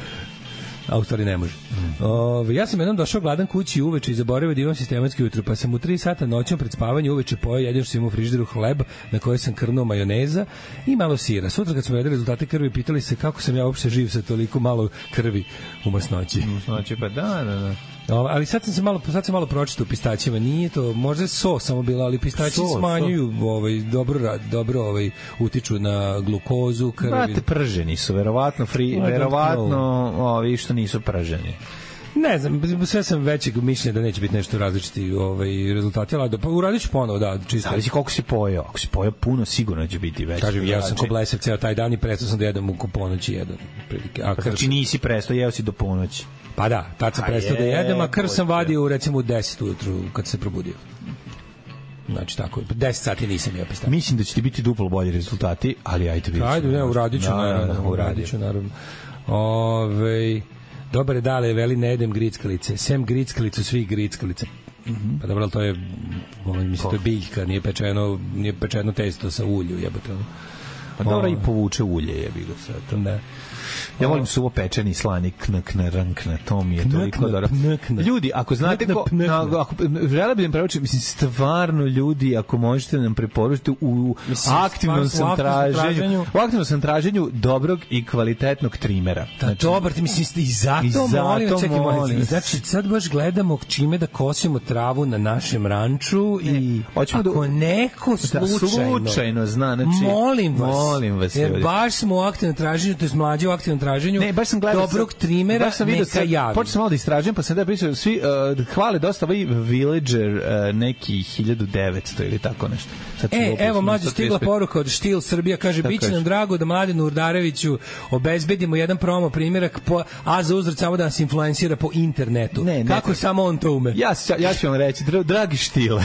A u stvari ne može. Mm. Ove, ja sam jednom došao gladan kući uveče i zaboravio da imam sistematski jutro, pa sam u tri sata noćom pred spavanje uveče pojeo jedino što sam imao u frižideru hleb na kojoj sam krnuo majoneza i malo sira. Sutra kad smo jedli rezultate krvi, pitali se kako sam ja uopšte živ sa toliko malo krvi u masnoći. U masnoći, pa da, da, da. O, ali sad sam se malo sad sam malo pročitao u pistaćima, nije to, možda so samo bilo, ali pistaći so, smanjuju so. ovaj dobro dobro ovaj utiču na glukozu, krvi. Brate, prženi su, verovatno free, verovatno, ovi što nisu prženi. Ne znam, sve sam većeg mišljenja da neće biti nešto različiti ovaj rezultati, ali da pa uradit ću ponovo, da, čisto. Zavisi koliko si pojeo. Ako si pojeo puno, sigurno će biti veći. Kažem, ja sam ko blesav ceo taj dan i prestao sam da jedem u ponoći jedan. A pa znači nisi prestao, jeo si do ponoći. Pa da, tad sam prestao da jedem, a krv sam vadio recimo u deset ujutru kad se probudio. Znači tako, deset sati nisam jeo pistaće. Mislim da će ti biti duplo bolji rezultati, ali ajde vidimo. Ajde, ne, uradit ću, naravno, uradit ću, naravno. Ove, dobre dale, veli ne jedem grickalice. Sem grickalicu, svih grickalica. Mm-hmm. Pa dobro, to je, mislim, to je biljka, nije pečeno, nije pečeno testo sa ulju, jebote. Pa dobro, i povuče ulje, jebi ga sad. Da. Ja volim suvo pečeni slani knak na rank na to mi je toliko dobro. Ljudi, ako znate ko, na, ako žele bi da preporučim, mislim stvarno ljudi, ako možete nam preporučiti u mislim, aktivnom sam traženju, u aktivnom sam traženju dobrog i kvalitetnog trimera. Da, znači, dobar, ti mislim i zato, i zato molim, čekaj, molim. Znači sad baš gledamo čime da kosimo travu na našem ranču ne, i ako da, neko slučajno, slučajno zna, znači molim vas, molim vas jer baš smo u aktivnom traženju, to je mlađi u aktivnom traženju. Ne, baš sam gledao dobrog trimera, baš sam vidio, neka javi. Počeo sam malo da istražujem, pa sam da pričao, svi uh, hvale dosta ovaj Villager uh, neki hiljadu devetsto ili tako nešto. Sad e, evo, mlađe stigla poruka od Štil Srbija, kaže, biće nam drago da Mladenu Urdareviću obezbedimo jedan promo primjerak, po, a za uzrat samo da nas influencira po internetu. Ne, ne, kako ne, samo on to ume? Ja, ja ću vam reći, dragi Štile,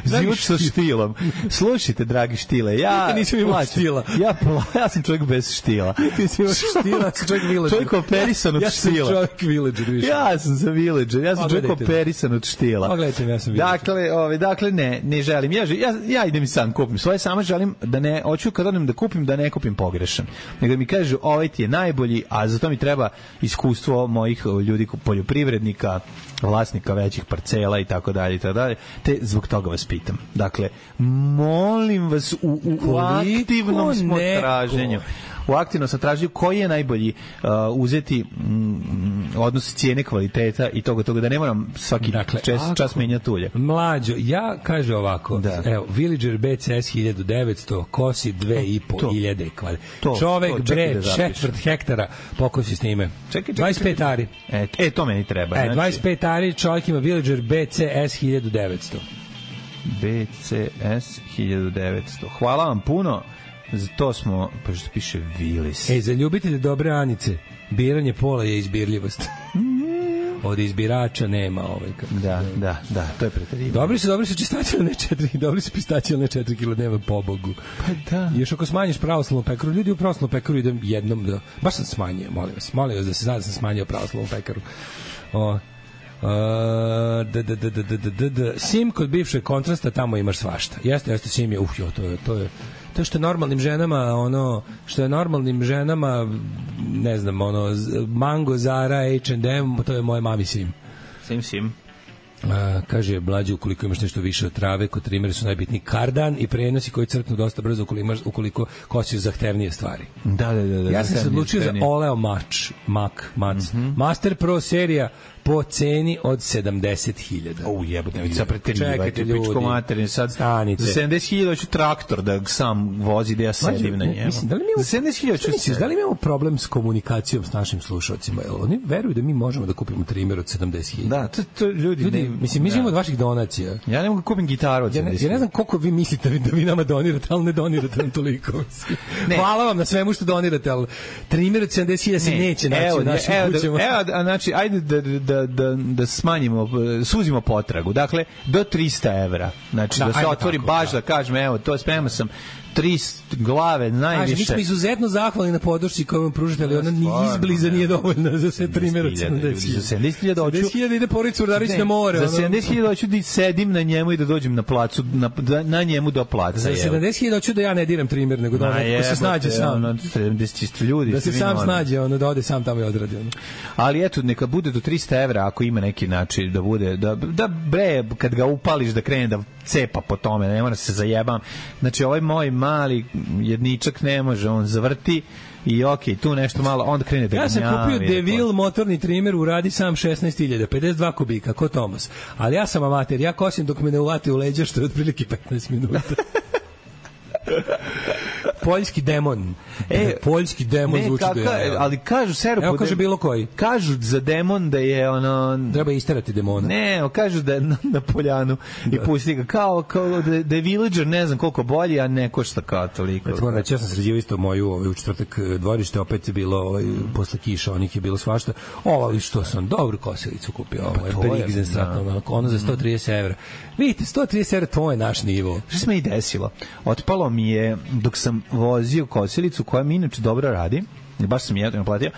zivut sa Štilom, slušajte, dragi Štile, ja nisam imao Štila. Ja, ja sam čovjek bez štila. Ti si imaš štila, sam čovjek villager. Čovjek operisan od ja štila. Ja sam čovjek villager više. Ja sam za villager, ja sam čovjek operisan od štila. Pogledajte, ja sam villager. Dakle, ovaj, dakle, ne, ne želim. Ja, ja, ja idem i sam kupim svoje, samo želim da ne, hoću kad odem da kupim, da ne kupim pogrešan. Nego mi kažu, ovaj ti je najbolji, a za to mi treba iskustvo mojih ljudi, poljoprivrednika, vlasnika većih parcela i tako dalje i tako dalje, te zbog toga vas pitam. Dakle, molim vas u, u, u aktivnom smo traženju. U aktivnom sam tražio koji je najbolji uh, uzeti mm, odnos cijene kvaliteta i toga toga da ne moram svaki dakle, čas, čas menjati ulje. Mlađo, ja kaže ovako, da. Evo, Villager B C S hiljadu devetsto kosi dve i po hiljade kvadrata. Čovek to, bre, četvrt hektara pokosi s njime. Čekaj, čekaj, dvadeset pet ari. E, e, to meni treba. E, znači... dvadeset pet ari, čovjek ima Villager B C S hiljadu devetsto. B C S hiljadu devetsto. Hvala vam puno. Za to smo, pa što piše Vilis. E, za ljubitelje dobre Anice, biranje pola je izbirljivost. Od izbirača nema ovaj. Da, da, da, to je preterivanje. Dobri su, dobri su čistači, ali ne četiri, dobri su pistači, ali ne četiri kila dnevno, pobogu. Pa da. I još ako smanjiš pravoslavnu pekaru, ljudi u pravoslavnu pekaru idem jednom, da, baš sam smanjio, molim vas, molim vas da se zna da sam smanjio pravoslavnu pekaru. O, Uh, da, da, da, da, da, da, da. Sim kod bivšeg kontrasta, tamo imaš svašta. Jeste, jeste, Sim je, uf, jo, to je, to je, to što je normalnim ženama, ono, što je normalnim ženama, ne znam, ono, Mango, Zara, H and M, to je moje mami Sim. Sim, Sim. A, kaže mlađe, ukoliko imaš nešto više od trave, kod trimera su najbitniji kardan i prenosi koji crknu dosta brzo ukoliko, imaš, ukoliko kosiš zahtevnije stvari. Da, da, da, da. Ja sam se odlučio za Oleo Mač, Mak, Mac. Mm-hmm. Master Pro serija po ceni od sedamdeset hiljada. O, jebote, sad preterivajte, pičko materin, sad stanite. Za sedamdeset hiljada hoću traktor da sam vozi, da ja sedim na njemu. Mislim, da li mi za sedamdeset hiljada hoću se... Da li imamo problem s komunikacijom s našim slušalcima? Oni veruju da mi možemo da kupimo trimer od sedamdeset hiljada. Da, to, to ljudi... ljudi ne, mislim, mi živimo od vaših donacija. Ja ne mogu da kupim gitaru od sedamdeset hiljada. Ja ne znam koliko vi mislite da vi nama donirate, ali ne donirate nam toliko. Hvala vam na svemu što donirate, ali trimer od sedamdeset hiljada se neće naći u našim kućama. Evo, znači, ajde da, da, da, da smanjimo, suzimo potragu. Dakle, do trista evra. Znači, da, da se otvori tako, baš da. da kažem, evo, to spremao sam tri glave najviše. Kaže, mi smo izuzetno zahvalni na podršci koju vam pružite, ali ona ni izbliza nije dovoljna za sve trimer od sedamdeset hiljada. Za sedamdeset hiljada hoću... sedamdeset hiljada ide Porica Urdarić na more. Za sedamdeset hiljada hoću da sedim na njemu i da dođem na placu, na, na njemu do placa. Za sedamdeset hiljada hoću da ja ne diram trimer, nego da neko se snađe sam. sedamdeset ljudi. Da se sam snađe, ono, da ode sam tamo i odradi. Ono. Ali eto, neka bude do trista evra ako ima neki način da bude, da, da bre, kad ga upališ da krene da cepa po tome, ne mora se zajebam. Znači, ovaj moj mali jedničak ne može, on zavrti i okej, okay, tu nešto malo, onda krene da ja sam kupio Devil motorni trimer, uradi sam šesnaest hiljada, pedeset dva kubika, ko Tomas. Ali ja sam amater, ja kosim dok me ne uvati u leđa, što je otprilike petnaest minuta. Poljski demon. E, poljski demon ne, zvuči da je. Ali kažu seru evo kaže bilo koji. Kažu za demon da je ono treba isterati demona. Ne, kažu da je na, na poljanu da. I pusti ga kao kao da, da je Villager ne znam koliko bolji, a ne košta kao toliko. Eto moram reći, ja sam sređivao isto moju ovaj u četvrtak dvorište, opet je bilo ovaj posle kiša, onih je bilo svašta. Ovo ali što sam dobru kosilicu kupio, ovaj pa Perigzen stratno, ono za sto trideset evra. Vidite, sto trideset evra to je naš nivo. Šta se mi desilo? Otpalo mi je dok sam vozio kosilicu koja mi inače dobro radi, baš sam jedno naplatio,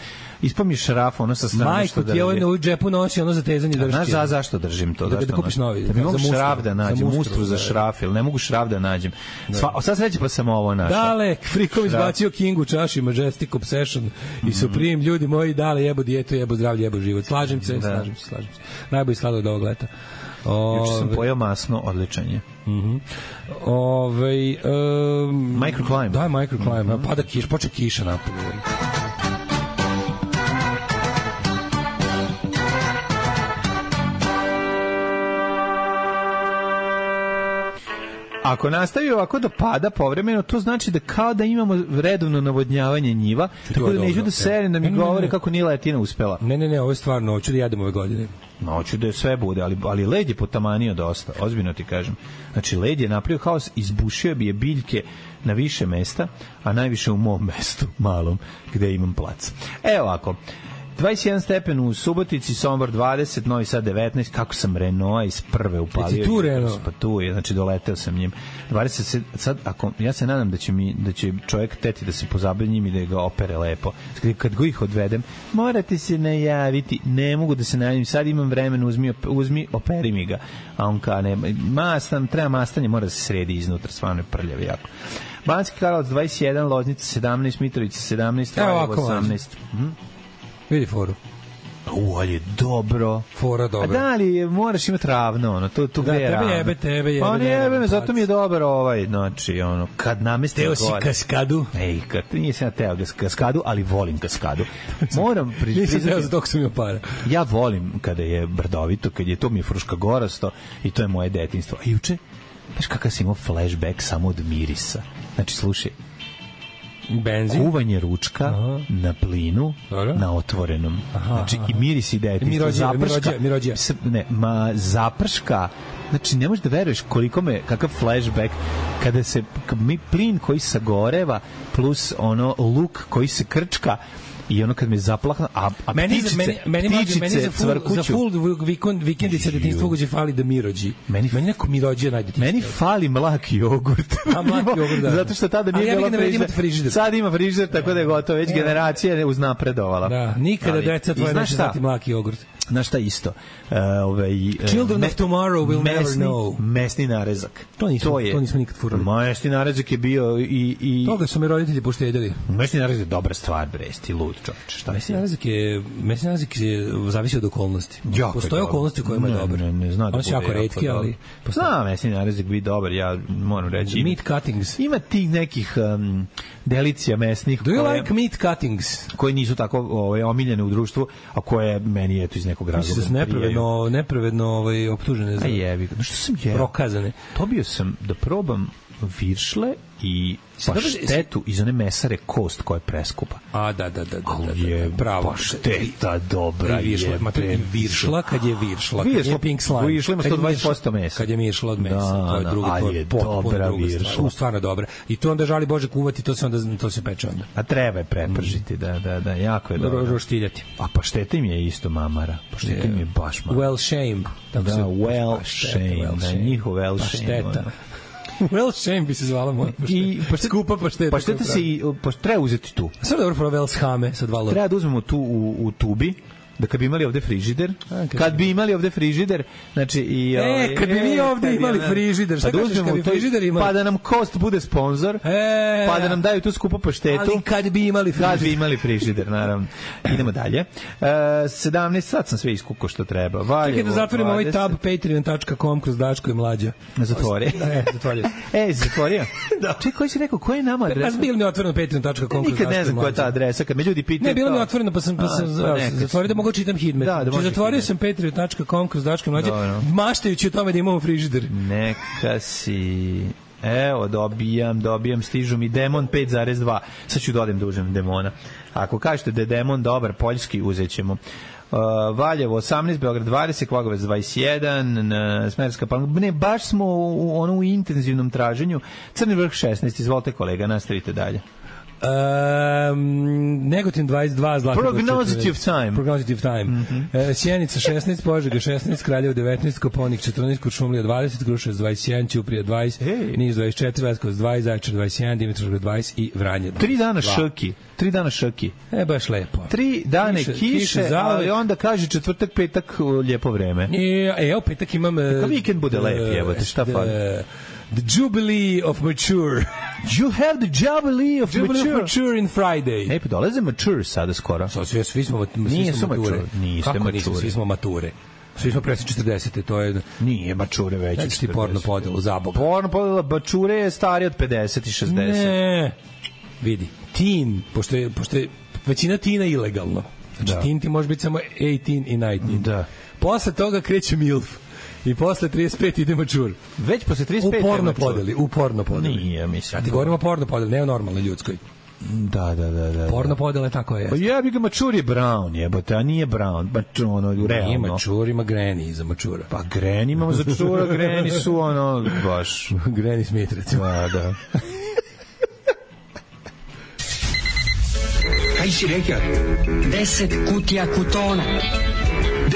ispao mi šraf, ono sa strane Majko, što drži. Majko, ti je ovo u džepu nosi ono za tezanje drži. Znaš za, zašto držim to? Da, da kupiš novi. Da mi mogu šraf da nađem, za mustru za šraf, ili ne mogu šraf da nađem. Sva, sad sreće pa sam ovo našao. Dale, Frikom izbacio King u čaši, Majestic Obsession mm-hmm. i Supreme, ljudi moji, dale, jebo dijetu, jebo zdravlje, jebo život. Slažem se, da. slažem se, slažem se. Najbolji sladoled ovog leta. Juče sam pojao masno, odličan je. Mhm. Ovaj um, microclimb. Da, microclimb. Mm-hmm. Pada kiš, počne kiša napolje. Ako nastavi ovako da pada povremeno, to znači da kao da imamo redovno navodnjavanje njiva, tako da neću da serem da mi ne, govore ne, ne. kako nije letina uspela. Ne, ne, ne, ovo je stvarno, hoću da jedem ove godine. No, hoću da sve bude, ali, ali led je potamanio dosta, ozbiljno ti kažem. Znači, led je napravio haos, izbušio bi je biljke na više mesta, a najviše u mom mestu, malom, gde imam plac. Evo ovako, dvadeset jedan stepen u Subotici, Sombor dvadeset, Novi Sad devetnaest, kako sam Renault iz prve upalio. Ti tu Renault? Pa tu je, znači doleteo sam njim. dvadeset, sad, ako, ja se nadam da će, mi, da će čovjek teti da se pozabavi njim i da ga opere lepo. Kad go ih odvedem, morate se najaviti, ne mogu da se najavim, sad imam vremena, uzmi, uzmi operi mi ga. A on ka, ne, mastan, treba mastanje, mora da se sredi iznutra, stvarno je prljav jako. Banski Karlovac dvadeset jedan, Loznica sedamnaest, Mitrovica sedamnaest, Valjevo osamnaest. Mhm. Vidi foru. U, ali je dobro. Fora dobro. A da li moraš imati ravno, ono, to, to da, gde je tebe ravno. jebe, tebe jebe. Pa ne jebe me, zato mi je dobar ovaj, znači, ono, kad namestim Teo gore. si kaskadu? Ej, kad, nisam ja teo kaskadu, ali volim kaskadu. Moram priznati. Nisam teo za dok sam imao para. Ja volim kada je brdovito, kad je to mi je Fruška gorasto i to je moje detinjstvo. A juče, znaš kakav sam imao flashback samo od mirisa. Znači, slušaj, benzin, kuvanje ručka. Aha. Na plinu. Dobro. Na otvorenom. Aha, znači i miris i detinjstvo. Zaprška. Mirođe, ne, ma zaprška. Znači ne možeš da veruješ koliko me, kakav flashback kada se mi plin koji sagoreva plus ono luk koji se krčka i ono kad me zaplahna, a, a meni ptičice, meni meni ptičice meni za full, za full vikend vikendice detinjstva uđe fali da mirođi. Meni meni neko mirođe najde. Meni fali mlaki jogurt. A mlaki jogurt, da. Zato što tada nije bilo frižider. frižider. Sad ima frižider, tako da je gotovo, već generacija je uznapredovala. Da, nikada deca tvoje neće znati mlaki jogurt. Znaš šta isto? Uh, ovaj, Children me, of tomorrow will mesni, never know. Mesni narezak. To nismo, to, je, to nismo nikad furali. Mesni narezak je bio i... i toga su me roditelji poštedjeli. Mesni narezak je dobra stvar, bre, ti lud čovječ. Šta mesni narezak je, mesni narezak je zavisi od okolnosti. Jako postoje okolnosti u kojima je dobar. Ne, ne, zna da on su jako retki, ali... Zna mesni narezak biti dobar, ja moram reći. Meat cuttings. Ima tih nekih um, delicija mesnih. Do you koje, like meat cuttings? Koji nisu tako ovaj, omiljene u društvu, a koje meni eto iz nekog razloga nepravedno, nepravedno ovaj, optužene za... A jebi, što sam jeo? Prokazane. Dobio sam da probam viršle i paštetu iz one mesare kost koja je preskupa. A, da, da, da. da, da je pravo. Pašteta dobra je. Viršla, kad je viršla. Viršla, je pink slime. Viršla ima sto dvadeset posto mesa. Kad je miršla od mesa. Da, to je drugo, ali to je, je dobra viršla. U, stvarno dobra. I to onda žali Bože kuvati, to se onda to se peče onda. A treba je prepržiti, da, da, da, jako je dobro. Roštiljati. A pašteta im je isto mamara. Pašteta im je baš mamara. Well shame. Da, well shame. Da, njihov well shame. Well shame bi se zvala moja pašteta. Skupa pašteta. Pašteta se i, treba uzeti tu. Sve dobro pro Velshame sa dva lota. Treba da uzmemo tu u, u tubi, da kad bi imali ovde frižider, a, kad bi imali ovde frižider, znači i e, ovaj, kad bi mi ovde imali frižider, šta kažeš kad bi frižider imali? Pa da nam Kost bude sponzor, e, pa da nam daju tu skupu paštetu. Ali kad bi imali frižider. Kad bi imali frižider, naravno. Idemo dalje. Uh, sedamnaest sat sam sve iskukao što treba. Valjevo. Čekaj da zatvorimo ovaj tab patreon dot com kroz Daško i Mlađa. Zatvori. Ne, zatvorio. E, zatvorio? Da. Čekaj, koji si rekao, koja je nama adresa? Pa bilo mi otvoreno patreon dot com kroz Daško i Mlađa. Nikad ne znam koja je ta adresa, kad me ljudi pitaju. Ne, bilo mi otvoreno, pa sam, pa sam zatvorio da mogu čitam hidmet. Da, da znači, zatvorio sam patreon dot com kroz Daško i Mlađa, maštajući o tome da imamo frižider. Neka si... Evo, dobijam, dobijam, stižu mi Demon pet zarez dva. Sad ću dodem da uzem Demona. Ako kažete da je Demon dobar, poljski, uzet ćemo. Uh, Valjevo osamnaest, Beograd dvadeset, Kvagovac dvadeset jedan, Smerska Palanka. Ne, baš smo u, u, ono, u intenzivnom traženju. Crni vrh šesnaest, izvolite kolega, nastavite dalje. Um, Negotin dvadeset dva, Zlatibor Prognozitive time. Prognozitive time. Mm -hmm. uh, Sjenica šesnaest, Požega šesnaest, Kraljevo devetnaest, Koponik četrnaest, Kuršumlija dvadeset, Kruševac dvadeset jedan, Ćuprija dvadeset, hey. Niš dvadeset četiri, Leskovac dvadeset, Zaječar dvadeset jedan, Dimitrovgrad dvadeset i Vranje dvadeset. Tri dana šrki. Tri dana šrki. E, baš lepo. Tri dane kiše, kiše, kiše ali onda kaže četvrtak, petak lijepo vreme. E, evo, petak imam... Neka vikend bude lep, evo te, šta fali? The Jubilee of Mature. You have the Jubilee of Jubilee Mature. Of mature in Friday. Ne, pa dolaze Mature sada skoro. So, svi, svi smo, Nije svi smo mature. mature. Niste Kako mature. nismo, svi smo mature. Svi smo presi četrdesete, to je... Nije mature već. Znači ti porno podelu, za Boga. Porno podela, mature je stariji od pedeset i šezdeset. Ne, vidi. Teen, pošto je, pošto je većina tina ilegalno. Znači da. Teen ti može biti samo eighteen i nineteen. Da. Posle toga kreće milf. I posle trideset pet ide mačur. Već posle trideset pet u porno podeli, u porno podeli. Nije, mislim. Ja ti govorim o porno podeli, ne o normalnoj ljudskoj. Da, da, da, da. Porno podele tako je. Pa jebi ga, mačur je brown, jebote, a nije brown, mačur, ono, realno. Nije mačur, ima greni iza mačura. Pa greni imamo za čura, greni su, ono, baš. Greni Smith, recimo. Da, da. Kaj si rekao? Deset kutija Kutona.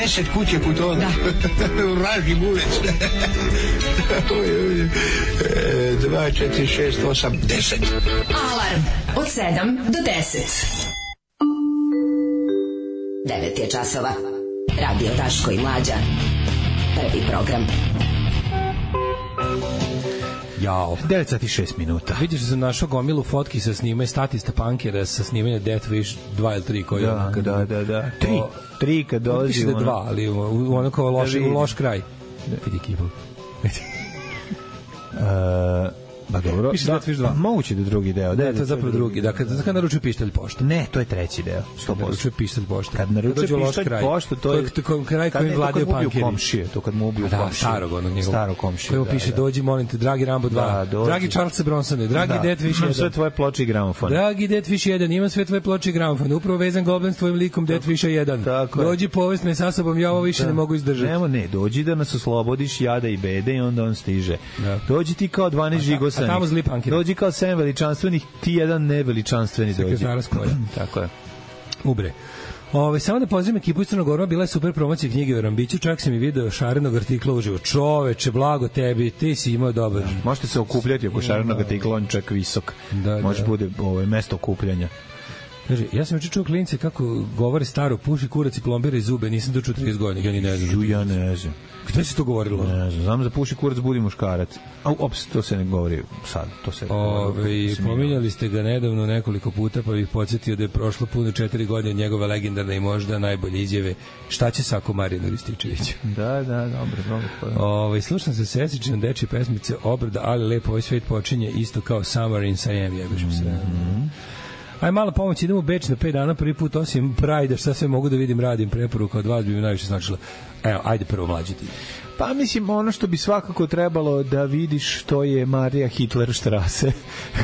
Deset kutija Kutona? Da. Vraži bulec. Dva, četiri, šest, osam, deset. Alarm od sedam do deset. Devet je časova. Radio Daško i Mlađa. Prvi program. Jao. devet sati i šest minuta. Vidiš da sam našao gomilu fotki sa snimanja statista punkera sa snimanja Death Wish dva ili tri koji da, kad, da, da, da. Tri. O, tri kad dolazi. Piše da je dva, ali u ono kao loš, u loš kraj. Vidi kipu. Uh, ba dobro, piše da, Death Wish dva. Moguće da drugi deo. Da, ne, to je zapravo drugi. Da, kad, kad naručuje pištolj pošta. Ne, to je treći deo. sto posto. Naručuje pištolj pošta. Kad naručuje pištolj pošta, to je to kraj koji vladaju punkeri. Komšije, to kad mu ubiju komšije. Da, starog onog njegovog. Staro komšije. Koji mu piše, dođi, molim te, dragi Rambo dva, da, dragi Charles Bronsone, dragi da. Death Wish jedan. Imam sve tvoje ploče i gramofon. Dragi Death Wish jedan, imam sve tvoje ploče i gramofon. Upravo vezan Goblin s tvojim likom Death Wisha jedan. Dođi, povest me sa sobom, ja ovo više ne mogu izdržati. Nemo, ne, dođi da nas oslobodiš jada i bede i onda on stiže. Dođi ti kao dvanaest žigosanih. Dođi kao sedam veličanstvenih, ti jedan neveličanstveni dođi. Sekretara Skoja. Tako je. Ubre. Ove, samo da pozdravim ekipu iz Crnog Gora, bila je super promocija knjige o Rambiću, čak sam i video šarenog artikla uživo. Čoveče, blago tebi, ti si imao dobar. Da, možete se okupljati oko šarenog artikla, on čak visok. Da, može da. Bude ovaj, mesto okupljanja. Kaže, ja sam juče čuo klince kako govore staro, puši kurac i plombira i zube, nisam to čuo trideset godina, ja ni ne znam. Ja ne znam. Gde se to govorilo? Ne znam, znam za puši kurac, budi muškarac. A uopšte to se ne govori sad, to se Ove, pominjali ste ga nedavno nekoliko puta, pa bih podsjetio da je prošlo puno četiri godine njegove legendarne i možda najbolje izjave šta će sako Marijanu Rističeviću. Da, da, dobro, dobro. Ove, slušam se Sesićine dečje pesmice Obrada, ali lepo ovaj svet počinje isto kao Summer in Siam, jebeš mi se. Mm-hmm. Aj, mala pomoć, idemo u Beč na pet dana, prvi put osim Pride, šta sve mogu da vidim, radim, preporuka od vas bi mi najviše značila. Evo, ajde prvo mlađiti. Pa mislim, ono što bi svakako trebalo da vidiš, to je Marija Hitlerstrasse,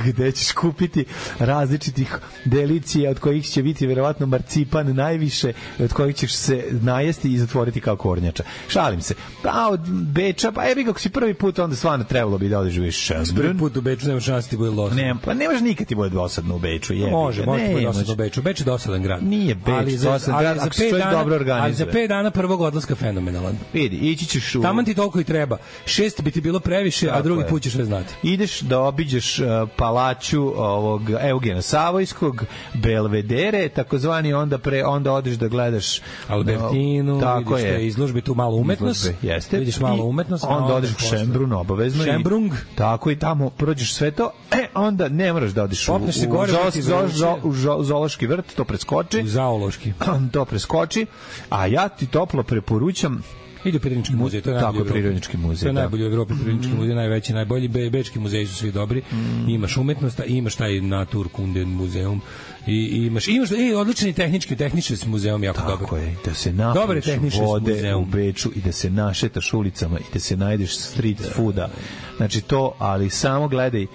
gde ćeš kupiti različitih delicija od kojih će biti verovatno marcipan najviše, od kojih ćeš se najesti i zatvoriti kao kornjača. Šalim se. Pa od Beča, pa evi kako si prvi put, onda stvarno trebalo bi da odeš u Schönbrunn. Prvi put u Beču nema šansi ti bude dosadno. Ne, pa nemaš nikad ti bude dosadno u Beču. Jebi. Može, može ti bude dosadno u Beču. Beč je dosadan grad. Nije Beč dosadan grad, ako se dobro organizuje. Ali za pet dana prvog odlaska fenomenalan. Vidi, ići ćeš u... Taman ti toliko i treba. Šest bi ti bilo previše, tako a drugi je. Put ćeš sve znati. Ideš da obiđeš uh, palaču ovog Eugena Savojskog, Belvedere, takozvani, onda pre onda odeš da gledaš Albertinu, uh, vidiš te izložbe, tu malo umetnost. Izložbe, jeste. Vidiš malo umetnost. Onda, onda odeš u Schönbrunn obavezno. Schönbrunn. Tako i tamo prođeš sve to. E, onda ne moraš da odeš u, se gore, u, u, u zoološki vrt, to preskoči. U zoološki. To preskoči. A ja ti toplo preporučam ide u Prirodnički muzej, to je najbolji tako Prirodnički muzej. To je najbolji u Evropi, Prirodnički mm. muzej, najveći, najbolji. Be, bečki muzeji su svi dobri. Mm. Imaš umetnost, imaš taj Naturkunden muzeum. I imaš imaš i odlični tehnički tehnički muzeum jako tako dobar. Tako je, da se napiš vode muzeum. U Beču i da se našetaš ulicama i da se najdeš street da, fooda. Znači to, ali samo gledaj uh,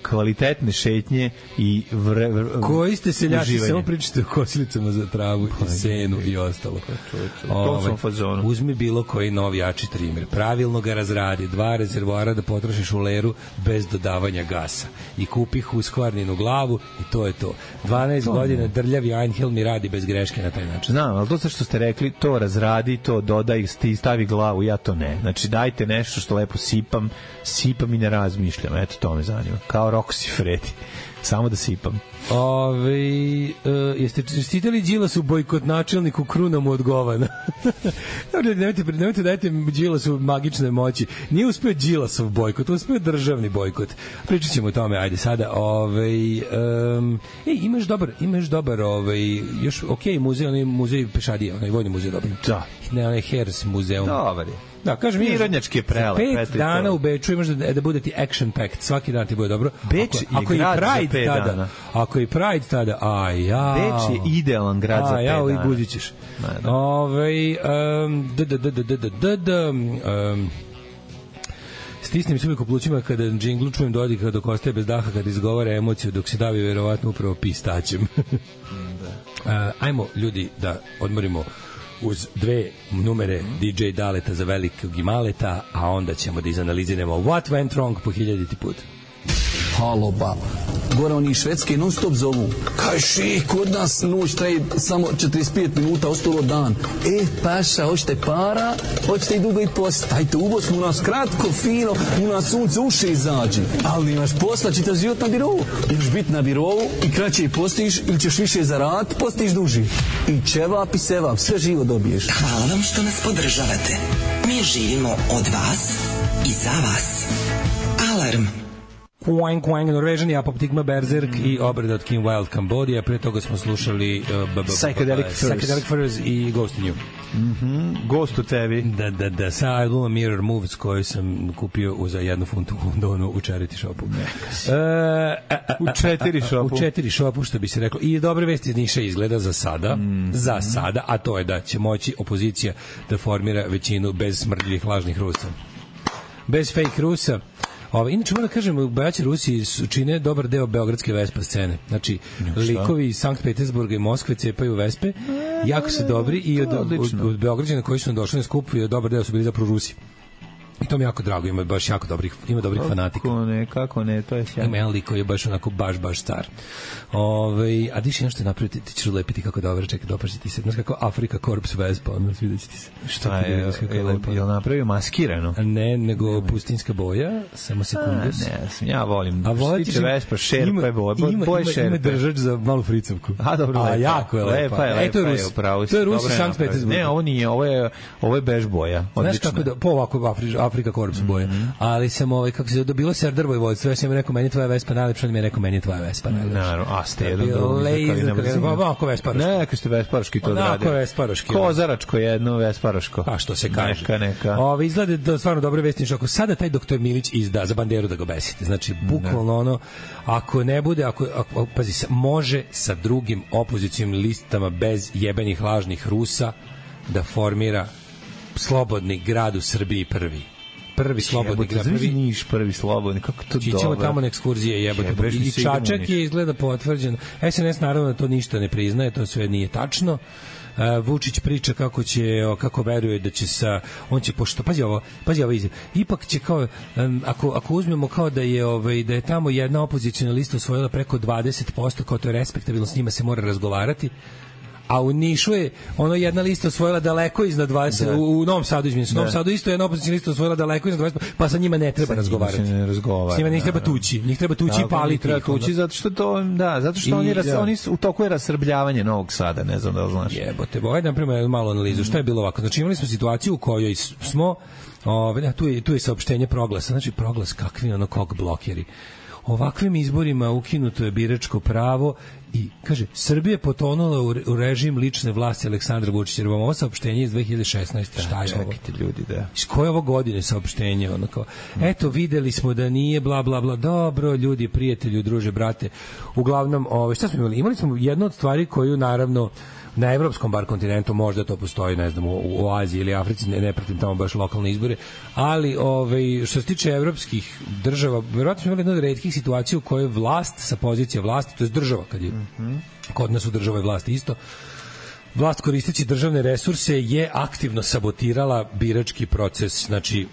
kvalitetne šetnje i vre, vre, koji ste seljaci, samo pričate o kosilicama za travu i senu i ostalo. To sam fazonu. Uzmi bilo koji novi jači trimer, pravilno ga razradi, dva rezervoara da potrošiš u leru bez dodavanja gasa i kupi Husqvarninu glavu i to je to. dvanaest to godina drljavi Einhell mi radi bez greške na taj način. Znam, ali to sve što ste rekli, to razradi, to dodaj, stavi glavu, ja to ne. Znači dajte nešto što lepo sipam, sipam i ne razmišljam. Eto, to me zanima. Kao Roxy Freddy. Samo da sipam. Ove, uh, jeste čestitali Đilasu bojkot načelniku Kruna mu odgovana? nemojte, nemojte dajte Đilasu magične moći. Nije uspeo Đilasov bojkot, uspeo je državni bojkot. Pričat ćemo o tome, ajde sada. Ove, um, ej, imaš dobar, imaš dobar ove, još ok, muzej, onaj muzej Pešadije, onaj vojni muzej dobar. Da. Ne, onaj Hers muzeum. Dobar je. Da, kažem, Prirodnjački je prelep. Pet dana u Beču imaš da, da bude ti action packed, svaki dan ti bude dobro. Beč ako, je ako grad i za pet tada, dana. Ako i Pride tada, a ja. Beč je idealan grad a, za pet ja, dana. A ja, i guzićeš. Ove, um, d, d, d, d, d, d, d, um, stisnem se uvijek u plućima kada džinglu čujem Dodika dok ostaje bez daha, kada izgovara emociju, dok se davi verovatno upravo pistaćem. uh, ajmo, ljudi, da odmorimo uz dve numere D J Daleta za velikog i maleta, a onda ćemo da izanaliziramo What Went Wrong po hiljaditi put. haloba. Gore oni švedske non stop zovu. Kaj ših, kod nas noć traje samo četrdeset pet minuta, ostalo dan. E, paša, hoćete para, hoćete i dugo i post. Ajte u Bosnu, u nas kratko, fino, u nas sunce uše izađe. Ali imaš posla, čitav život na birovu. Imaš biti na birovu i kraće postiš ili ćeš više zaraditi, postiš duži. I ćevap i sevap, sve živo dobiješ. Hvala vam što nas podržavate. Mi živimo od vas i za vas. Alarm. Quang Quang, Norvežan, Apoptigma, Berserk mm. i obrada od Kim Wilde, Cambodia. Pre toga smo slušali uh, Psychedelic Furs Psychedelic Furs i Ghost in You. Mm-hmm. Ghost u tebi. Da, da, da. Sa albuma Mirror Moves koju sam kupio za jednu funtu u Londonu u charity shopu. Uh, a, a, u četiri shopu. U četiri shopu, što bi se reklo. I dobre vesti iz Niša izgleda za sada. Mm. Za sada. A to je da će moći opozicija da formira većinu bez smrdljivih lažnih Rusa. Bez fake Rusa. Ove, inače, moram da kažem, bojaći Rusi čine dobar deo beogradske Vespa scene. Znači, no, likovi iz Sankt Petersburga i Moskve cepaju Vespe, jako su dobri i od, od, od Beograđana koji su nam došli na skup, dobar deo su bili zapravo Rusi. I to mi jako drago, ima baš jako dobrih, ima dobrih kako fanatika. Kako ne, kako ne, to je sjajno. Ima jedan lik koji je baš onako baš, baš star. Ove, a diš jedno što je napraviti, ti ćeš ulepiti kako dobro, čekaj, dopaši ti se. Znaš kako Afrika Korps Vespa, ono, sviđa će ti se. Šta je, je, je li napravio maskirano? Ne, nego pustinska boja, samo sekundus. A, ne, sam, ja volim. A što tiče Vespa, šerpa je boja, boje šerpe. Ima držač za malu fricovku. A, dobro, lepa. A, jako je lepa. Lepa je, lepa e, to je Rus. To je Rus i Sankt Petersburg. Ne, ovo nije, ovo je, ovo je bež boja. Znaš kako da, po ovako Afrika Korps boja. Mm-hmm. Ali sam ovaj kako se dobilo Serdar Vojvodstvo, ja sam rekao meni tvoja Vespa najlepša, on mi je rekao meni tvoja Vespa najlepša. Naravno, a ste jedan drugi. Ovako Vesparoški. Ne, ako ste Vesparoški to odradio. Onako Vesparoški. Kozaračko jedno Vesparoško. Pa što se kaže. Neka, neka. Ove, izgleda da stvarno dobre vesti, ako sada taj doktor Milić izda za banderu da ga besite. Znači, bukvalno ono, ako ne bude, ako, ako pazi se, može sa drugim opozicionim listama bez jebenih lažnih Rusa da formira slobodni grad u Srbiji prvi. Prvi slobodni grad, prvi Niš, prvi slobodni, kako to dobro. Ćemo tamo na ekskurzije, jebote. I Čačak je izgleda potvrđen. es en es naravno to ništa ne priznaje, to sve nije tačno. Uh, Vučić priča kako će, kako veruje da će sa, on će pošto, pazi ovo, pazi ovo izjave. Ipak će kao, um, ako, ako uzmemo kao da je, ovaj, da je tamo jedna opoziciona lista osvojila preko dvadeset posto, kao to je respektabilno, s njima se mora razgovarati. A u Nišu je ono jedna lista osvojila daleko iznad dvadeset, da. u, u Novom Sadu, izvinite, u Novom Sadu isto jedna opoziciona lista osvojila daleko iznad dvadeset, pa sa njima ne treba razgovarati. Ne razgovara. S njima njih treba tući, njih treba tući da, i paliti. Treba tući zato što to, da, zato što I, oni, ras, da. oni su, u toku je rasrbljavanje Novog Sada, ne znam da li znaš. Jebote, bo, ajde na primjer malu analizu. Šta je bilo ovako? Znači imali smo situaciju u kojoj smo, ove, tu, je, tu je saopštenje Proglasa, znači Proglas kakvi ono kog blokeri. Ovakvim izborima ukinuto je biračko pravo i, kaže, Srbija je potonula u režim lične vlasti Aleksandra Vučića. Jer vam ovo saopštenje iz dve hiljade šesnaeste. Šta je ovo? Čekajte ljudi, da. Iz koje ovo godine saopštenje? Ono kao, eto, videli smo da nije, bla, bla, bla. Dobro, ljudi, prijatelji, druže, brate. Uglavnom, ove, šta smo imali? Imali smo jednu od stvari koju, naravno, na evropskom bar kontinentu možda to postoji, ne znam, u, u Aziji ili Africi, ne, ne pratim tamo baš lokalne izbore, ali ovaj, što se tiče evropskih država, verovatno smo imali jednu od retkih situacija u kojoj vlast sa pozicije vlasti, to je država, kad je mm-hmm. kod nas u državoj vlasti isto, vlast koristeći državne resurse je aktivno sabotirala birački proces. Znači,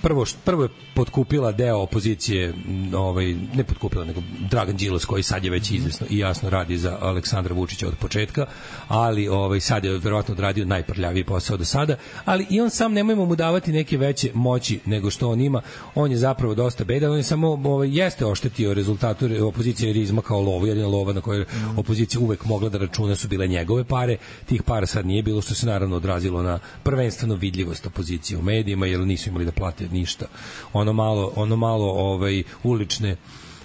prvo, prvo je potkupila deo opozicije, ovaj, ne potkupila, nego Dragan Đilas, koji sad je već izvesno i jasno radi za Aleksandra Vučića od početka, ali ovaj, sad je verovatno odradio najprljaviji posao do sada, ali i on sam, nemojmo mu davati neke veće moći nego što on ima. On je zapravo dosta bedan, on je samo ovaj, jeste oštetio rezultatu opozicije jer je izmakao lovu, jedina lova na kojoj opozicija uvek mogla da računa su bile njegove pare. Tih para sad nije bilo, što se naravno odrazilo na prvenstveno vidljivost opozicije u medijima, jer nisu imali da plate ništa. Ono malo, ono malo ovaj, ulične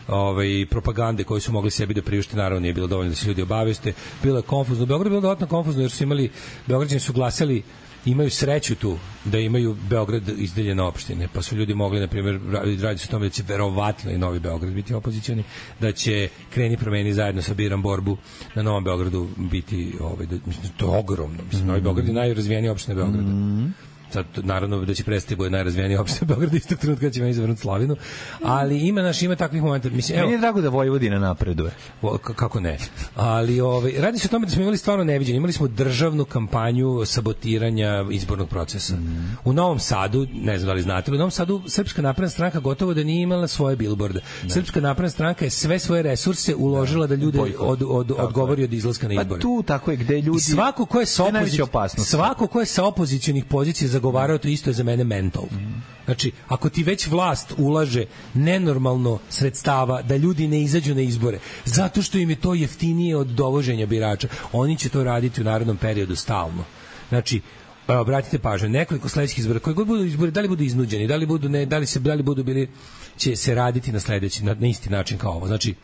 ovaj, propagande koje su mogli sebi da priušte, naravno nije bilo dovoljno da se ljudi obaveste. Bilo je konfuzno. Beograd je bilo dodatno konfuzno jer su imali, Beograđani su glasali, imaju sreću tu da imaju Beograd izdeljene opštine, pa su ljudi mogli, na primjer, radi se o tome da će verovatno i Novi Beograd biti opozicioni, da će Kreni promeni zajedno sa Biram borbu na Novom Beogradu biti, ovaj, da, mislim, to je ogromno. Mislim, mm-hmm. Novi Beograd je najrazvijenija opština Beograda. Mm-hmm. sad naravno da će prestati bude najrazvijeniji opština Beograd istog trenutka kad ćemo izvrnuti slavinu, ali ima naš ima takvih momenta. Mislim, evo, meni je drago da Vojvodina napreduje. O, kako ne? Ali ovaj radi se o tome da smo imali stvarno neviđeno. Imali smo državnu kampanju sabotiranja izbornog procesa. Mm. U Novom Sadu, ne znam da li znate, u Novom Sadu Srpska napredna stranka gotovo da nije imala svoje bilborde. Ne. Srpska napredna stranka je sve svoje resurse uložila da, da ljude od, od, odgovori od izlaska na izbore. Pa tu tako je gde ljudi. I svako ko je sa opozic... svako ko je sa opozicionih pozicija zagovarao to isto je za mene mental. Mm. Znači, ako ti već vlast ulaže nenormalno sredstava da ljudi ne izađu na izbore, zato što im je to jeftinije od dovoženja birača, oni će to raditi u narednom periodu stalno. Znači, obratite pažnju, nekoliko sledećih izbora, koji god budu izbori, da li budu iznuđeni, da li budu ne, da li se da li budu bili će se raditi na sledeći na, na isti način kao ovo. Znači,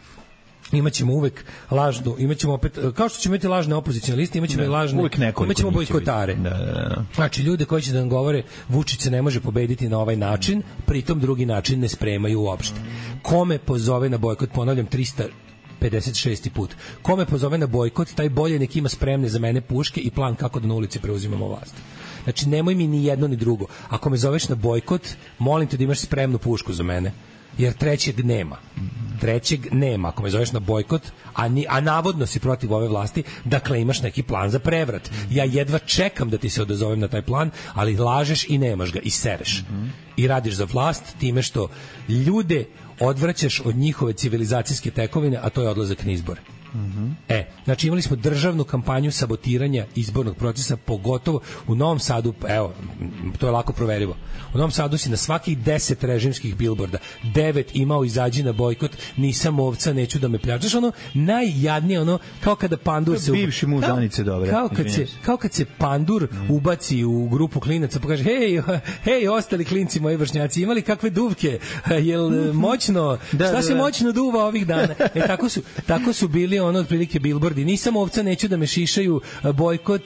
imaćemo uvek lažnu, imaćemo opet, kao što ćemo imati lažne opozicione liste, imaćemo i lažne, imaćemo bojkotare. Da, da, da. Znači, ljude koji će da nam govore Vučić se ne može pobediti na ovaj način, pritom drugi način ne spremaju uopšte. Kome pozove na bojkot, ponavljam, trista pedeset šesti put. Kome pozove na bojkot, taj bolje nek ima spremne za mene puške i plan kako da na ulici preuzimamo vlast. Znači, nemoj mi ni jedno ni drugo. Ako me zoveš na bojkot, molim te da imaš spremnu pušku za mene. Jer trećeg nema. Trećeg nema. Ako me zoveš na bojkot, a, ni, a navodno si protiv ove vlasti, dakle imaš neki plan za prevrat. Ja jedva čekam da ti se odazovem na taj plan, ali lažeš i nemaš ga i sereš. I radiš za vlast time što ljude odvraćaš od njihove civilizacijske tekovine, a to je odlazak na izbore. Mm-hmm. E, znači imali smo državnu kampanju sabotiranja izbornog procesa, pogotovo u Novom Sadu, evo, to je lako proverivo. U Novom Sadu si na svakih deset režimskih bilborda, devet imao izađi na bojkot, nisam ovca, neću da me pljačaš, ono najjadnije, ono kao kada pandur se bivši muž Danice, dobre. Kao kad se kao kad se pandur mm. ubaci u grupu klinaca, pa kaže hej, hej, ostali klinci moji vršnjaci, imali kakve duvke? Jel moćno? Da, šta da, se da. moćno duva ovih dana? E tako su tako su bili ono otprilike bilbordi. Nisam ovca, neću da me šišaju, bojkot,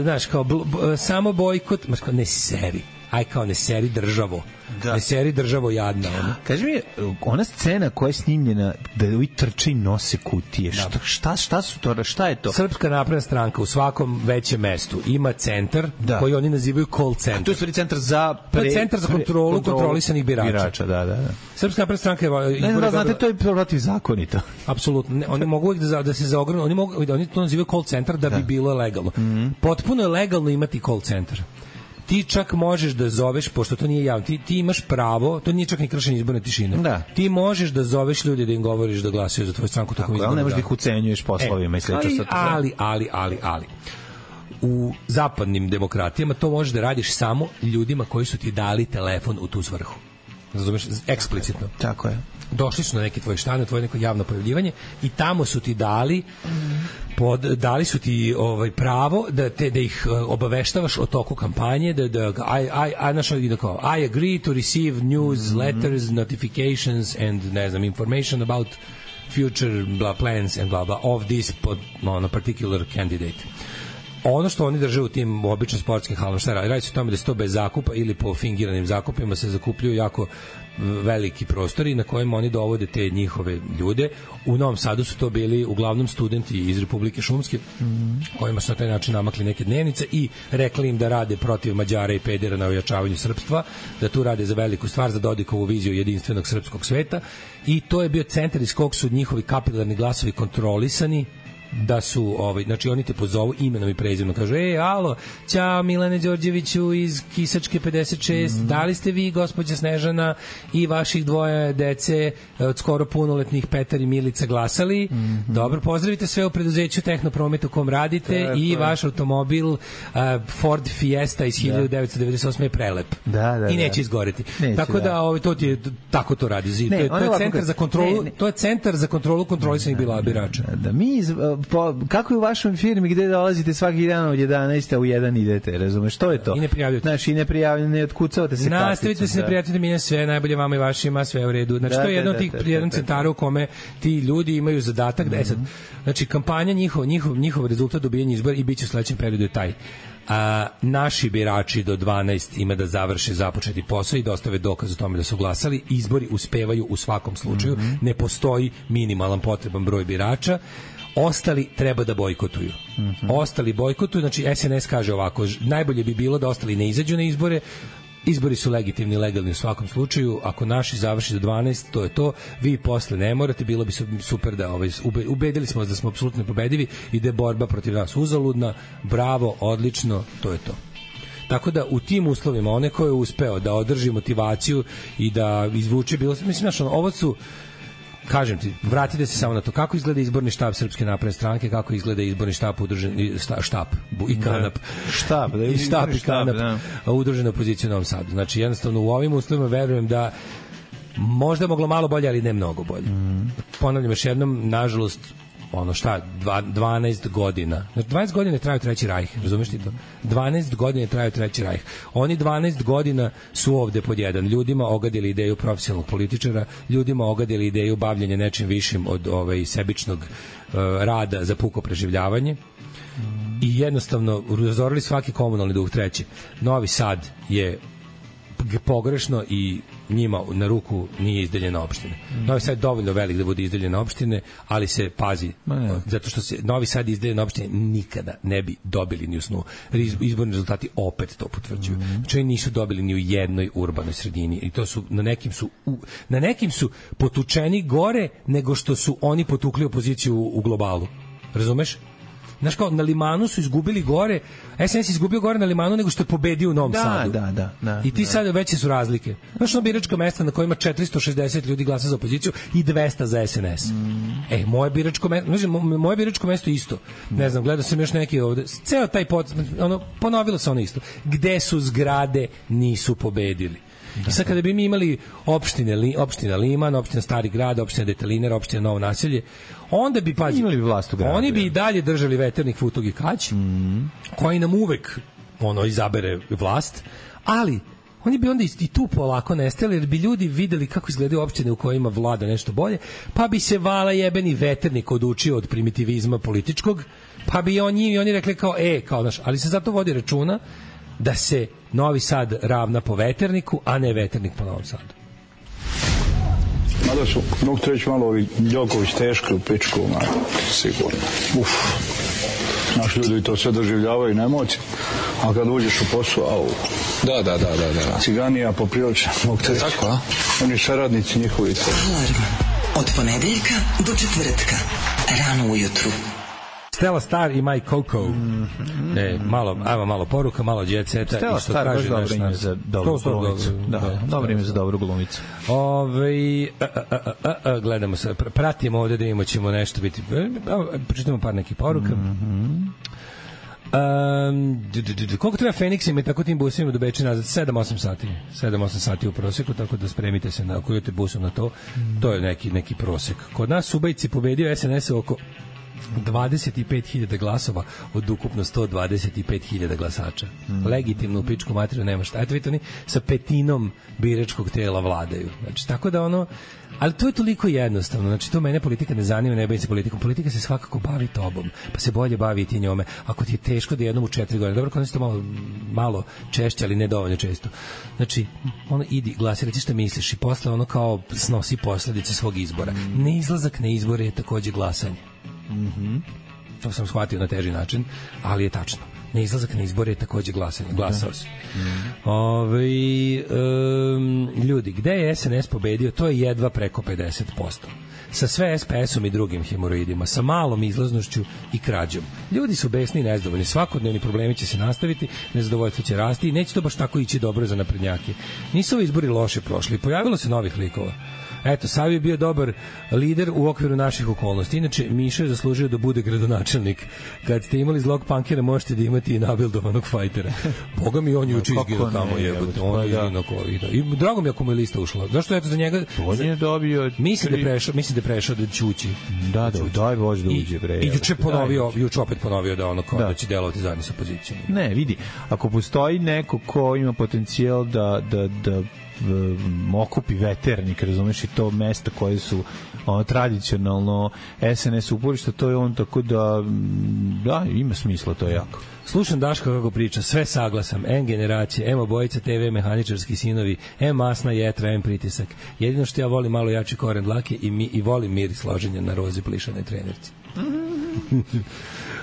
znaš, kao bl, b, samo bojkot, ne seri. Aj kao ne seri državo. Da. Ne seri državo jadna. Ona. Kaži mi, ona scena koja je snimljena da ovi trči nose kutije, da. šta, šta, šta su to, šta je to? Srpska napredna stranka u svakom većem mestu ima centar da. koji oni nazivaju call centar. A to je stvari centar za pre, to je centar za kontrolu, kontrolu kontrolisanih birača. birača da, da, da. Srpska napredna stranka je... Ne, da, znate, to je protivzakonito. Apsolutno. Ne, oni mogu da, da se zaogranu, oni, mogu, oni to nazivaju call centar da, da. bi bilo legalno. Mm-hmm. Potpuno je legalno imati call centar. Ti čak možeš da zoveš, pošto to nije javno, ti, ti imaš pravo, to nije čak ni kršenje izborne tišine. Da. Ti možeš da zoveš ljudi da im govoriš da glasaju za tvoju stranku tokom izbora. Ali ne možeš da ih ucenjuješ poslovima e, i slično. Ali, ali, ali, ali, ali. U zapadnim demokratijama to možeš da radiš samo ljudima koji su ti dali telefon u tu svrhu. Razumeš? Eksplicitno. Tako je. Došli su na neki tvoj štan, na tvoje neko javno pojavljivanje i tamo su ti dali pod, dali su ti ovaj pravo da te da ih obaveštavaš o toku kampanje, da da I I I našao da kao I agree to receive news, mm-hmm. letters, notifications and ne znam information about future blah plans and blah blah of this pod, on a particular candidate. Ono što oni drže u tim običnim sportskim halama, šta radi? Radi se o tome da se to bez zakupa ili po fingiranim zakupima se zakupljuju jako veliki prostori na kojima oni dovode te njihove ljude. U Novom Sadu su to bili uglavnom studenti iz Republike Šumske, mm-hmm. kojima su na taj način namakli neke dnevnice i rekli im da rade protiv Mađara i pedera na ojačavanju srpstva, da tu rade za veliku stvar, za Dodikovu viziju jedinstvenog srpskog sveta, i to je bio centar iz kog su njihovi kapilarni glasovi kontrolisani, da su, ovaj, znači oni te pozovu imenom i prezimenom, kažu, ej, alo, ćao Milane Đorđeviću iz Kisačke pedeset šest, mm. da li ste vi, gospođa Snežana, i vaših dvoje dece od skoro punoletnih Petar i Milica glasali? Mm-hmm. Dobro, pozdravite sve u preduzeću Tehnopromet u kom radite. Tako i vaš automobil uh, Ford Fiesta iz hiljadu devetsto devedeset osme je prelep. Da, da, i neće da. izgoreti. Neće, tako da, da ovaj, to ti je, tako to radi. Ne, to je, to je centar za kontrolu, ne, ne. to je centar za kontrolu kontrolisanih bila birača. Da, da mi iz, po, kako je u vašoj firmi gde dolazite svaki dan od jedanaest a u jedan idete, razumeš, što je to? I ne prijavljujete. Znači, i ne prijavljujete, ne otkucavate se karticom. Nastavite se, ne prijavljujete mi sve, najbolje vama i vašima, sve u redu. Znači, da, to je jedno da, od tih da, da, jedan da, centara u kome ti ljudi imaju zadatak da, mm-hmm. sad, znači, kampanja, njihov, njihov, njihov rezultat dobijanja izbora i bit će u sledećem periodu je taj. A, naši birači do dvanaest ima da završe započeti posao i dostave dokaz o tome da su glasali. Izbori uspevaju u svakom slučaju. Mm-hmm. Ne postoji minimalan potreban broj birača. ostali treba da bojkotuju. Mm-hmm. Ostali bojkotuju, znači S N S kaže ovako, najbolje bi bilo da ostali ne izađu na izbore, izbori su legitimni i legalni u svakom slučaju, ako naši završi do dvanaest, to je to, vi posle ne morate, bilo bi super da ovaj, ubedili smo vas da smo apsolutno pobedivi i da je borba protiv nas uzaludna, bravo, odlično, to je to. Tako da u tim uslovima, one koje je uspeo da održi motivaciju i da izvuče bilo, mislim, znaš, ovo su, kažem ti, vratite se samo na to kako izgleda izborni štab Srpske napredne stranke, kako izgleda izborni štab udružen štab i kanap štab, da i štab i kanap da. Udružena opozicija u Novom Sadu. Znači jednostavno u ovim uslovima verujem da možda moglo malo bolje, ali ne mnogo bolje. Mm. Ponavljam još jednom, nažalost, ono šta, dvanaest godina. Znači dvanaest godina traju Treći rajh, razumeš ti to? dvanaest godina traju Treći rajh. Oni dvanaest godina su ovde pod jedan. Ljudima ogadili ideju profesionalnog političara, ljudima ogadili ideju bavljenja nečim višim od ovaj sebičnog uh, rada za puko preživljavanje. I jednostavno razorili svaki komunalni duh. Treći, Novi Sad je pogrešno i njima na ruku nije izdeljena opština. Mm. Novi Sad je dovoljno velik da bude izdeljena opštine, ali se pazi, Ma, zato što se Novi Sad izdeljena opštine nikada ne bi dobili ni u snu. Izborni rezultati opet to potvrđuju. Mm. Znači oni nisu dobili ni u jednoj urbanoj sredini i to su na nekim su u, na nekim su potučeni gore nego što su oni potukli opoziciju u, u globalu. Razumeš? Znaš kao, na Limanu su izgubili gore, S N S izgubio gore na Limanu nego što je pobedio u Novom da, Sadu. Da, da, da. I ti da. sad veće su razlike. Znaš ono biračka mesta na kojima četiristo šezdeset ljudi glasa za opoziciju i dvesta za S N S. Mm. E, moje biračko mesto, znači, moje biračko mesto isto. Ne znam, gledao sam još neki ovde, ceo taj pot, ono, ponovilo se ono isto. Gde su zgrade, nisu pobedili. Da, I sad kada bi mi imali opštine, li, opština Liman, opština Stari grad, opština Deteliner, opština Novo naselje, onda bi, pazi, imali bi vlast u gradu. Oni bi i dalje držali veternik Futog i Kać, mm. koji nam uvek ono, izabere vlast, ali oni bi onda i tu polako nestali, jer bi ljudi videli kako izgledaju opštine u kojima vlada nešto bolje, pa bi se vala jebeni veternik odučio od primitivizma političkog, pa bi oni, i oni rekli kao, e, kao naš, ali se zato vodi računa da se Novi Sad ravna po veterniku, a ne veternik po Novom Sadu. Mada su, mogu te reći malo ovi Đoković teški u pičku, man, sigurno. Uf. Naši ljudi to sve doživljavaju na emocije, a kad uđeš u posao, au. Da, da, da, da, da. Ciganija poprilično, mogu te reći. Tako, a? Oni saradnici njihovi. Alarm od ponedeljka do četvrtka, rano ujutru. Stella Star i My Coco. Mm-hmm. E, malo, ajmo malo poruka, malo jet seta. Stella Star baš dobro ime za dobru glumicu. Da, da, dobro ime za dobru glumicu. Ove, a, a, a, a, gledamo se, pratimo ovde da imamo ćemo nešto biti. Pročitamo par nekih poruka. Mm-hmm. Um, d, d, d, koliko treba Feniksima i tako tim busima do Beča nazad? sedam osam sati. sedam osam sati u proseku, tako da spremite se na koju te busom na to. Mm. To je neki, neki prosek. Kod nas Subajci pobedio S N S oko dvadeset pet hiljada glasova od ukupno sto dvadeset pet hiljada glasača. Mm. Legitimno u pičku materiju nema šta. Eto vidite, oni sa petinom biračkog tela vladaju. Znači, tako da ono, ali to je toliko jednostavno. Znači, to mene politika ne zanima, ne bavim se politikom. Politika se svakako bavi tobom, pa se bolje bavi i ti njome. Ako ti je teško da jednom u četiri godine, dobro, kod to malo, malo češće, ali ne dovoljno često. Znači, ono, idi, glasi, reći šta misliš i posle ono kao snosi posledice svog izbora. Mm. Neizlazak na izbore je takođe glasanje. Mhm. To sam shvatio na teži način, ali je tačno. Neizlazak na izbore je takođe glasanje. Glasao si. Mm. Ove, um, ljudi, gde je S N S pobedio? To je jedva preko pedeset posto. Sa sve S P S-om i drugim hemoroidima, sa malom izlaznošću i krađom. Ljudi su besni i nezadovoljni. Svakodnevni problemi će se nastaviti, nezadovoljstvo će rasti i neće to baš tako ići dobro za naprednjake. Nisu ovi izbori loše prošli. Pojavilo se novih likova. Eto, Savi je bio dobar lider u okviru naših okolnosti. Inače, Miša je zaslužio da bude gradonačelnik. Kad ste imali zlog pankera, možete da imate i nabildovanog fajtera. Boga mi, on je uči izgino tamo jebote. On je izgino koji. I drago mi ako mu je lista ušla. Zašto eto za njega? On je dobio... Mislim da je prešao, mislim da je prešao da ćući. Da, da, daj Bože da uđe, bre. I juče ponovio, juče opet ponovio da ono kao da će delovati zajedno sa opozicijom. Ne, vidi, ako postoji neko ko ima potencijal da, da, da um, okupi veternik, razumeš, i to mesta koje su ono, tradicionalno S N S uporišta, to je on, tako da da, ima smisla, to je jako. Slušam Daška kako priča, sve saglasam, M generacije, M obojica T V, mehaničarski sinovi, M masna jetra, M pritisak. Jedino što ja volim malo jači koren dlake i, mi, i volim mir i složenja na rozi plišane trenerci.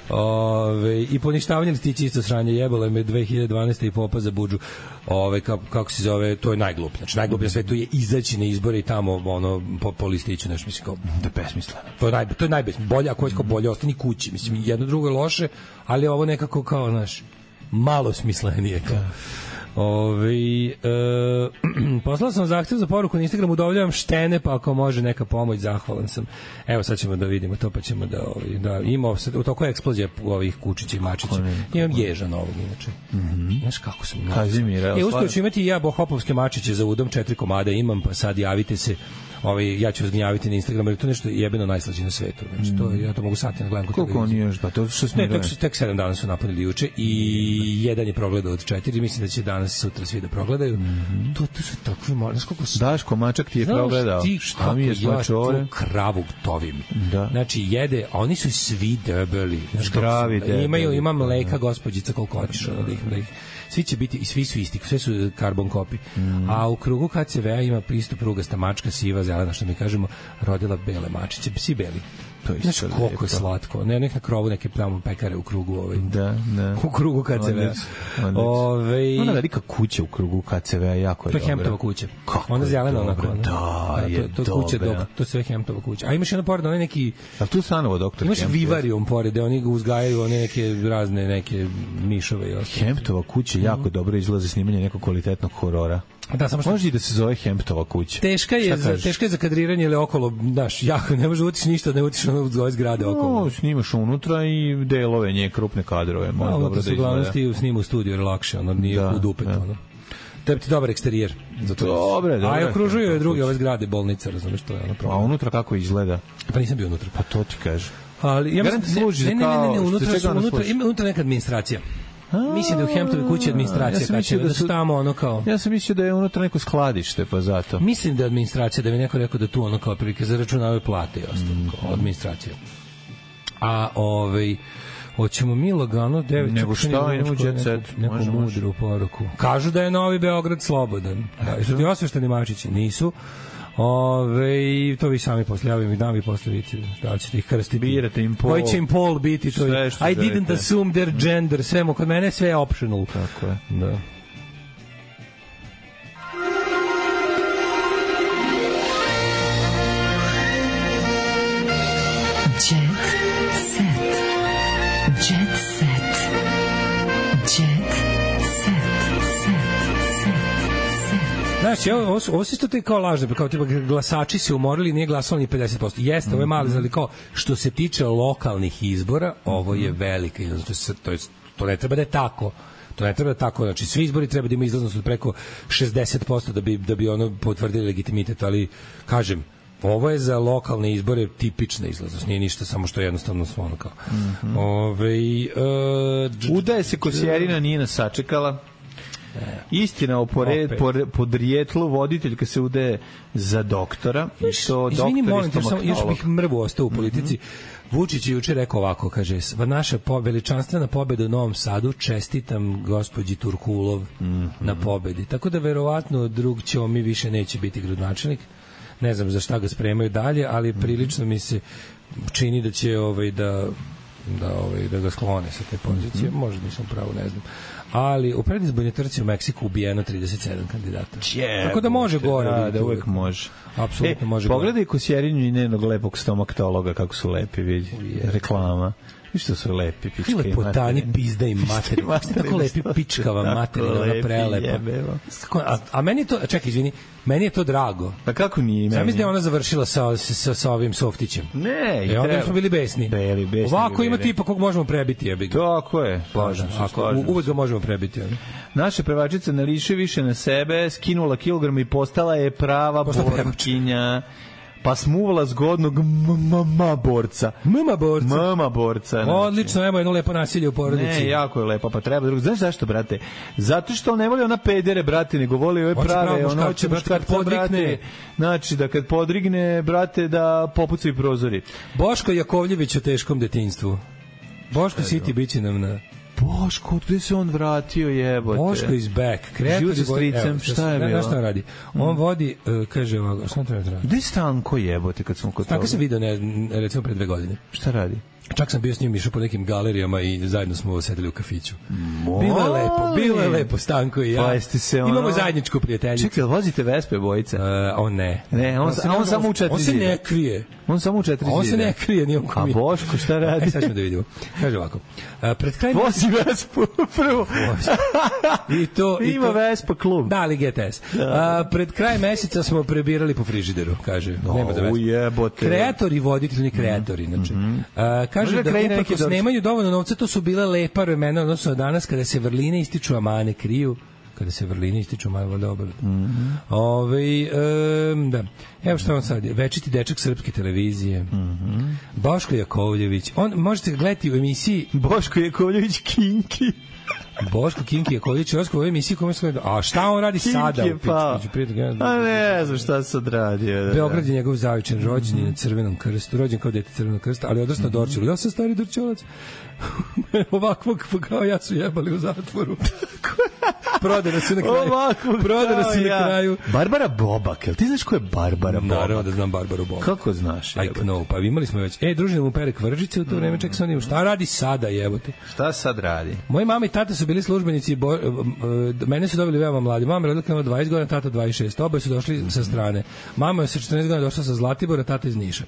Ove, i poništavanje listića isto sranje, jebalo me dve hiljade dvanaeste i popa za budžu. Ove, kako, kako se zove, to je najgluplje. Znači, najgluplje na svetu je izaći na izbore i tamo ono, po, po listiću, nešto mislim kao... Da je besmisleno. To je, naj, to je najbesmisleno. Bolje, ako je kao bolje, ostani kući. Mislim, jedno drugo je loše, ali ovo nekako kao, znaš, malo smislenije. Kao. Ove, e, poslao sam zahtev za poruku na Instagramu, udovljavam štene, pa ako može neka pomoć, zahvalan sam. Evo sad ćemo da vidimo to, pa ćemo da, ovaj, da imamo u toku eksplozija ovih kučića i mačića. Imam ježa novog inače. Mm -hmm. Znaš kako sam Kazimir, e, uspio ću imati i ja bohopovske mačiće za udom, četiri komada imam, pa sad javite se. Ovaj, ja ću zgnjaviti na Instagramu, jer to nešto jebeno najslađe na svetu. Znači, to, ja to mogu sati na gledam kod koliko oni još, pa to što smo ne, tek, tek sedam dana su napunili juče i jedan je progledao od četiri, mislim da će danas sutra svi da progledaju. Mm -hmm. to, to su takvi mali, znaš koliko su... Daško Mačak ti je znaš, progledao. Ti šta mi je smačore? Ja tu kravu tovim. Da. Znači, jede, a oni su svi debeli. Znaš, zdravi debeli. Imaju, ima mleka, gospođica, koliko hoćeš, ono da ih, da ih svi će biti i svi su isti, sve su karbon kopi. Mm. A u krugu K C V-a ima isto prugasta mačka, siva, zelena, što mi kažemo, rodila bele mačiće, psi beli. To je znaš koliko je slatko. Ne, nek na krovu neke tamo pekare u krugu ovaj. Da, da. U krugu K C V-a. Ovaj ona velika kuća u krugu K C V-a jako je dobra. To je Hemptova kuća. Ona zelena onako. Da, da, je to, to kuća dok, to sve Hemptova kuća. A imaš jedno pored, onaj neki... A tu stanovo doktor Imaš vivarium pored, oni ga uzgajaju, one neke razne, neke mišove i ostalo. Hemptova kuća jako dobro izlazi snimanje nekog kvalitetnog horora. Da, samo što može da se zove Hemptova kuća. Teška je za teška je za kadriranje ili okolo, znaš, jako ne može utići ništa, ne utiš ono zove zgrade okolo. No, snimaš unutra i delove nje krupne kadrove, može dobro da izgleda. Uglavnom ti snima u studiju, jer lakše, ono nije da, u dupet, da. Ono. Tebi ti dobar eksterijer. Dobre, dobre. A i okružuju je druge ove zgrade, bolnica, razumeš, to je ono problem. A unutra kako izgleda? Pa nisam bio unutra. Pa to ti kaže. Ali ja mislim služi ne, ne, ne, ne, kao unutra su unutra, ima unutra neka administracija. A, mislim da u Hemptovoj kući administracija, ja kad će da su tamo ono kao... Ja sam mislio da je unutra neko skladište, pa zato. Mislim da je administracija, da mi neko rekao da tu ono kao prilike zaračunavaju plate i ostalo, mm. kao administracija. A ovaj... Hoćemo mi lagano devet... Nego šta, idemo u jet set. Neku može, mudru može. Poruku. Kažu da je Novi Beograd slobodan. Da, jesu ti osvešteni mačići? Nisu. Ove, to vi sami posle, ja vi dam i posle vidite da ćete ih krstiti. Birate im pol. Koji će im pol biti? To je, I didn't assume their gender. Sve, kod mene sve je optional. Tako je. Da. Znaš, ovo, ovo se isto to je kao lažno, kao tipa glasači se umorili, nije glasalo ni pedeset posto. Jeste, ovo je mali, ali kao što se tiče lokalnih izbora, ovo je velika izlaznost. To, je, to ne treba da je tako. To ne treba da je tako. Znači, svi izbori treba da ima izlaznost od preko šezdeset posto da bi, da bi ono potvrdili legitimitet, ali, kažem, ovo je za lokalne izbore tipična izlaznost, nije ništa, samo što je jednostavno ono kao. Mm-hmm. Ove, uh, Udaje se Kosjerina, nije nas sačekala. Istina o pored, pored, podrijetlu voditeljka se udaje za doktora i to izvini, doktor molim te, samo još bih mrvu ostao u politici. Mm-hmm. Vučić je juče rekao ovako, kaže, naša po, veličanstvena pobeda u Novom Sadu, čestitam gospođi Turkulov mm-hmm. na pobedi. Tako da verovatno drug ćemo mi više neće biti gradonačelnik. Ne znam za šta ga spremaju dalje, ali mm-hmm. prilično mi se čini da će ovaj da da ovaj da ga sklone sa te pozicije. Mm-hmm. Možda nisam pravo, ne znam. Ali u predizbornoj trci u Meksiku ubijeno trideset sedam kandidata. Jeb, tako da može gore. Da, da uvek može. Apsolutno e, može pogledaj Kosjerinu i njenog lepog stomaktologa kako su lepi, vidi. Reklama. I što su lepi pičke. Lepotani, pizda i materi. Tako lepi pičkava materina, prelepa. A, a meni je to, čekaj, izvini, meni je to drago. Pa kako nije meni? Sam mislim da je ona završila sa, sa, sa ovim softićem. Ne, i onda smo bili besni. Beli, besni. Ovako ima tipa kog možemo prebiti, jebi ga. Tako je. Slažem se, slažem se. Uvek ga možemo prebiti. Ali. Naša pevačica ne liši više na sebe, skinula kilogram i postala je prava borkinja. Pa smuvala zgodnog mama borca. Mama borca. Mama borca. Odlično, evo jedno lepo nasilje u porodici. Ne, jako je lepo, pa treba drugo. Znaš zašto, brate? Zato što on ne voli ona pedere, brate, nego voli ove prave. Ono hoće muškarca, brate. Znači, da kad podrigne, brate, da popucaju prozori. Boško Jakovljević o teškom detinjstvu. Boško City biće nam na... Boško, gde se on vratio, jebote? Boško is back. Kreator sa stricem, šta je bilo? Znaš šta radi? On vodi, uh, kaže ovako, šta treba da radi? Gde je Stanko, jebote, kad smo kod toga? Stanko sam vidio, ne, recimo, pre dve godine. Šta radi? Čak sam bio s njim išao po nekim galerijama i zajedno smo sedeli u kafiću. Bilo je lepo, bilo je lepo, Stanko i ja. Pa jeste se ono... Imamo zajedničku prijateljicu. Čekaj, vozite Vespe bojice? Uh, on ne. Ne, on, on, on, on samo u četiri zida. On se ne krije. On samo u četiri zida. On se ne krije, nije on A Boško, šta radi? E, sad ćemo da vidimo. Kaže ovako. Uh, pred kraj... Vozi Vespu prvo. I to... Ima Vespa klub. Da, ali G T S. Uh, pred kraj meseca smo prebirali po frižideru, kaže. No, nema za Vespu. Ujebote. Kreatori, voditelji, kreatori, znači. Mm -hmm. uh, kaže Možda da uprkos nemaju dovoljno novca, to su bile lepa vremena, odnosno danas kada se vrline ističu, a mane kriju. Kada se vrline ističu, mane dobro. Mm -hmm. Ove, um, da. Evo što on sad, večiti dečak srpske televizije. Mm -hmm. Boško Jakovljević. On, možete gledati u emisiji... Boško Jakovljević Kinki. Boško Kinki Jakovljević, u ovoj emisiji kome se gleda. A šta on radi Kinki sada? Je pa. A ne znam šta sad radi. Da, Beograd je njegov zavičan, rođen je na Crvenom krstu, rođen kao dete Crvenog krsta, ali odrasno mm -hmm. Dorčelu. Ja sam stari Dorčelac. Ovakvog kao ja su jebali u zatvoru. Prodana se na kraju. Ovakvog Prodana se ja. na kraju. Barbara Bobak, jel ti znaš ko je Barbara Bobak? Naravno da znam Barbaru Bobak. Kako znaš? I know, pa imali smo već. E, družina mu pere kvržice u to vreme, ček sam, šta radi sada, jebote? Šta sad radi? Moji mama i tata su bili službenici, bo, mene su dobili veoma mladi. Mama je rodila dvadeset godina, tata dvadeset šest. Oboje su došli sa strane. Mama je sa četrnaest godina došla sa Zlatibora, tata iz Niša.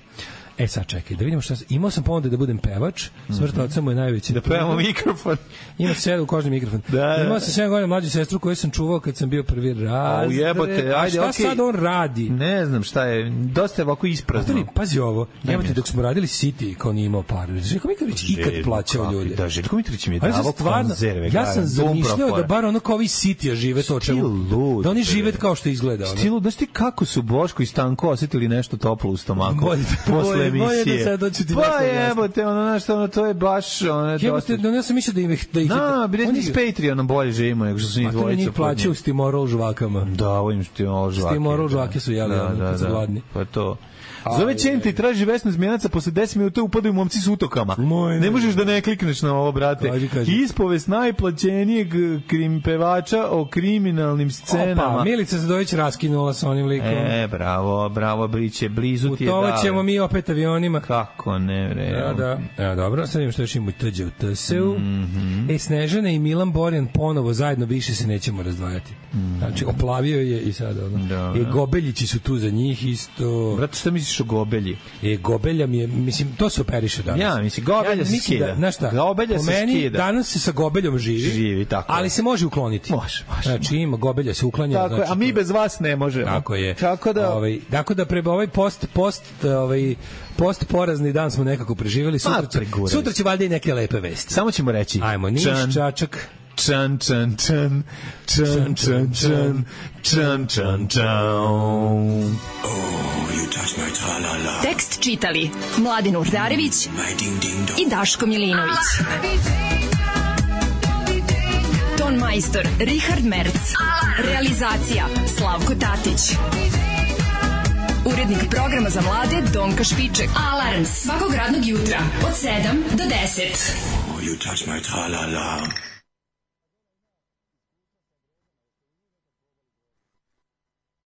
E sad čekaj, da vidimo šta... Imao sam ponude da budem pevač, smrt oca mu je najveći. Da pevamo mikrofon. Imao sam u kožni mikrofon. Da, Imao sam sedam godina mlađu sestru koju sam čuvao kad sam bio prvi raz. A ujebote, ajde, šta okay. sad on radi? Ne znam šta je, dosta je ovako isprazno. Otori, pazi ovo, jebote, dok smo radili City, kao nije imao par. Željko Mitrović ikad plaćao ljude. Da, Željko Mitrović mi je davao konzerve. Ja sam zamišljao da bar ono kao ovi City žive to čemu. Da oni žive kao što izgleda. Stilu, znaš ti kako su Boško i Stanko osetili nešto toplo u stomaku posle emisije? Pa jebote, ono, znaš, ono, to je baš... Jebote, no, ja sam mislio da ih... Da ih no, bi oni s Patreonom bolje živimo, nego što su njih dvojica. A to njih plaćaju s Timorol žvakama. Da, ovim Timorol žvake. S Timorol žvake su jeli, da, ono, da, kad su gladni. Pa to... Zove Čenta i traži Vesnu Zmijanaca, posle deset minuta upadaju momci s utokama. Moj, ne možeš da ne klikneš na ovo, brate. Kaži, kaži. Ispovest najplaćenijeg krim pevača o kriminalnim scenama. Opa, Milica Zadović raskinula sa onim likom. E, bravo, bravo, Briće, blizu ti je dale. Putovat ćemo mi opet avionima. Kako ne, bre. Da, da. E, dobro, sad imam što još imamo i T Đ u T S U. Mm -hmm. E, Snežana i Milan Borjan ponovo zajedno više se nećemo razdvajati. Mm -hmm. Znači, oplavio je i sad ono. Da, e, Gobeljići su tu za njih isto. Brate, šta misliš o Gobelji? E, Gobelja mi je, mislim, to se operiše danas. Ja, mislim, Gobelja ja, se skida. Da, znaš šta, Gobelja po se meni, skida. danas se sa Gobeljom živi, živi tako ali se može ukloniti. Može, može. Znači, ima Gobelja se uklanja. Tako znači, a mi bez vas ne možemo. Tako je. Tako da... Ovaj, tako da preba ovaj post, post, ovaj, post porazni dan smo nekako preživjeli. Sutra će, sutra će valjda i neke lepe vesti. Samo ćemo reći. Ajmo, Niš, Čačak. Čan, čan, čan, čan, čan, čan, čan, čan, čan. Tekst čitali Mladin Urdarević i Daško Milinović. Ton majstor Richard Merc. Realizacija Slavko Tatić. Urednik programa za mlade Donka Špiček. Alarms svakog radnog jutra od sedam do deset. Oh, you touch my tra-la-la.